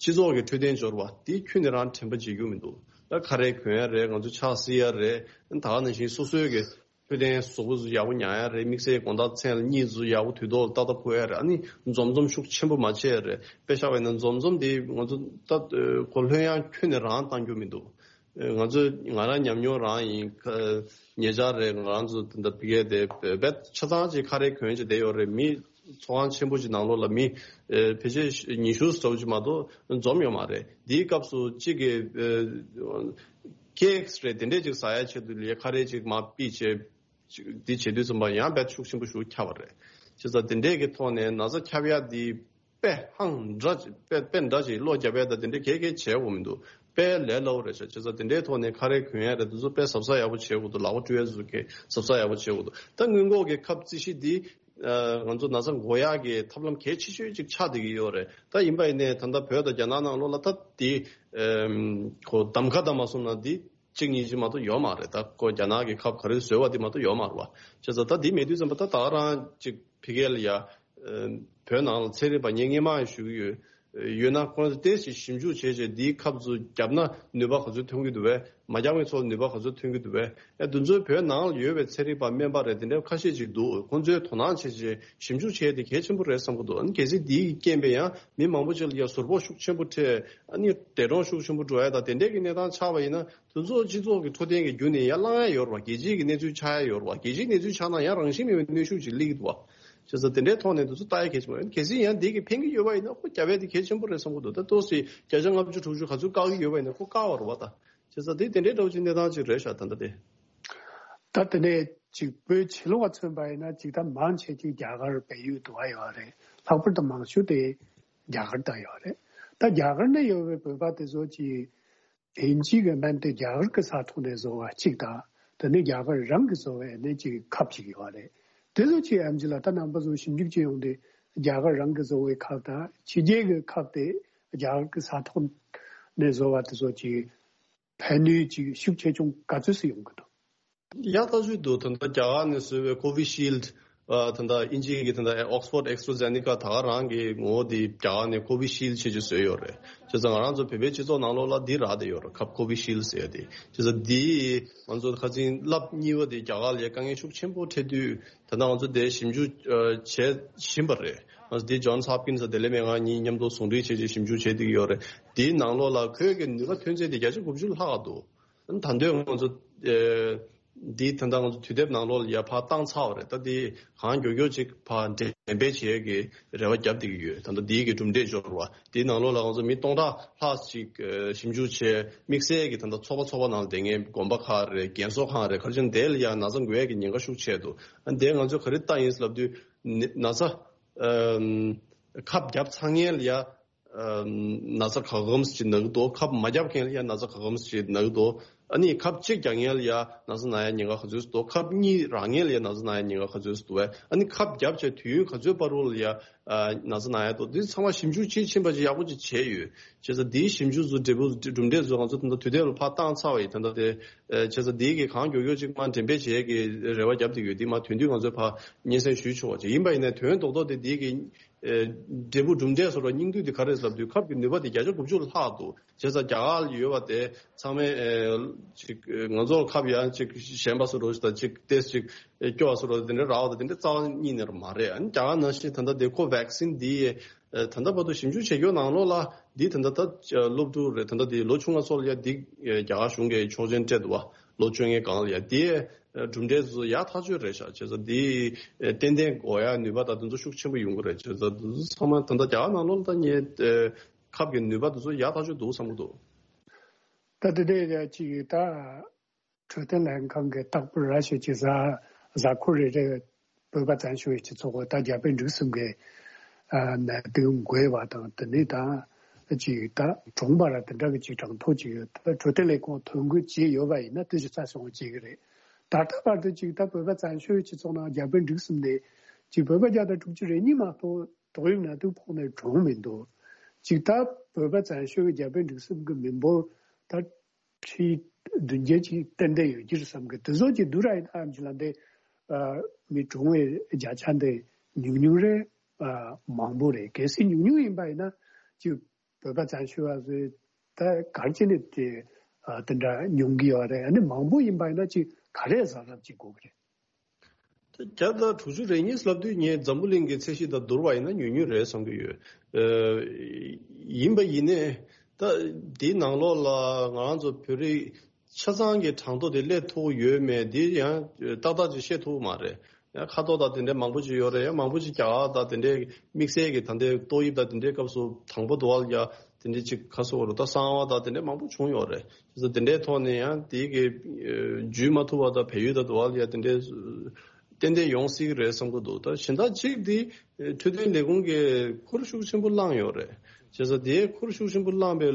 སྤྱི་ཚོགས་ཀྱི་འཕྲོད་བསྟེན་འབྱོར་བ་དེ་ཁྱོན་ནས་རང་དྲན་པ་བརྗེད་རྒྱུ་མི་འདུག་ད་ཁ་རས་གོན་ཡ་རེད། ང་ཚོ་ཕྱག་བསིལ་ཡ་རེད། ད་ག་ནང་བཞིན་སོ་སོའི་གི་འཕྲོད་བསྟེན་གཟུགས་པོ་ཚོ་ཡག་པོ་མྱང་ཡ་རེད། དམིགས་བསལ་དགོང་དག་མཚན་ལ་གཉིད་ཚོ་ཡག་པོ་དུས་ཐོག་ལ་ཏག་ཏག་འཁོར་ཡ་རེད། ཨ་ནི་འཛོམས་འཛོམས་ཤུགས་ཆེན་པོ་མ་བྱེད་ཡ་རེད། དཔེ་བཞག་པ་ཡིན་ན་འཛོམས་འཛོམས་དེ་ང་ཚོ་ད་ཁོ་ལྷོད་ཡངས་ཁྱོན་ནས་རང་གཏང་རྒྱུ་མི་འདུག་ང་ཚོས་ང་རང་ཉམས་མྱོང་རང་ཡིན། ཉེ་ཆར་རེད། ང་རང་ཚོ་ད་ཕ་གིར་དེ་བེད་ཆ་ཚང་ཅིག་ཁ་རས་གོན་བྱས་བསྡད་ཡོད་རེད། མི་ཚོགས་ཁང་ཆེན་པོ་ཅིག་ནང་ལོགས་ལ་མི་ཕལ་ཆེར་ཉི་ཤུ་ཙམ་ཅིག་མ་གཏོགས་འཛོམས་ཡོད་མ་རེད། དེའི་སྐབས་སུ་གཅིག་གིས་ཀེག་རེད། དེ་འདྲས་ཅིག་ཟ་ཡ་ཆེད་དུ་ལ་ཁ་རས་ཅིག་མར་ཕུད་བྱས། འདི་བྱེད་དུས་ཙམ་པ་ཡང་བེད་ཤུགས་ཆེན་པོ་ཞིག་ཁྱབ་པ་རེད། བྱས་ཙང་དེ་འདྲས་ཀྱི་ཐོག་ནས་ན་ཚ་ཁྱབ་ཡ་དེ་དཔེ་ཧང་འདྲ་ཅིག་དཔེ་དཔེ་འདྲ་ཅིག་བློ་རྒྱབ་ཡ་དང་དེ་འདྲས་གས་གས་བྱེད་དགོས་མི་འདུག་དཔེ་ལས་སླ་པོ་རེད་ཤག་བྱས་ཙང་དེ་འདྲའི་ཐོག་ནས་ཁ་རས་གོན་ཡ་རེད། དེ་ཚོ་དཔེ་གཟབ་གཟབ་ཡག་པོ་བྱེད་དགོས་འདུག་ལག་པ་བཀྲུ་ཡ་ཚོ་གས་གཟབ་གཟབ་ཡག་པོ་བྱེད་དགོས་འདུག་ད་སྔོན་འགོག་གི་ཁབ་རྩི་ཤིང་འདི། ཨ། ང་ཚོ་ན་ཚ་འགོག་ཡག་གི་ཐབས་ལམ་གལ་ཆེ་ཤོས་ཅིག་ཆགས་བསྡད་ཀྱི་ཡོད་རེད། ད་ཡིན་པ་ཡིན་ནའི་ད་ལྟ་བོད་དང་རྒྱ་ནག་ནང་ལོགས་ལ་ད་འདི། ཨམ། ཁོ་གདམ་ཁ་ད་མ་སོང་ན་འདི་གཅིག་གཉིས་ཅིག་མ་གཏོགས་ཡོད་མ་རེད། ད་ཁོ་རྒྱ་ནག་གི་ཁབ་ག་རེ་བཟོས་པ་འདི་མ་གཏོགས་ཡོད་མ་རེད་པ། བྱས་ཙང་ད་འདི་མེད་དུས་ཙམ་པ་ད་ད་ག་རང་ཅིག་ཕ་གི་ལ་ཡ། ཨམ། བོད་ནང་ལ་ཚན་རིག་པ་ངས་སྔོན་མ་ཞུ་གི་ཡོད། ཡོད་ན་ཁོང་ཚོས་ཏོག་ཙམ་ཞིབ་འཇུག་བྱས་བྱས་འདིའི་ཁབ་ཚོ་བརྒྱབ་ན་ནུས་པ་ག་ཚོད་ཐོན་གྱི་འདུག་པས། མ་བརྒྱབ་མཁན་ཚོ་ལ་ནུས་པ་ག་ཚོད་ཐོན་གྱི་འདུག་པས། ཨ། འདི་ཚོའི་བོད་ནང་ལ་ཡོད་པའི་ཚན་རིག་པ་སྨན་པ་རེད། དེ་འདྲ་ཁ་ཤས་ཅིག་འདུག་ཁོང་ཚོས་དོ་སྣང་བྱས་བྱས་ཞིབ་འཇུག་བྱས་ཏེ་གལ་ཆེན་པོ་རེད་བསམ་གྱི་འདུག་ཨ་ནི་གལ་སྲིད་འདིའི་རྐྱེན་པས་ཡང་མི་མང་པོ་ཅིག་ལ་ཡང་ཟུར་ཕོག་ཤུགས་ཆེན་པོ་འཕྲད། ཨ་ནི་འདས་གྲོངས་ཤུགས་ཆེན་པོ་འགྲོ་ཡ་དང་དེ་འདྲའི་གི་གནས་སྟངས་ཆགས་པ་ཡིན་ན། དེ་ཚོ་སྤྱི་ཚོགས་ཀྱི་འཕྲོད་བསྟེན་གྱི་བརྒྱུད་ནས་ཡར་ལངས་ཡ་ཡོད་རེད་པ། རྒྱལ་སྤྱིའི་གི་གནས་ཚུལ་ཆགས་ཡ་ཡོད་རེད་པ། རྒྱལ་སྤྱིའི་གནས་ཚུལ་ཆགས་ན་ཡང་རང་བཞིན་མེད་པའི་གནོན་ཤུགས་ཅིག་སླེབས་ཀྱི་འདུག་པ། བྱས་ཙང་དེ་འདྲའི་ཐོག་ནས་དེ་ཚོ་ལྟ་ཡ་གལ་ཆེན་པོ་རེད། གལ་སྲིད་ཡང་འདི་གི་ཕན་གྱི་ཡོད་པ་ཡིན་ན་ཁོ་རྒྱབ་ཡ་དེ་གལ་ཆེན་པོ་རེད་བསམ་གྱི་འདུག་ད་ཏོག་ཙམ་བརྒྱ་ཆ་ལྔ་བཅུ་དྲུག་ཅུ་ག་ཚོད་བཀག་གི་ཡོད་པ་ཡིན་ན་ཁོ་བཀག་པ་རེད་པ། ད་བྱས་ཙང་དེ་དེ་འདྲའི་འདྲ་བོ་ཅིག་གནས་སྟངས་ཅིག་རེད་ཤག་ད་ལྟ་དེ། ད་དེ་ནས་ཅིག་བོད་ཕྱི་ལོགས་ལ་མཚོན་པ་ཡིན་ན་ཅིག་ད་མང་ཆེ་ཅིག་རྒྱ་གར་བལ་ཡུལ་དུ་བ་ཡོད་རེད། ལྷག་པར་དུ་མང་ཤོས་དེ་རྒྱ་གར་དུ་ཡོད་རེད། ད་རྒྱ་གར་ནས་ཡོད་པའི་བོད་པ་དེ་ཚོ་ཅིག་དབྱིན་ཇི་གི་སྨན་དེ་རྒྱ་གར་གྱི་ས་ཐོག་ནས་བཟོ་བ་གཅིག་དང་། དེ་ནས་རྒྱ་གར་རང་གིས་བཟོ་བའི་ནས་ཅིག་ཁབ་ཅིག་ཡོད་རེད། དེ་ཚོ་ཅིག་ཨེམ་ཆི་ལགས་ད་རྣམ་པ་ཚོ་ཞིབ་འཇུག་བྱེད་ཡོང་དུས་རྒྱ་གར་རང་གིས་བཟོ་བའི་ཁབ་དང་ཕྱི་རྒྱལ་གྱི་ཁབ་དེ་རྒྱ་གར་གྱི་ས་ཐོག་ནས་བཟོ་བ་དེ་ཚོ་ཅིག་ཕན་ནུས་ཅིག་ཤུགས་ཆེ་ཆུང་ག་ཚོད་སུ་ཡོང་གི་འདུག་ཡ་ད་ཞུས་འདུག་ད་ལྟ་རྒྱ་གར་ནས་བཟོས་པའི་ཀོ་བི་ཤིལ་ཌི། ཨ། ད་ལྟ་དབྱིན་ཇི་གི་ད་ལྟ་ཨོག་སི་ཕོར་ཌི་ཨེ་སི་ཊ་ར་ཛེ་ནེ་ཀ་ད་ག་རང་གི་ངོ་བོ་དེ་རྒྱ་གར་ནས་ཀོ་བི་ཤིལ་ཌི་བྱས་ཅིག་བཟོས་ཡོད་རེད། བྱས་ཙང་ང་རང་ཚོ་བོད་པའི་སྤྱི་ཚོགས་ནང་ལོགས་ལ་འདི་རག་བསྡད་ཡོད་རེད། ཁབ་ཀོ་བི་ཤིལ་ཌི་ཟེར་ཡ་དེ། བྱས་ཙང་འདི་ང་ཚོ་ཁ་སང་ལབ་གཉིས་པ་དེ་རྒྱ་གར་ལ་དཀའ་ངལ་ཤུགས་ཆེན་པོ་འཕྲད་དུས་ད་ལྟ་ང་ཚོ་དེ་ཞིབ་འཇུག་ཨ། བྱེད་བཞིན་པ་རེད། ང་ཚོ་དེ་ཇོན་སི་ཧོབ་ཀིན་སི་ལྡི་ལི་མེད་ང་གཉིས་མཉམ་དུ་ཟུང་འབྲེལ་བྱས་ཅིག་ཞིབ་འཇུག་བྱས་བསྡད་ཀྱི་ཡོད་རེད། དེའི་ནང་ལོགས་ལ་ཁོའི་གི་ནུས་པ་ཐོན་ཚད་དེ་བརྒྱ་ཆ་དགུ་བཅུ་ལྷག་འདུག་ད་དུང་ང་ཚོ་ཨ། འདི་ད་ལྟ་ང་ཚོ་དུས་དེབ་ནང་ལོགས་ལ་ཡར་ཕར་བཏང་ཚར་བ་རེད། ད་འདི་གང་མགྱོགས་མགྱོགས་ཅིག་ཕར་འགྲེམས་སྤེལ་བྱེད་ཡས་ཀྱི་རེ་བ་བརྒྱབ་བསྡད་ཀྱི་ཡོད། ད་ལྟ་འདིའི་གི་གྲུབ་འབྲས་འབྱོར་བ་འདིའི་ནང་ལོགས་ལ་ང་ཚོ་མི་སྟོང་ཕྲག་ལྷག་ཅིག་ཨ། ཞིབ་འཇུག་བྱས། དམིགས་བསལ་གྱི་ད་ལྟ་ཚོགས་པ་ཚོགས་པ་ནང་ལ་བསྡད་མཁན་དགོན་པ་ཁག་རེད། རྒན་གསོ་ཁང་རེད། ག་རེ་བྱས་ན་དེ་ལ་ཡང་ན་ཚ་འགོས་ཡས་ཀྱི་ཉེན་ཁ་ཤུགས་ཆེ་འདུག་ཨ། འདི་ང་ཚོས་ག་རེ་བལྟས་ཡིན་ལབ་དུས་ན་ཚ་ཨ། ཁབ་བརྒྱབ་ཚར་མཁན་ལ་ཡ། ཨ། ན་ཚ་ག་གམ་ཞིག་ན་གི་འདུག་ཁབ་མ་བརྒྱབ་མཁན་ལ་ཡང་ན་ཚ་ག་གམ་ཞིག་ན་གི་འདུག་ཨ་ནི་ཁབ་གཅིག་བརྒྱབ་མཁན་ལ་ཡང་ན་ཚ་ན་ཡ་ཉེན་ཁ་ག་ཚོད་འདུག་ཁབ་གཉིས་རག་མཁན་ལ་ཡང་ན་ཚ་ན་ཡ་ཉེན་ཁ་ག་ཚོད་འདུག་ཨ་ནི་ཁབ་བརྒྱབ་བྱས་དུས་ཡུན་ག་ཚོད་བར་དུ་ལ་ཡང་ན་ཚ་ན་ཡ་འདུག་འདི་ཚང་མ་ཞིབ་འཇུག་དཔྱིས་ཕྱིན་པ་ཅིག་ཡག་པོ་ཅིག་བྱས་ཡོད། བྱས་ཙང་འདིའི་ཞིབ་འཇུག་ཚོ་འབྲས་བུ་གྲུབ་འབྲས་ཚོ་ང་ཚོ་ད་ལྟ་དུས་དེབ་ལ་ཕར་བཏང་ཚར་བ་ཡིན། ད་ལྟ་དེ་བྱས་ཙང་འདིའི་གི་གང་མགྱོགས་མགྱོགས་ཅིག་མར་འགྲེམས་སྤེལ་བྱེད་ཡས་ཀྱི་རེ་བ་བརྒྱབ་བསྡད་ཡོད། འདི་མར་དོན་བསྡུས་ང་ཚོས་ཕར་སྙན་སེང་ཞུས་ཆོག་པ་ཅིག་ཡིན་པ་ཡིན་ནའི་དོན་རྡོག་རྡོག་དེ་འདིའི་གི་ཨེ་འབྲས་བུ་གྲུབ་འབྲས་སོགས་ལ་སྙིང་བསྡུས་དེ་ག་རེ་ཟེར་ལབ་དུས་ཁབ་ཀྱི་ནུས་པ་དེ་བརྒྱ་ཆ་དགུ་བཅུ་ལྷག་འདུག་བྱས་ཙང་རྒྱ་གར་ལ་ཡོད་པ་དེ་ཚང་མས་ཨེ་ཅིག་ཨེ་ང་ཚོར་ཁབ་ཡང་ཅིག་ཞན་པ་སོགས་རོ་ཞིག་དང་ཅིག་ཏེས་ཅིག་ཨེ་སྐྱོ་བ་སོགས་རོ་དེ་འདྲ་རག་པ་དང་དེ་འདྲ་རྩ་བ་ཉིད་ནས་མ་རེད། ཨ་ནི་རྒྱ་གར་ནང་བཞིན་ད་ལྟ་དེ་ཁོ་ཝེག་སིན་འདི་ཨེ་ད་ལྟ་བར་དུ་ཞིབ་འཇུག་བྱེད་རྒྱུ་ནང་ལོགས་ལ་འདི་ད་ལྟ་ད་སློབ་ཕྲུག་རེད། ད་ལྟ་དེ་ལོ་ཆུང་བ་ཚོ་ལ་ཡ་འདི་ཨེ་རྒྱ་གར་གཞུང་གིས་ཆོག་མཆན་སྤྲད་འདུག་བ། ལོ་བཅོ་ལྔའི་སྒང་ལ་ཡ་དེ་གྲུབ་འབྲས་ཚོ་ཡག་ཐག་ཆོད་རེད་ཤག་བྱས་ཙང་འདི་ཏན་ཏན་དགོས་ཡ་ནུས་པ་དང་དེ་ཚོ་ཤུགས་ཆེན་པོ་ཡོང་གི་རེད། བྱས་ཙང་དེ་ཚོ་ཚང་མ་ད་ལྟ་རྒྱ་གར་ནང་ལོགས་ལ་ད་ངས་ཁབ་ཀྱི་ནུས་པ་དེ་ཚོ་ཡག་ཐག་ཆོད་འདུག་བསམ་གྱི་འདུག་ད་དེ་འདྲའི་ཅིག་ད་འཕྲོད་བསྟེན་ལྷན་ཁང་གི་རྟག་པར་ར་ཞིག་ཅིག་གཟའ་གཟའ་འཁོར་རེ་རེ་བོད་པ་བཙན་བྱོལ་བའི་སྤྱི་ཚོགས་ད་རྒྱ་བལ་འབྲུག་གསུམ་གྱི་ནད་དུག་འགོས་པ་དང་དེ་ནས་ད་ཅིག་ད་གྲོངས་པ་ར་དེ་འདྲ་གི་ཅིག་གྲངས་ཐོ་ཅིག་ད་འཕྲོད་བསྟེན་ལས་ཁུངས་ཐོ་འགོད་བྱས་ཡོད་པ་ཡིན་ན་དེ་ཞིག་རྩ་སོང་བྱེད་ཀྱི་རེད། ད་ལྟ་བར་དུ་ཅིག་ད་བོད་པ་བཙན་བྱོལ་སྤྱི་ཚོགས་ནང་རྒྱ་བལ་འབྲུག་གསུམ་ནས་ཅིག་བོད་པ་བརྒྱ་དང་དྲུག་ཅུ་རེ་གཉིས་མ་གཏོགས་ཏོག་དབྱིབས་ནད་དུག་ཕོག་ནས་གྲོངས་མི་འདུག་ཅིག་ད་བོད་པ་བཙན་བྱོལ་གྱི་རྒྱ་བལ་འབྲུག་གསུམ་གྱི་མི་འབོར་ད་ཁྲི་བདུན་བརྒྱད་ཅིག་ཏན་ཏན་ཡོད་ཀྱི་རེད་བསམ་གི། དེ་ཚོ་ཅིག་བསྡུར་ར་ཡིན་ན་ཨམ་ཅི་ལ་འདི་མི་གྲོངས་པའི་བརྒྱ་ཆ་འདི་ཉུང་ཉུང་རེད། མང་པོ་རེད། གལ་སྲིད་ཉུང་ཉུང་ཡིན་པ་ཡིན་ན་ཅིག་བོད་པ་བཙན་བྱོལ་བ་ཚོས་ད་ག་རེ་བྱས་ནས་དེ་ཨ་དེ་འདྲ་མྱོང་གི་ཡོད་རེད། ཨ་ནི་མང་པོ་ཡིན་པ་ཡིན་ན་ཅིག་ག་རེ་བཟང་རབས་ཅིག་དགོས་ཀྱི་རེད། ད་བརྒྱ་དང་དྲུག་ཅུ་རེ་གཉིས་ལབ་དུས་ངས་འཛམ་བུ་གླིང་གི་ཚད་གཞི་དང་བསྡུར་བ་ཡིན་ན་ཉུང་ཉུང་རེད་བསམ་གྱི་ཡོད། ཨ་ཡིན་པ་ཡིན་ནའི་ད་འདིའི་ནང་ལོགས་ལ་ང་རང་ཚོ་བོད་རིགས་ཆ་ཚང་གི་གྲངས་ཐོ་དེ་སླེབས་ཐུབ་ཡོད་མེད་འདི་ཡང་ཏག་ཏག་ཅིག་བཤད་ཐུབ་མ་རེད། ཡང་ཁ་ཐོ་དང་དེ་འདྲའི་མང་པོ་ཅིག་ཡོད་རེད། ཡང་མང་པོ་ཅིག་རྒྱ་གར་དང་དེ་འདྲའི་དམིགས་བསལ་གྱི་ད་ལྟའི་ཏོག་དབྱིབས་དང་དེ་འདྲའི་སྐབས་སུ་དང་པོ་དུ་བ་ལ་ཡ་དེ་འདྲའི་ཅིག་ཁ་སོ་རུ་ད་གསང་བ་དང་དེ་འདྲའི་མང་པོ་བྱུང་ཡོད་རེད། བྱས་ཙང་དེ་འདྲའི་ཐོག་ནས་ཡང་དེ་གི་ཨ་འཇུས་མ་ཐུབ་པ་དང་བལ་ཡུལ་དང་དུ་བ་ལ་ཡ་དེ་འདྲའི་ཏན་ཏན་ཡོང་སྲིད་ཀྱི་རེད་བསམ་གྱི་འདུག་ད་གཞན་དག་གཅིག་འདི་འཕྲོད་བསྟེན་ལས་ཁུངས་ཀྱིས་ཁུར་ཤུགས་ཆེན་པོ་བླངས་ཡོད་རེད། བྱས་ཙང་དེའི་ཁུར་ཤུགས་ཆེན་པོ་བླངས་པའི་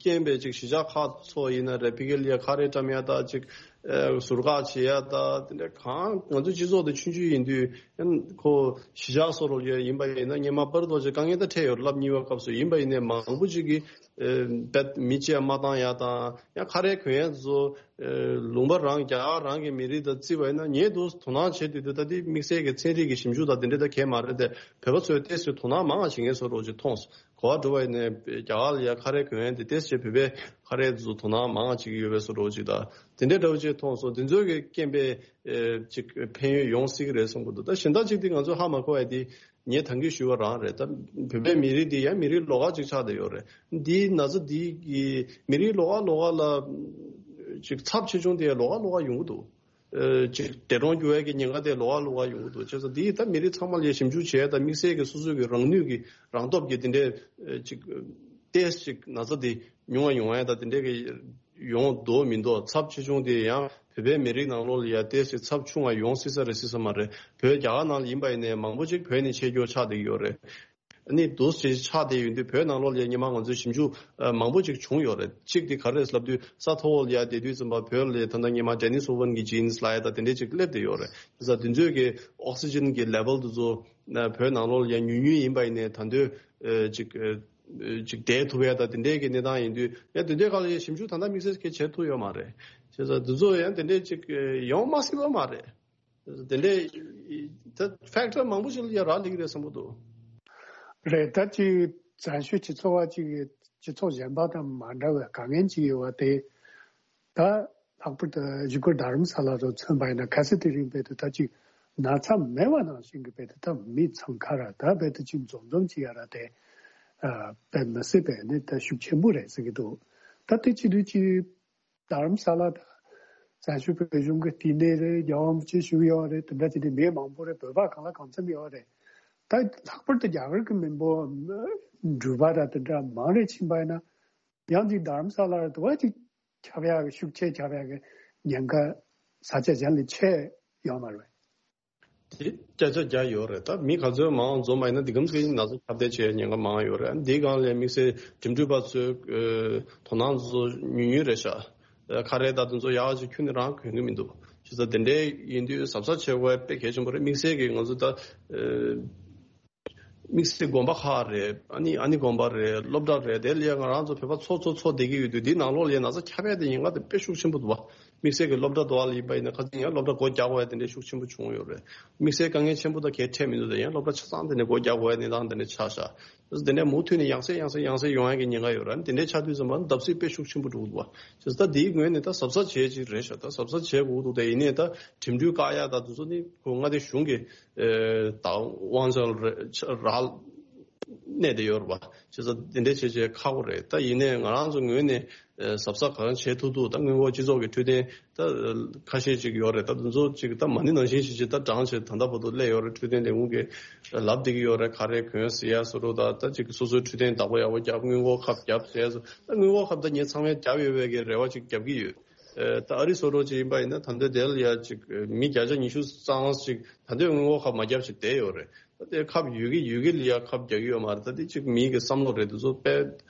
རྐྱེན་པས་ཅིག་གཞིས་ཆགས་ཁག་ཚོ་ཡིན་ན་རེད། ཕ་གི་ལ་ཡ་ཁ་རས་བཀྲམ་ཡ་ད་ཅིག་ཨ་ཟུར་བཀག་བྱེད་ཡ་ད་དེ་འདྲ་གང་ང་ཚོའི་སྤྱི་ཚོགས་དེ་ཆུང་ཆུང་ཡིན་དུས་ཡང་ཁོ་གཞིས་ཆགས་སོ་རོ་ཡ་ཡིན་པ་ཡིན་ན་སྔོན་མ་པར་རྡོ་རྗེ་དཀའ་ངལ་ད་འཕྲད་ཡོད་རེད་ལབ་གཉིས་པ་སྐབས་སུ་ཡིན་པ་ཡིན་ནའི་མང་པོ་ཅིག་གིས་ཨ་བེད་མི་གཅིག་མ་བཏང་ཡ་དང་ཡང་ཁ་རས་གོན་ཡ་ཚོ་ཨ་ལུང་པ་རང་རྒྱ་གར་རང་གི་མི་རིགས་དང་བརྩིས་པ་ཡིན་ན་ངས་འདུག་དོ་སྣང་བྱེད་དུས་དེ་ད་དེ་དམིགས་བསལ་གྱི་ཚན་རིག་གི་ཞིབ་འཇུག་དང་དེ་འདྲ་ད་གས་མ་རེད་དེ་བོད་པ་ཚོས་ཏོག་ཙམ་དོ་སྣང་མང་བ་བྱེད་མཁན་བཟོ་འདྲ་ཅིག་མཐོང་སོང་། གོ་བ་འགྲོ་བ་ཡིན་ནའི་རྒྱ་གར་ལ་ཡ་ཁ་རས་གོན་ཡ་དེ་ཏོག་ཙམ་བོད་པའི་ཁ་རས་ཚོ་དོ་སྣང་མང་བ་བྱེད་ཀྱི་ཡོད་པའི་བཟོ་འདྲ་ཅིག་དང་དེ་འདྲའི་འདྲ་བོ་ཅིག་མཐོང་སོང་། དེ་ཚོའི་གི་རྐྱེན་པས་ཨེ་ཅིག་ཕན་ཡོན་ཡོང་སྲིད་ཀྱི་རེད་བསམ་གྱི་འདུག་ད་གཞན་དག་ཅིག་དེ་ང་ཚོ་ཧ་མ་གོ་བ་དེ་ངས་ད་གིན་ཞུས་པ་རང་རེད། ད་བོད་པའི་མི་རིགས་འདི་ཡང་མི་རིགས་ལོགས་ཀ་ཅིག་ཆགས་བསྡད་ཡོད་རེད། འདིའི་ན་ཚ་འདི་གི་མི་རིགས་ལོགས་ཀ་ལོགས་ཀ་ལ་ཅིག་ཚབས་ཆེ་ཆུང་དེ་ལོགས་ཀ་ལོགས་ཀ་ཡོང་གི་འདུག་ཨ་ཅིག་འདས་གྲོངས་རྒྱུ་བའི་གི་ཉེན་ཁ་དེ་ལོགས་ཀ་ལོགས་ཀ་ཡོང་གི་འདུག་བྱས་ཙང་འདི་ད་མི་རིགས་ཚང་མ་ལ་ཞིབ་འཇུག་བྱས་ད་དམིགས་བསལ་གྱི་སོ་སོའི་གི་རང་ནུས་ཀྱི་རང་སྟོབས་ཀྱི་དེ་འདྲའི་ཨ་ཅིག་ཏོག་ཙམ་ཅིག་ན་ཚ་དེ་ཉུང་བ་ཡོང་ཡ་ད་དེ་འདྲའི་གི་ཡོང་འདུག་མི་འདུག་ཚབས་ཆེ་ཆུང་དེ་ཡང་བོད་པའི་མི་རིགས་ནང་ལོགས་ལ་ཡ་ཏོག་ཙམ་ཚབས་ཆུང་བ་ཡོང་སྲིད་ས་རེད་སྲིད་ས་མ་རེད། བོད་རྒྱ་གར་ནང་ལ་ཡིན་པ་ཡིན་ནའི་མང་པོ་ཅིག་བོད་ནས་ཆེད་སྐྱོད་ཆགས་བསྡད་ཀྱི་ཡོད་རེད། ཨ་ནི་འདུག་སེ་ཆགས་བསྡད་ཡོད་དུས་བོད་ནང་ལོགས་ལ་སྔོན་མ་ང་ཚོའི་ཞིབ་འཇུག་ཨ་མང་པོ་ཅིག་བྱུང་ཡོད་རེད། གཅིག་དེ་ག་རེ་རེད་ལབ་དུས་ས་མཐོ་བོ་ལ་ཡར་བསྡད་དུས་ཙམ་པ་བོད་ལ་ད་ལྟ་སྔོན་མ་ཌེ་ནི་སི་ཝོ་ཝན་གྱི་ཇིན་སི་ལབ་ཡ་ད་དེ་འདྲས་ཅིག་སླེབས་བསྡད་ཡོད་རེད། དེ་ས་དེ་ཚོའི་གི་ཨོག་སི་ཇན་གྱི་ལེ་ཝལ་དེ་ཚོ་ཨ་བོད་ནང་ལོགས་ལ་ཡར་ཉུང་ཉུང་ཡིན་པ་ཡིན་ནའི་ད་དུང་ཨ་ཅིག་ཨ་ཅིག་བསྡད་ཐུབ་ཡ་ད་དེ་འདྲས་གི་གནས་སྟངས་ཡིན་དུས་ཡ་དེ་འདྲས་སྒང་ལ་ཡ་ཞིབ་འཇུག་ད་ལྟ་དམིགས་བསལ་གྱི་བྱེད་ཐུབ་ཡོད་མ་རེད། བྱས་ཙང་དེ་ཚོ་ཡང་དེ་འདྲས་ཅིག་ཨ་ཡོང་མ་སྲིད་པ་མ་རེད། དེ་འདྲའི་ད་ཕེག་ཊར་མང་པོ་ཞིག་ལ་ཡ་རག་ལས་ཀྱི་རེད་བསམ་གྱི་འདུག་རེད། ད་ཅིག་བཙན་བྱོལ་སྤྱི་ཚོགས་པ་ཅིག་གི་སྤྱི་ཚོགས་གཞན་པ་དང་མ་འདྲ་བའི་དཀའ་ངལ་ཅིག་ཡོད་པ་དེ། ད་ལྷག་པར་དུ་བཞུགས་སྒར་རྡ་རམ་ས་ལ་དུ་མཚོན་པ་ཡིན་ན་གལ་སྲིད་དེ་རིང་རྦད་དེ་ད་ཅིག་ན་ཚ་མེད་པ་ནང་བཞིན་གྱི་རྦད་དེ་ད་མི་འཚང་ཁ་ར་ད་རྦད་དེ་ཅིག་འཛོམས་འཛོམས་ཅིག་ཡ་ར་དེ་ཨ་དཔེ་མི་སྲིད་པའི་ནི་ད་ཤུགས་ཆེན་པོ་རེད་ཟེར་གྱི་འདུག་ད་དེ་བྱེད་དུས་ཅིག་རྡ་རམ་ས་ལ་དང་བཙན་བྱོལ་བོད་གཞུང་གི་བསྟི་གནས་རེད། རྒྱལ་བ་རིན་པོ་ཆེ་བཞུགས་ཡོད་རེད། དེ་འདྲ་བྱས་ཏེ་མི་མང་པོ་རེད། བོད་པ་གང་ལ་གང་འཚམ་ཡོད་རེད། ད་ལྷག་པར་དུ་རྒྱ་གར་གྱི་མི་འབོར་འགྲུལ་པ་དང་དེ་འདྲ་མང་རེ་ཕྱིན་པ་ཡིན་ན་ཡང་ཅིག་རྡ་རམ་ས་ལ་རེད་དུ་བ་ཅིག་ཁྱབ་ཡག་གི་ཤུགས་ཆེ་ཁྱབ་ཡག་གི་ཉེན་ཁ་ས་ཆ་གཞན་ལས་ཆེ་ཡོད་མ་རེད། དེ་བརྒྱ་ཆ་བརྒྱ་ཡོད་རེད། ད་མི་ག་ཚོད་མང་འཛོམས་པ་ཡིན་ན་འདི་གམ་ཚོད་ཀྱི་ན་ཚ་ཁྱབ་གདལ་བྱེད་ཉེན་ཁ་མང་ཡོད་རེད། འདིའི་སྒང་ལ་དམིགས་བསལ་འགྲིམ་འགྲུལ་པ་ཚོའི་ཨ་དོ་སྣང་ཚོ་ཉུང་ཉུང་རེད་ཤག་ཁ་རས་ད་དེ་ཚོ་ཡག་ཅིག་ཁྱོན་ནས་རང་གྱོན་གྱི་མི་འདུག་བྱས་ཙང་དེ་འདྲའི་ཡིན་དུས་གཟབ་གཟབ་བྱེད་དགོས་དཔེ་གལ་ཆེན་པོ་རེད། དམིགས་བསལ་གྱི་ང་ཚོ་ད་ཨ་ དམིགས་བསལ་དགོན་པ་ཁག་རེད། ཨ་ནི་ཨ་ནི་དགོན་པ་རེད། སློབ་གྲྭ་རེད། དེ་ལ་ཡ་ང་རང་ཚོ་བོད་པ་ཚོ་ཚོ་ཚོ་བསྡད་ཀྱི་ཡོད་དུས། འདིའི་ནང་ལོགས་ལ་ཡ་ན་ཚ་ཁྱབ་ཡ་དེ་ཉེན་ཁ་དེ་དཔེ་ཤུགས་ཆེན་པོ་འདུག་བ། དམིགས་བསལ་གྱི་སློབ་གྲྭ་དུ་བ་ལ་ཡིན་པ་ཡིན་ན། ཁ་སང་ཡང་སློབ་གྲྭ་སྒོ་རྒྱག་དགོས་ཡ་དེ་འདྲའི་ཤུགས་ཆེན་པོ་བྱུང་ཡོད་རེད། དམིགས་བསལ་དཀའ་ངལ་ཆེན་པོ་ད་གས་འཕྲད་མི་འདུག་དེ་ཡང་སློབ་གྲྭ་ཆ་ཚང་དེ་ནས་སྒོ་རྒྱག་དགོས་ཡ་གནས་སྟངས་དེ་འདྲ་ཆགས་ཤག་དེ་ནས་མུ་མཐུད་ནས་ཡང་སེ་ཡང་སེ་ཡང་སེ་ཡོང་ཡ་གི་ཉེན་ཁ་ཡོད་རེད། དེ་འདྲའི་ཆགས་དུས་ཙམ་པ་བརྡབ་གསིག་དཔེ་ཤུགས་ཆེན་པོ་འགྲོ་གི་འདུག་བ། བྱས་ཙང་ད་དེའི་ངོས་ནས་ད་གཟབ་གཟབ་བྱེད་ཅིག་རེད་ཤག་ད་གཟབ་གཟབ་བྱེད་དགོས་འདུག་དེ་ཡིན་ནའི་ད་འགྲིམ་འགྲུལ་བཀག་ཡ་ད་དེ་ཚོ་ནི་ཁོ་མངའ་སྡེ་གཞུང་གི་ཨེ་ད་དབང་ཆ་རེད། ཆ་རག་གནས་བསྡད་ཡོད་རེད་བ། བྱས་ཙང་དེ་འདྲའི་བྱེད་ཆེད་ཁག་པོ་རེད། ད་ཡིན་ནའི་ང་རང་ཚོ་ངོས་ནས་ཨེ་གཟབ་གཟབ་གང་བྱེད་ཐུབ་ཐུབ། ད་སྔོན་འགོག་སྤྱི་ཚོགས་ཀྱི་འཕྲོད་བསྟེན་ད་ཁ་ཤས་ཅིག་ཡོད་རེད། ད་དེ་ཚོ་ཅིག་ད་མ་ཎི་ནང་བཞིན་ཞིག་ཅིག་ད་བགྲངས་བྱས་ད་ལྟ་བར་དུ་སླེབས་ཡོད་རེད། འཕྲོད་བསྟེན་ལས་ཁུངས་ཀྱིས་ལབ་བསྡད་ཀྱི་ཡོད་རེད། ག་རེ་གོན་ཟེར་ཡ་བཟོ་འདྲ། ད་ད་ཅིག་སོ་སོའི་འཕྲོད་བསྟེན་བདག་པོ་ཡག་པོ་རྒྱབ། སྔོན་འགོག་ཁབ་རྒྱབ་ཟེར་ཡ་བཟོ། ད་སྔོན་འགོག་ཁབ་ད་ངས་ཚང་མས་རྒྱབ་ཡོད་པའི་གི་རེ་བ་ཅིག་རྒྱབ་ཀྱི་ཡོད། ཨེ་ད་ཨ་རི་བཟོ་འདྲ་ཅིག་ཡིན་པ་ཡིན་ན་ད་ལྟ་དེ་ལ་ཡ་ཅིག་མི་བརྒྱ་ཆ་ཉི་ཤུ་རྩ་ལྔ་ཅིག་ད་ལྟའི་སྔོན་འགོག་ཁབ་མ་བརྒྱབ་ཅིག་བསྡད་ཡོད་རེད། ད་དེ་ཁབ་ཡོད་གི་ཡོད་གི་ལ་ཡ་ཁབ་རྒྱག་གི་ཡོད་མ་རེད། ད་དེ་ཅིག་མིའི་གི་བསམ་བློ་རེད། དེ་ཚོ་དཔེ་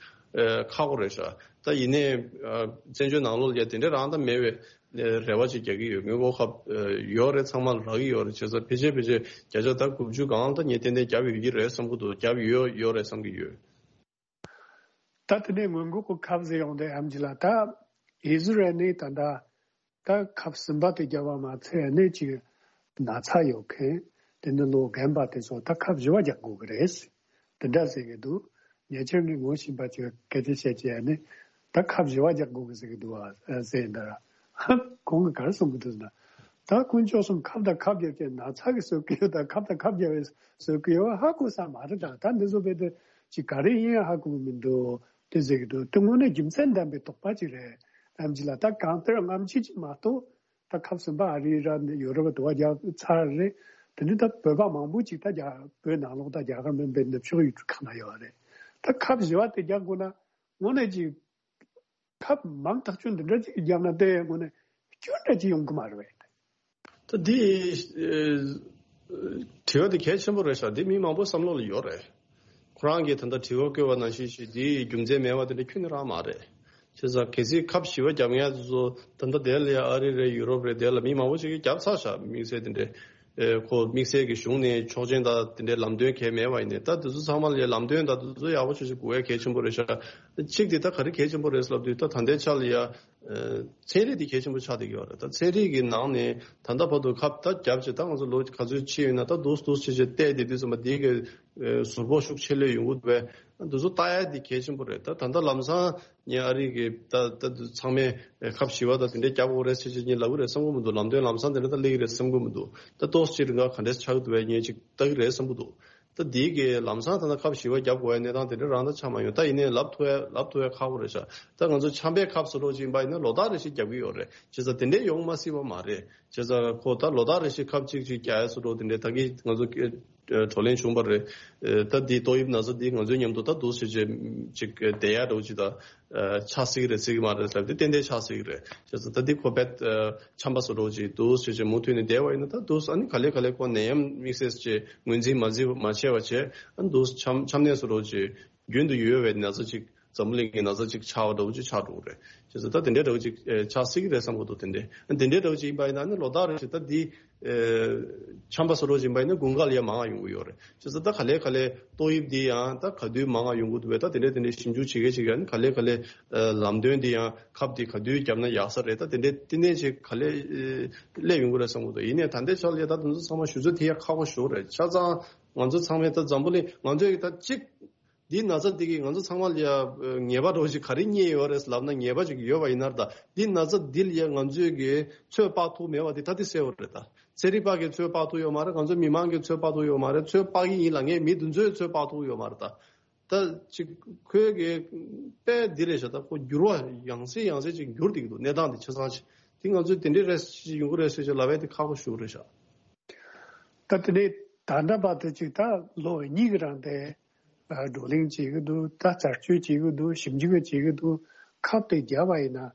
ཨེ་ཁག་པོ་རེད་ཤག་ད་ཡིན་ནའི་ཨ་བཙན་བྱོལ་ནང་ལོགས་ལ་ཡ་དེ་འདྲའི་རང་ད་མེད་པའི་རེ་བ་ཅིག་རྒྱག་གི་ཡོད། སྔོན་འགོག་ཁབ་ཨེ་ཡོད་རེད། ཚང་མ་ལ་རག་གི་ཡོད་རེད། བྱས་ཙང་ཕལ་ཆེར་ཕལ་ཆེར་བརྒྱ་ཆ་ད་དགུ་བཅུ་སྒང་ད་ངས་ཏན་ཏན་བརྒྱབ་ཡོད་ཀྱི་རེད་བསམ་གྱི་འདུག་བརྒྱབ་ཡོད་ཡོད་རེད་བསམ་གྱི་ཡོད། ད་དེ་ནས་སྔོན་འགོག་གི་ཁབ་ཟེར་ཡོང་དུས་ཨེམ་ཆི་ལགས། ད་ཨི་ཟི་རལ་ནས་ད་ལྟ་ད་ཁབ་གསུམ་པ་དེ་བརྒྱབ་པ་མ་ཚད་ནས་ཅིག་ན་ཚ་ཡོད་མཁན་དེ་ནི་ལོ་རྒན་པ་དེ་ཚོ་ད་ཁབ་བཞི་པ་རྒྱག་དགོས་ཀྱི་རེད། དེ་འདྲ་ཟེར་གྱི་འདུག་ཉེ་ཆར་ངས་ངོ་ཤེས་པ་ཅིག་སྐད་ཆ་བཤད་ཀྱི་ཡ་ནི་ད་ཁབ་བཞི་པ་རྒྱག་དགོས་ཀྱི་ཟེར་གྱི་འདུག་ཨ་ཟེར་འདི་ར། ཁོང་གིས་ག་རེ་གསུང་གི་འདུག་ཟེར་ན། ད་དཀོན་མཆོག་གསུམ་ཁབ་དང་ཁབ་རྒྱབ་ཀྱི་ན་ཚ་གི་བཟོ་གི་ཡོད། ད་ཁབ་དང་ཁབ་རྒྱབ་པའི་བཟོ་གི་ཡོད་ཧ་གོ་ས་མ་རེད། ད་ད་འདི་ཚོ་བས་དེ་ཅིག་ག་རེ་ཡིན་ཧ་གོ་གི་མི་འདུག་དེ་ཟེར་གི་འདུག་དེ་དངོས་གནས་རྒྱུ་མཚན་ལྡན་པའི་དོགས་པ་ཅིག་རེད། ཨེམ་ཆི་ལགས། ད་གང་ལྟར་སྔ་ཕྱི་ཅིག་མ་གཏོགས་ད་ཁབ་གསུམ་པ་ཨ་རི་ར་ཡོ་རོབ་དུ་བ་རྒྱག་ཚར་རེད། དེ་ནི་ད་བོད་པ་མང་པོ་ཅིག་ད་རྒྱ་བོད་ནང་ལོགས་ད་རྒྱ་གར་མིན་པའི་ནུབ་ཕྱོགས་ཡུལ་གྲུ་ཁག་ན་ཡོད་རེད། ད་ཁབ་བཞི་པ་དེ་རྒྱག་དགོས་ན་དངོས་གནས་ཅིག་ཁབ་མང་ཐག་ཆོད་འདི་འདྲ་ཅིག་བརྒྱབ་ན་དེ་དངོས་གནས་སྐྱོན་འདྲ་ཅིག་ཡོང་གི་མ་རེད་པས། ད་འདི་ཨེ་དྲི་བ་འདི་གལ་ཆེན་པོ་རེད་ཤག་འདི་མི་མང་པོ་བསམ་བློ་ལ་ཡོད་རེད། ཁོ་རང་གིས་ད་ལྟ་དྲི་བ་བཀོད་པ་ནང་བཞིན་ཞིག་འདིའི་རྒྱུ་མཚན་མེད་པ་དེ་འདྲ་ཁྱོན་ནས་རང་མ་རེད། བྱས་ཙང་གལ་སྲིད་ཁབ་བཞི་པ་རྒྱབ་མཁན་དེ་ཚོ་ད་ལྟ་དེ་ལ་ཡ་ཨ་རི་རེད། ཡུ་རོབ་རེད། དེ་ལ་མི་མང་པོ་ཞིག་གིས་རྒྱབ་ཚར་ཤག་དམིགས་བསལ་དེ་འདྲའི་ཨེ་ཁོ་དམིགས་བསལ་གྱི་གཞུང་ནས་ཆོག་མཆན་དང་དེ་འདྲའི་ལམ་སྟོན་གང་ཡང་མེད་པ་ཡིན་ནའི། ད་དེ་ཚོ་ཚང་མ་ལ་ཡ་ལམ་སྟོན་དང་དེ་ཚོ་ཡག་པོ་ཞིག་ཞིག་དགོས་ཡ་གལ་ཆེན་པོ་རེད་ཤག་གཅིག་དེ་ད་ག་རེ་གལ་ཆེན་པོ་རེད་ལབ་དུས། ད་ད་ལྟའི་ཆ་ལ་ཡ་ཨེ་ཚན་རིག་དེ་གལ་ཆེན་པོ་ཆགས་བསྡད་ཀྱི་ཡོད་རེད། ད་ཚན་རིག་གི་ནང་ནས་ད་ལྟ་བར་དུ་ཁབ་ད་བརྒྱབ་བྱས་ད་ང་ཚོ་ལོ་ག་ཚོད་ཕྱིན་ཡོད་ན་ད་འདུག་འདུག་བྱས་བྱས་བལྟས་བསྡད་དུས་ཙམ་པ་དེའི་གི་ཨེ་ཟུར་ཕོག་ཤུགས་ཆེ་ལོས་ཡོང་གི་འདུག་པས། འདི་ཚོ་ལྟ་ཡ་དེ་གལ་ཆེན་པོ་རེད། ད་ད་ལྟ་ལམ་སང་ངས་ཨ་རི་གི་ད་ད་ཚང་མས་ཁབ་བཞི་པ་ད་དེ་འདྲས་རྒྱག་དགོས་རེད་ཟེར་ཅིག་ངས་ལབ་ཀྱི་རེད་བསམ་གྱི་མི་འདུག་ལམ་སྟོན་ལམ་སང་དེ་འདྲ་ད་སླེབས་ཀྱི་རེད་བསམ་གྱི་མི་འདུག་ད་ཏོག་ཙམ་ཅིག་རིང་ག་ག་འདྲས་ཆགས་ཀྱི་འདུག་པས། ངས་ཅིག་ལྟ་གི་རེད་བསམ་གྱི་འདུག་ད་དེའི་གི་ལམ་སང་ད་ལྟ་ཁབ་བཞི་པ་རྒྱབ་དགོས་ཡ་གནས་སྟངས་དེ་འདྲ་རང་ད་ཆགས་མ་ཡོང་། ད་ཡིན་ནའི་ལབ་ཐུབ་ཡ་ལབ་ཐུབ་ཡ་ཁག་པོ་རེད་ཤག་ད་ང་ཚོ་ཆམ་པའི་ཁབ་བཟོ་འདྲ་ཅིག་ཡིན་པ་ཡིན་ན་ལོ་ལྟར་རེ་ཞིག་རྒྱབ་ཀྱི་ཡོད་རེད། བྱས་ཙང་དེ་འདྲས་ཡོང་མ་སྲིད་པ་མ་རེད། བྱས་ཙང་ཁོ་ད་ལོ་ལྟར་རེ་ཞིག་ཁབ་གཅིག་ཅིག་རྒྱག་ཡ་བཟོ་འདྲ་དེ་འདྲས་ད་གིན་ང་ཚོ་བགྲོ་གླེང་བྱུང་བ་རེད། ད་འདི་ཏོག་དབྱིབས་ན་ཚ་འདི་ང་ཚོའི་མཉམ་དུ་ད་འདུག་སེ་བྱས་ཅིག་བསྡད་ཡ་འདྲ་བོ་ཅིག་ད་ཆགས་སྲིད་ཀྱི་རེད་སྲིད་ཀྱི་མ་རེད་ཟེར་དེ་ཏན་ཏན་ཆགས་སྲིད་ཀྱི་རེད། བྱས་ཙང་ད་འདི་ཁོ་རྦད་ཆམ་པ་བཟོ་འདྲ་བོ་ཅིག་འདུག་སེ་བྱས་མུ་མཐུད་ནས་བསྡད་པ་ཡིན་ན། ད་འདུག་ཨ་ནི་ག་ལེ་ག་ལེ་ཁོ་ནད་ཡམས་དམིགས་བསལ་བྱས་ངོས་འཛིན་མ་བྱས་མ་བྱས་པ་བྱས། ཨ་ནི་འདུག་ཆམ་ཆམ་ནད་བཟོ་འདྲ་བོ་ཅིག་རྒྱུན་དུ་ཡོད་པའི་ན་ཚ་ཅིག་འཛམ་བུ་གླིང་གི་ན་ཚ་ཅིག་ཆགས་པ་འདྲ་བོ་ཅིག་ཆགས་འགྲོ་གི་རེད། བྱས་ཙང་ད་དེ་འདྲའི་འདྲ་བོ་ཅིག་ཨེ་ཆགས་སྲིད་ཀྱི་རེད་བསམ་གྱི་འདུག་དེ་འདྲའི་དེ་འདྲའི་འདྲ་བོ་ཅིག་ཡིན་པ་ཡིན་ན་ནི་ལོ་ལྟར་རེ་བཞིན་ད་འདི་ཨེ་ཆམ་པ་བཟོ་འདྲ་བོ་ཅིག་ཡིན་པ་ཡིན་ན་དགུན་ཁ་ལ་ཡ་མང་ང་ཡོང་གི་ཡོད་རེད། བྱས་ཙང་ད་ག་ལེ་ག་ལེ་ཏོག་དབྱིབས་འདི་ཡང་ད་ག་དུས་མང་ང་ཡོང་གི་འདུག་པས། ད་དེ་འདྲའི་དེ་འདྲའི་ཞིབ་འཇུག་བྱེད་མཁན་ཅིག་ཡང་ག་ལེ་ག་ལེ་ཨེ་ལམ་སྟོན་འདི་ཡང་ཁབ་འདི་ག་དུས་བརྒྱབ་ན་ཡག་ས་རེད། ད་དེ་འདྲའི་བསྟི་གནས་ཅིག་ག་ལེ་ཨེ་སླེབས་ཡོང་གི་རེད་བསམ་གྱི་འདུག་ཡིན་ནའི་ད་ལྟའི་ཆ་ལ་ཡ་ད་དེ་ཚོ་ཚང་མ་ཞུ་ཚོད་དེ་ཡ་ཁག་པོ་ཞེ་པོ་རེད། ཆ་ཚང་ང་ཚོ་ཚང་མས་ད་འཛམ་བུ་གླིང་ང་ཚོས་ད་གཅིག་འདི་ན་ཚ་འདི་གིས་ང་ཚོ་ཚང་མ་ལ་ཡ་ཉེས་པ་འདྲ་བོ་ཞིག་ག་རེ་རྙེད་ཡོད་རེད་ལབ་ན། ཉེས་པ་ཅིག་ཡོད་པ་ཡིན་ན་ར། ད་འདི་ན་ཚ་འདི་ལ་ཡ་ང་ཚོས་ཀྱི་ཚོད་དཔག་ཐུབ་མེད་པ་འདི་ད་འདི་གསལ་པོ་རེད། ད་ཚན་རིག་པ་གིས་ཚོད་དཔག་ཐུབ་ཡོད་མ་རེད། ང་ཚོ་མི་མང་གིས་ཚོད་དཔག་ཐུབ་ཡོད་མ་རེད། ཚོད་དཔག་གི་ཡིན་ལབ་མཁན་མི་འདི་ཚོས་ཚོད་དཔག་ཐུབ་ཡོད་མ་རེད། ད་ད་ཅིག་ཁོས་ཀྱི་དཔེ་འདི་རེད་ཤག་ད་ཁོ་འགྱུར་བ་ཡང་སེ་ཡང་སེ་ཅིག་འགྱུར་བསྡད་ཀྱི་འདུག་གནས་སྟངས་འདི་ཆ་ཚང་ཅིག་འདི་ང་ཚོས་དེ་འདྲའི་རེད་ཡོང་གི་རེད་ཟེར་ཅིག་ལབ་ཡ་དེ་ཁག་པོ་ཞེ་པོ་རེད་ཤག་ད་དེ་ནས་ད་ལྟ་བར་དུ་ཅིག་ད་ལོ་གཉིས་ཀྱི་རིང་དེ་བགྲོ་གླེང་བྱེད་ཀྱི་འདུག་ད་རྩད་གཅོད་བྱེད་ཀྱི་འདུག་ཞིབ་འཇུག་བྱེད་ཀྱི་འདུག་ཁབ་དེ་བརྒྱབ་པ་ཡིན་ན་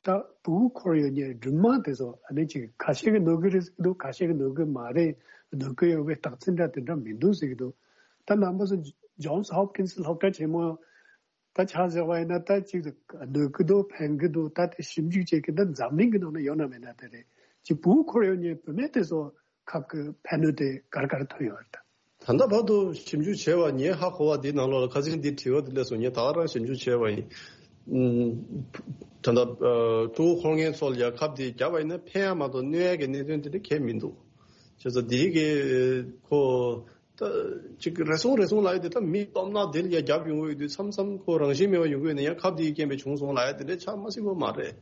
ད་ཕྲུ་གུ་འཁོར་ཡོད་མཁན་སྦྲུམ་མ་དེ་ཚོ་ཨ་ནི་ཅིག་ཁ་ཤས་ཀྱིས་གནོད་ཀྱི་རེད་ཟེར་གྱི་འདུག་ཁ་ཤས་ཀྱིས་གནོད་ཀྱི་མ་རེད། གནོད་ཀྱི་ཡོད་པའི་རྟགས་མཚན་འདྲ་དེ་འདྲ་མི་འདུག་ཟེར་གྱི་འདུག་ད་རྣམ་པ་ཚོ་ཇོན་སི་ཧོབ་ཀིན་སི་སློབ་གྲྭ་ཆེན་མོ་ད་ཆ་བཞག་པ་ཡིན་ན་ད་ཅིག་གནོད་ཀྱི་འདུག་ཕན་གྱི་འདུག་ད་དེ་ཞིབ་འཇུག་བྱེད་མཁན་ད་འཛམ་གླིང་གི་ནང་ན་ཡོད་ན་མེད་ན་དེ་རེད། ཅིག་ཕྲུ་གུ་འཁོར་ཡོད་མཁན་བུད་མེད་དེ་ཚོ་ཁབ་ཀྱི་ཕན་གནོད་དེ་ག་རེ་ག་རེ་ཐོན་ཡོད་རེད། ད་ ད་ལྟ་བར་དུ་ཞིབ་འཇུག་བྱས་པ་ངས་ཧ་གོ་བ་འདི་ནང་ལོགས་ལ་ཁ་སང་འདི་དྲི་བ་འདི་སླེབས་སོང་། ངས་ད་ག་རང་ཞིབ་འཇུག་བྱས་པ་ཡིན། ཨུམ། ད་ལྟ་ཨ་ཕྲུ་གུ་འཁོར་མཁན་ཚོ་ལ་ཡ་ཁབ་འདི་བརྒྱབ་པ་ཡིན་ན་ཕན་ཡ་མ་གཏོགས་གནོད་ཡ་གི་གནད་དོན་དེ་འདྲ་གང་ཡང་མི་འདུག་བྱས་ཙང་འདི་གི་ཁོ་ད་ཅིག་རེ་ཟུང་རེ་ཟུང་ལབ་ཡ་དེ་ད་མི་སྟོབས་ན་དེ་ལ་ཡ་བརྒྱབ་ཡོང་གི་ཡོད་དུས་མཚམས་མཚམས་ཁོ་རང་བཞིན་མེད་པ་ཡོང་གི་ཡོད་ན་ཡང་ཁབ་འདིའི་རྐྱེན་པས་བྱུང་སོང་ལབ་ཡ་དེ་འདྲ་ཆགས་མ་སྲིད་པ་མ་རེད།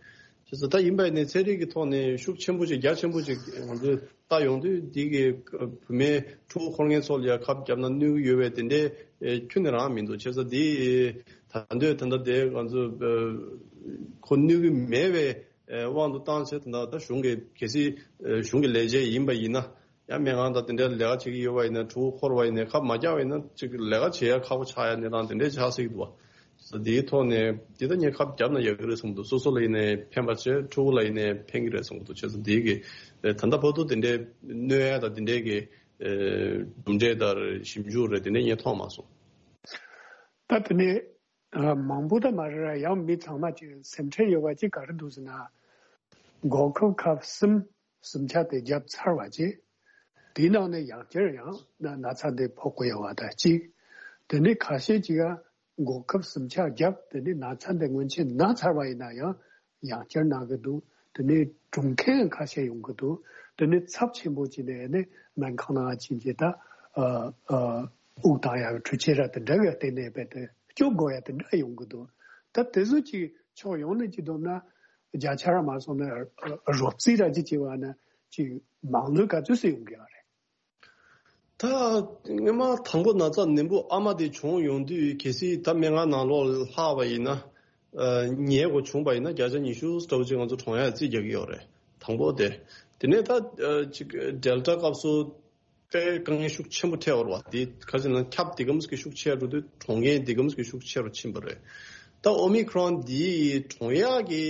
བྱས་ཙང་ད་ཡིན་པ་ཡིན་ནའི་ཚན་རིག་གི་ཐོག་ནས་ཤུགས་ཆེན་པོ་ཅིག་རྒྱ་ཆེན་པོ་ཅིག་ང་ཚོས་ལྟ་ཡོང་དུས་འདི་གི་བུད་མེད་ཕྲུ་གུ་འཁོར་མཁན་ཚོ་ལ་ཡ་ཁབ་བརྒྱབ་ན་གནོད་ཀྱི་ཡོད་པའི་དེ་འདྲའི་ཨེ་ཁྱོན་ནས་རང་མི་འདུག་བྱས་ཙང་འདི་ད་འདོད་ད་ལྟ་དེ་ང་ཚོ་ཨེ་ཁོ་གནོད་ཀྱི་མེད་པའི་ཨེ་དབང་དུ་བཏང་བྱས་ད་ལྟ་ད་གཞུང་གི་གལ་སྲིད་ཨེ་གཞུང་གི་ལས་བྱེད་ཡིན་པ་ཡིན་ན་ཡང་སྨན་ཁང་དང་དེ་འདྲའི་ལས་ཀ་བྱེད་ཀྱི་ཡོད་པ་ཡིན་ན་ཕྲུ་གུ་འཁོར་བ་ཡིན་ན་ཁབ་མ་བརྒྱབ་པ་ཡིན་ན་ཅིག་ལས་ཀ་བྱེད་ཡ་ཁག་པོ་ཆགས་ཡ་གནས་སྟངས་དེ་འདྲའི་ཆགས་སྲིད་འདུག་བ། དེའི་ཐོག་ནས་འདི་ལྟ་ངས་ཁབ་བརྒྱབ་ན་ཡག་གི་རེད་བསམ་གྱི་འདུག་སོ་སོ་ལ་ཡིན་ནའི་ཕན་པ་བྱས་ཕྲུ་གུ་ལ་ཡིན་ནའི་ཕན་གྱི་རེད་བསམ་གྱི་འདུག་བྱས་ཙང་འདི་གི་ཨེ་ད་ལྟ་བར་དུ་དེ་འདྲའི་གནོད་ཡ་དང་དེ་འདྲའི་གི་ཨེ་གྲུབ་འབྲས་དང་ཞིབ་འཇུག་རེད་དེ་འདྲའི་ངས་མཐོང་མ་སོང་། ད་དེ་ནས་ཨ་མང་པོ་ད་མ་རེད་ར། ཡང་མི་ཚང་མ་ཅིག་སེམས་ཁྲལ་ཡོད་པ་ཅིག་ག་རེ་འདུག་ཟེར་ན། འགོག་ཁབ་ཁབ་གསུམ་གསུམ་ཆ་དེ་བརྒྱབ་ཚར་བ་ཅིག་དེའི་ནང་ནས་ཡང་བསྐྱར་ཡང་ན་ན་ཚ་འདི་ཕོག་གི་ཡོད་པ་དང་གཅིག་དེ་ནས་ཁ་ཤས་ཅིག་ཡང་འགོག་ཁབ་གསུམ་ཆ་བརྒྱབ་དེ་ནས་ན་ཚ་འདི་སྔོན་ཆད་ན་ཚར་བ་ཡིན་ན་ཡང་ཡང་བསྐྱར་ན་གི་འདུག་དེ་ནས་གྲོངས་མཁན་ཁ་ཤས་ཡོང་གི་འདུག་དེ་ནས་ཚབས་ཆེན་པོ་ཅིག་ནས་ནི་སྨན་ཁང་ནང་ཕྱིན་རྗེས་ད་ཨ་ཨ་དབུགས་བཏང་ཡག་གི་འཕྲུལ་ཆས་ར་དེ་འདྲ་གི་སྟེང་ནས་རྦད་དེ་སྐྱོབ་དགོས་ཡ་དེ་འདྲ་ཡོང་གི་འདུག་ད་དེ་ཚོ་ཅིག་ཕྱོགས་ཡོངས་ནས་ཅིག་བསྡོམས་ན་བརྒྱ་ཆ་ར་མ་སོང་ན་ཨ་རོབ་རྩིས་ར་ཅིག་བྱས་པ་ན་ཅིག་མང་ལོས་ག་ཚོད་ཙམ་ཡོང་གི་ཡོད་རེད། ད་སྔོན་མ་དང་པོ་ན་ཚ་ནད་འབུ་ཨ་མ་དེ་བྱུང་ཡོང་དུས་གལ་སྲིད་ད་སྨན་ཁང་ནང་ལོགས་ལྷག་པ་ཡིན་ན་ཨ་ཉལ་དགོས་བྱུང་པ་ཡིན་ན་བརྒྱ་ཆ་ཉི་ཤུ་ལྟ་བུ་ཅིག་ང་ཚོ་གྲོངས་ཡ་རྩིས་རྒྱག་གི་ཡོད་རེད། དང་པོ་དེ། དེ་ནས་ད་ཨ་ཅིག་ཌེལ་ཊ་སྐབས་སུ་དཔེ་དཀའ་ངལ་ཤུགས་ཆེན་པོ་འཕྲད་པ་རེད་བ། དེ་ཁ་ཅིག་ན་ཁྱབ་དེ་གམ་ཟིག་གི་ཤུགས་ཆེ་རུ་དུས་གྲོངས་མཁན་དེ་གམ་ཟིག་གི་ཤུགས་ཆེ་རུ་ཕྱིན་པ་རེད། ད་ཨོ་མི་ཁྲོན་འདི་གྲོངས་ཡག་གི་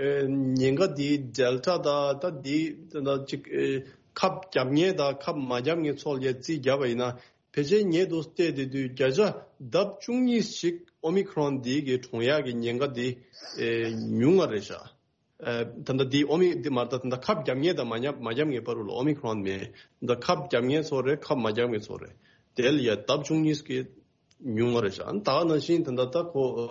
ཨེ་ཉེན་ཁ་འདི་ཌེལ་ཊ་དང་ད་འདི་ད་ཅིག་ཨེ་ཁབ་བརྒྱབ་མཁན་དང་ཁབ་མ་བརྒྱབ་མཁན་ཚོ་ལ་རྩིས་བརྒྱབ་པ་ཡིན་ན་ཕལ་ཆེར་ཉེ་དུ་བལྟས་དེ་དུས་བརྒྱ་ཆ་ལྡབ་བཅུ་གཉིས་ཤིག་ཨོ་མི་ཁྲོན་འདི་གི་གྲོངས་ཡག་གི་ཉེན་ཁ་འདི་ཨེ་ཉུང་ང་རེད་ཤག་ཨ་ད་ལྟ་འདི་ཨོ་མི་འདི་མ་རེད། ད་ད་ལྟ་ཁབ་བརྒྱབ་མཁན་དང་མ་བརྒྱབ་མ་བརྒྱབ་མཁན་བར་དུ་ལ་ཨོ་མི་ཁྲོན་མེད། ད་ཁབ་བརྒྱབ་མཁན་ཚོ་རེད། ཁབ་མ་བརྒྱབ་མཁན་ཚོ་རེད། དེ་ལ་ཡ་ལྡབ་བཅུ་གཉིས་ཀྱི་ཉུང་བ་རེད་ཤག་ད་ག་ནང་བཞིན་ད་ལྟ་ད་ཁོ་ཨ་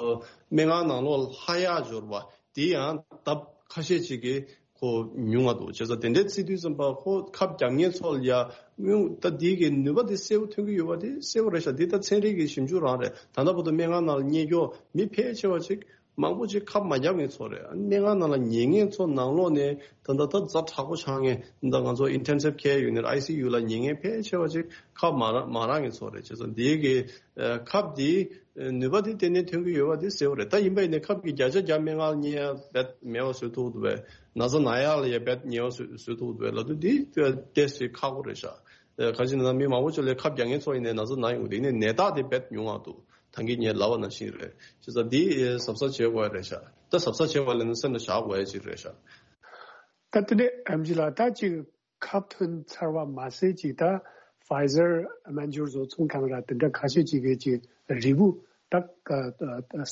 སྨན་ཁང་ནང་ལོགས་ལ་ལྷག་ཡག་འབྱོར་བ་དེ་ཡང་ལྡབ་ཁ་ཤས་ཅིག་གི་ཁོ་ཉུང་བ་འདུག་བྱས་ཙང་དེ་འདྲའི་བརྩི་དུས་ཙམ་པ་ཁོ་ཁབ་བརྒྱབ་མཁན་ཚོ་ལ་ཡ་སྔོན་ད་འདི་གི་ནུས་པ་དེ་གསལ་པོ་ཐོན་གྱི་ཡོད་པ་དེ་གསལ་པོ་རེད་ཤག་འདི་ད་ཚན་རིག་གི་ཞིབ་འཇུག་རང་རེད། ད་ལྟ་བར་དུ་སྨན་ཁང་ནང་ལ་གཉེར་སྐྱོང་མི་ཕལ་ཆེ་བ་ཅིག་མང་པོ་ཅིག་ཁབ་མ་བརྒྱབ་མཁན་ཚོ་རེད། སྨན་ཁང་ནང་ལ་ཉལ་མཁན་ཚོ་ནང་ལོགས་ནས་ད་ལྟ་ད་ཛ་དྲག་པོ་ཆགས་མཁན་ད་ང་ཚོ་ཨིན་ཊེན་སིབ་ཁེར་ཡུ་ནིཊ་ཨའི་སི་ཡུ་ལ་ཉལ་མཁན་ཕལ་ཆེ་བ་ཅིག་ཁབ་མ་རག་མ་རག་མཁན་ཚོ་རེད། བྱས་ཙང་འདི་གི་ཨ་ཁབ་འདི་ཨ་ནུས་པ་འདི་ཏན་ཏན་ཐོན་གྱི་ཡོད་པ་འདི་གསལ་པོ་རེད། ད་ཡིན་པ་ཡིན་ནའི་ཁབ་ཀྱི་བརྒྱ་ཆ་བརྒྱ་སྨན་ཁང་ལ་གཉེར་ཡ་རྦད་མེད་པ་བཟོ་ཐུབ་འདུག་པས། ན་ཚ་ན་ཡག་ལ་ཡ་རྦད་ཉེ་བ་བཟོ་བཟོ་ཐུབ་འདུག་པས་ལབ་དུས་འདི་ཏོག་ཙམ་ཁག་པོ་རེད་ཤག་ཨ་ག་ཅི་ན་མི་མང་པོ་ཅིག་ལ་ཁབ་རྒྱག་མཁན་ཚོ་ཡིན་ནའི་ན་ཚ་ན་ཡོང་གི་འདུག་ཡིན་ནའི་ནད་རྟགས་དེ་རྦད་ཉུང་བ་འདུག་ད་གིན་ངས་ལབ་པ་ནང་བཞིན་རེད། བྱས་ཙང་འདི་གཟབ་གཟབ་བྱེད་དགོས་རེད་ཤག་ད་གཟབ་གཟབ་བྱེད་པ་ལས་ན་སེམས་ལ་བཞག་དགོས་ཡ་ཅིག་རེད་ཤག་ད་དེ་ནས་ཨེམ་ཆི་ལགས་ད་ཅིག་ཁབ་ཐོན་ཚར་བ་མ་ཟད་ཅིག་ད་ཕའི་ཛར་སྨན་སྦྱོར་བཟོ་ཚོང་ཁང་ར་དེ་འདྲ་ཁ་ཤས་ཅིག་གིས་ཅིག་རིལ་བུ་ད་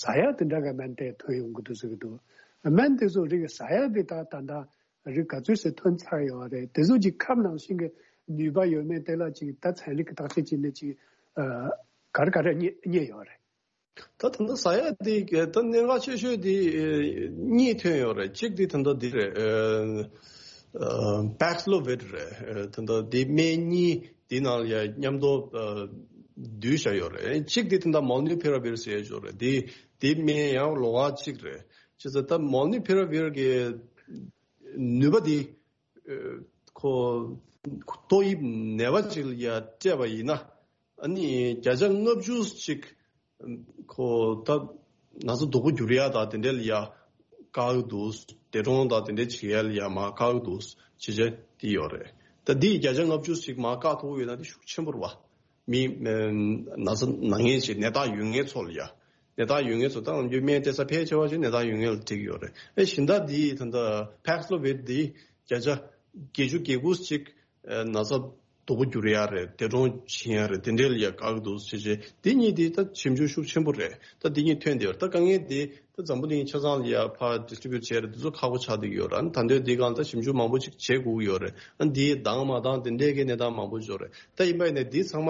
ཟ་ཡ་དེ་འདྲ་གི་སྨན་དེ་ཐོན་ཡོང་གི་འདུག་ཟེར་གི་འདུག་སྨན་དེ་ཚོ་རིགས་ཟ་ཡ་དེ་ད་ད་ད་རིགས་ག་ཚོད་ཟེར་ཐོན་ཚར་ཡོད་རེད། དེ་ཚོ་ཅིག་ཁབ་ནང་བཞིན་གྱི་ནུས་པ་ཡོད་མེད་དེ་ལ་ཅིག་ད་ཚན་རིག་གི་བརྟག་དཔྱད་བྱས་ནས་ཅིག་ཨ་ག་རེ་ག་རེ་རྙེད་རྙེད་ཡོད་རེད། ད་ད་ལྟ་ཟ་ཡ་དེ་ད་གནད་འགག་ཆེ་ཤོས་དེ་གཉིས་ཐོན་ཡོད་རེད། གཅིག་དེ་ད་ལྟ་འདི་རེད། ཨ་པེག་སི་ལོ་བིཌ་རེད། ད་ལྟ་དེ་སྨན་གཉིས་དེ་ནང་ལ་ཡ་མཉམ་དུ་བསྡུས་བཞག་ཡོད་རེད། གཅིག་དེ་ད་ལྟ་མོལ་ནུ་ཕི་ར་བིར་ཟེར་ཡ་ཅིག་ཡོད་རེད། དེ་དེ་སྨན་ཡང་ལོ་ཁ་གཅིག་རེད། བྱས་ཙང་ད་མོལ་ནུ་ཕི་ར་བིར་གི་ནུས་པ་དེ་ཁོ་ཏོག་དབྱིབས་ནད་པ་ཅིག་ལ་ཡ་སྤྲད་པ་ཡིན་ན་ཨ་ནི་བརྒྱ་ཆ་ལྔ་བཅུ་ཅིག་ཁོ་ད་ན་ཚ་སྡུག་པོ་འགྱུར་ཡ་དང་དེ་འདྲ་ལ་ཡ་བཀག་གི་འདུག་འདས་གྲོངས་དང་དེ་འདྲ་བྱེད་ཡ་ལ་ཡ་མར་བཀག་གི་འདུག་བྱས་རྗེས་དེ་ཡོད་རེད། ད་འདི་བརྒྱ་ཆ་ལྔ་བཅུ་ཞིག་མར་བཀག་ཐུབ་ཀྱི་ཡོད་ན་དེ་ཤུགས་ཆེན་པོ་རེད་བ། མི་ཨ་ན་ཚ་ན་མཁན་ཞིག་ནད་རྟགས་ཡོད་མཁན་ཚོ་ལ་ཡ། ནད་རྟགས་ཡོད་མཁན་ཚོ་ད་ང་ཚོའི་སྨན་སྤྲད་ས་ཕལ་ཆེ་བ་ཞིག་ནད་རྟགས་ཡོད་མཁན་ལ་སྤྲད་ཀྱི་ཡོད་རེད། ཨེ་གཞན་དག་འདི་ད་ལྟ་པེག་སི་ལོ་བིཌ་འདི་བརྒྱ་ཆ་བརྒྱད་ཅུ་གྱ་དགུ་ཞིག་ཨ་ན་ཚ་ སྡུག་པོ་འགྱུར་ཡ་རེད། འདས་གྲོངས་ཕྱིན་ཡ་རེད། དེ་འདྲའི་ལ་ཡ་དགའ་གི་འདུག་ཟེར་བྱས། འདི་གཉིས་དེ་ད་ཞིབ་འཇུག་ཤུགས་ཆེན་པོ་རེད། ད་འདི་གཉིས་ཐོན་བསྡད་ཡོད་རེད། ད་དཀའ་ངལ་དེ་ད་འཛམ་བུ་གླིང་ཆ་ཚང་ལ་ཡ་ཕར་ཌི་སི་ཊི་རི་བིའུ་ཊི་བྱས་རེད། དེ་ཚོ་ཁག་པོ་ཆགས་བསྡད་ཀྱི་ཡོད་རེད། ཨ་ནི་ད་ལྟའི་འདི་སྒང་ད་ཞིབ་འཇུག་མང་པོ་ཅིག་བྱེད་དགོས་ཀྱི་ཡོད་རེད། ཨ་ནི་འདི་འདང་མ་འདང་དེ་འདྲའི་གི་གནས་སྟངས་མང་པོ་ཡོད་རེད། ད་ཡིན་པ་ཡིན་ནའི་འདི་ཚང་མ་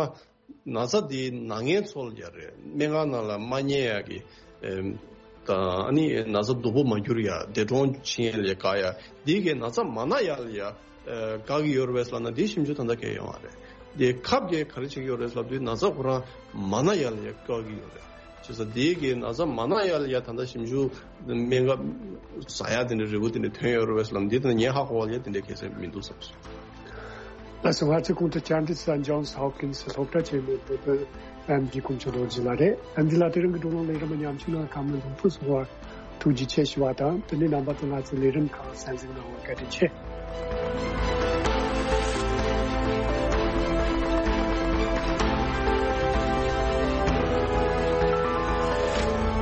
ན་ཚ་འདི་ན་མཁན་ཚོ་ལ་ཡ་རེད། སྨན་ཁང་ནང་ལ་མ་ཉལ་ཡ་གི་ཨེམ། དང་ཨ་ནི་ན་ཚ་སྡུག་པོ་མ་འགྱུར་ཡ། འདས་གྲོངས་ཕྱིན་ཡ་ལ་ཡ་དགའ་ཡ། འདི་གི་ན་ཚ་མ་ན་ཡ་ལ་ཡ་ཨེ་དགའ་གི་ཡོད་རེད་པས་ལབ་ན་འདི་ཞིབ་འཇུག་ད་ལྟ་གང་ཡང་ཡོང་བ་རེད། འདི་ཁབ་ཀྱིས་ག་རེ་བྱེད་ཀྱི་ཡོད་རེད་ལབ་དུས་ན་ཚ་ཁོ་རང་མ་ན་ཡ་ལ་ཡ་དགའ་གི་ཡོད་རེད། བྱས་ཙང་འདི་གི་ན་ཚ་མ་ན་ཡ་ལ་ཡ་ད་ལྟ་ཞིབ་འཇུག་སྨན་ཁབ་ཟ་ཡ་དེ་འདྲ་རེ་བ་དེ་འདྲ་ཐོན་ཡོད་རེད་པས་ལབ་ན་འདི་ད་ངས་ཧ་གོ་བ་ལ་ཡ་དེ་འདྲ་གལ་ཆེན་མི་འདུག་བསམ་སོང་། ལགས་སོ། ང་ཚོའི་གོང་དུ་ཅཱན་ཏི་སི་ལ་ཇོན་སི་ཧོབ་ཀིན་སི་སློབ་གྲྭ་ཆེན་མོའི་དཔེ་སྟོན་ཨེམ་ཆི་ཀུན་ཆོས་རྡོ་རྗེ་ལགས་རེད། ཨེམ་ཆི་ལགས་དེ་རིང་གི་བགྲོ་གླེང་ལས་རིམ་ཉམ་ཆུང་ནང་བཀའ་མོལ་ལུང་ཕུལ་གསུང་བར་ཐུགས་རྗེ་ཆེ་ཞུ་བ་དང་། དེ་ནས་རྣམ་པ་ཚོ་ང་ཚོའི་ལས་རིམ་ཁག་གསན་གཟིགས་གནང་བར་བཀའ་དྲིན་ཆེ།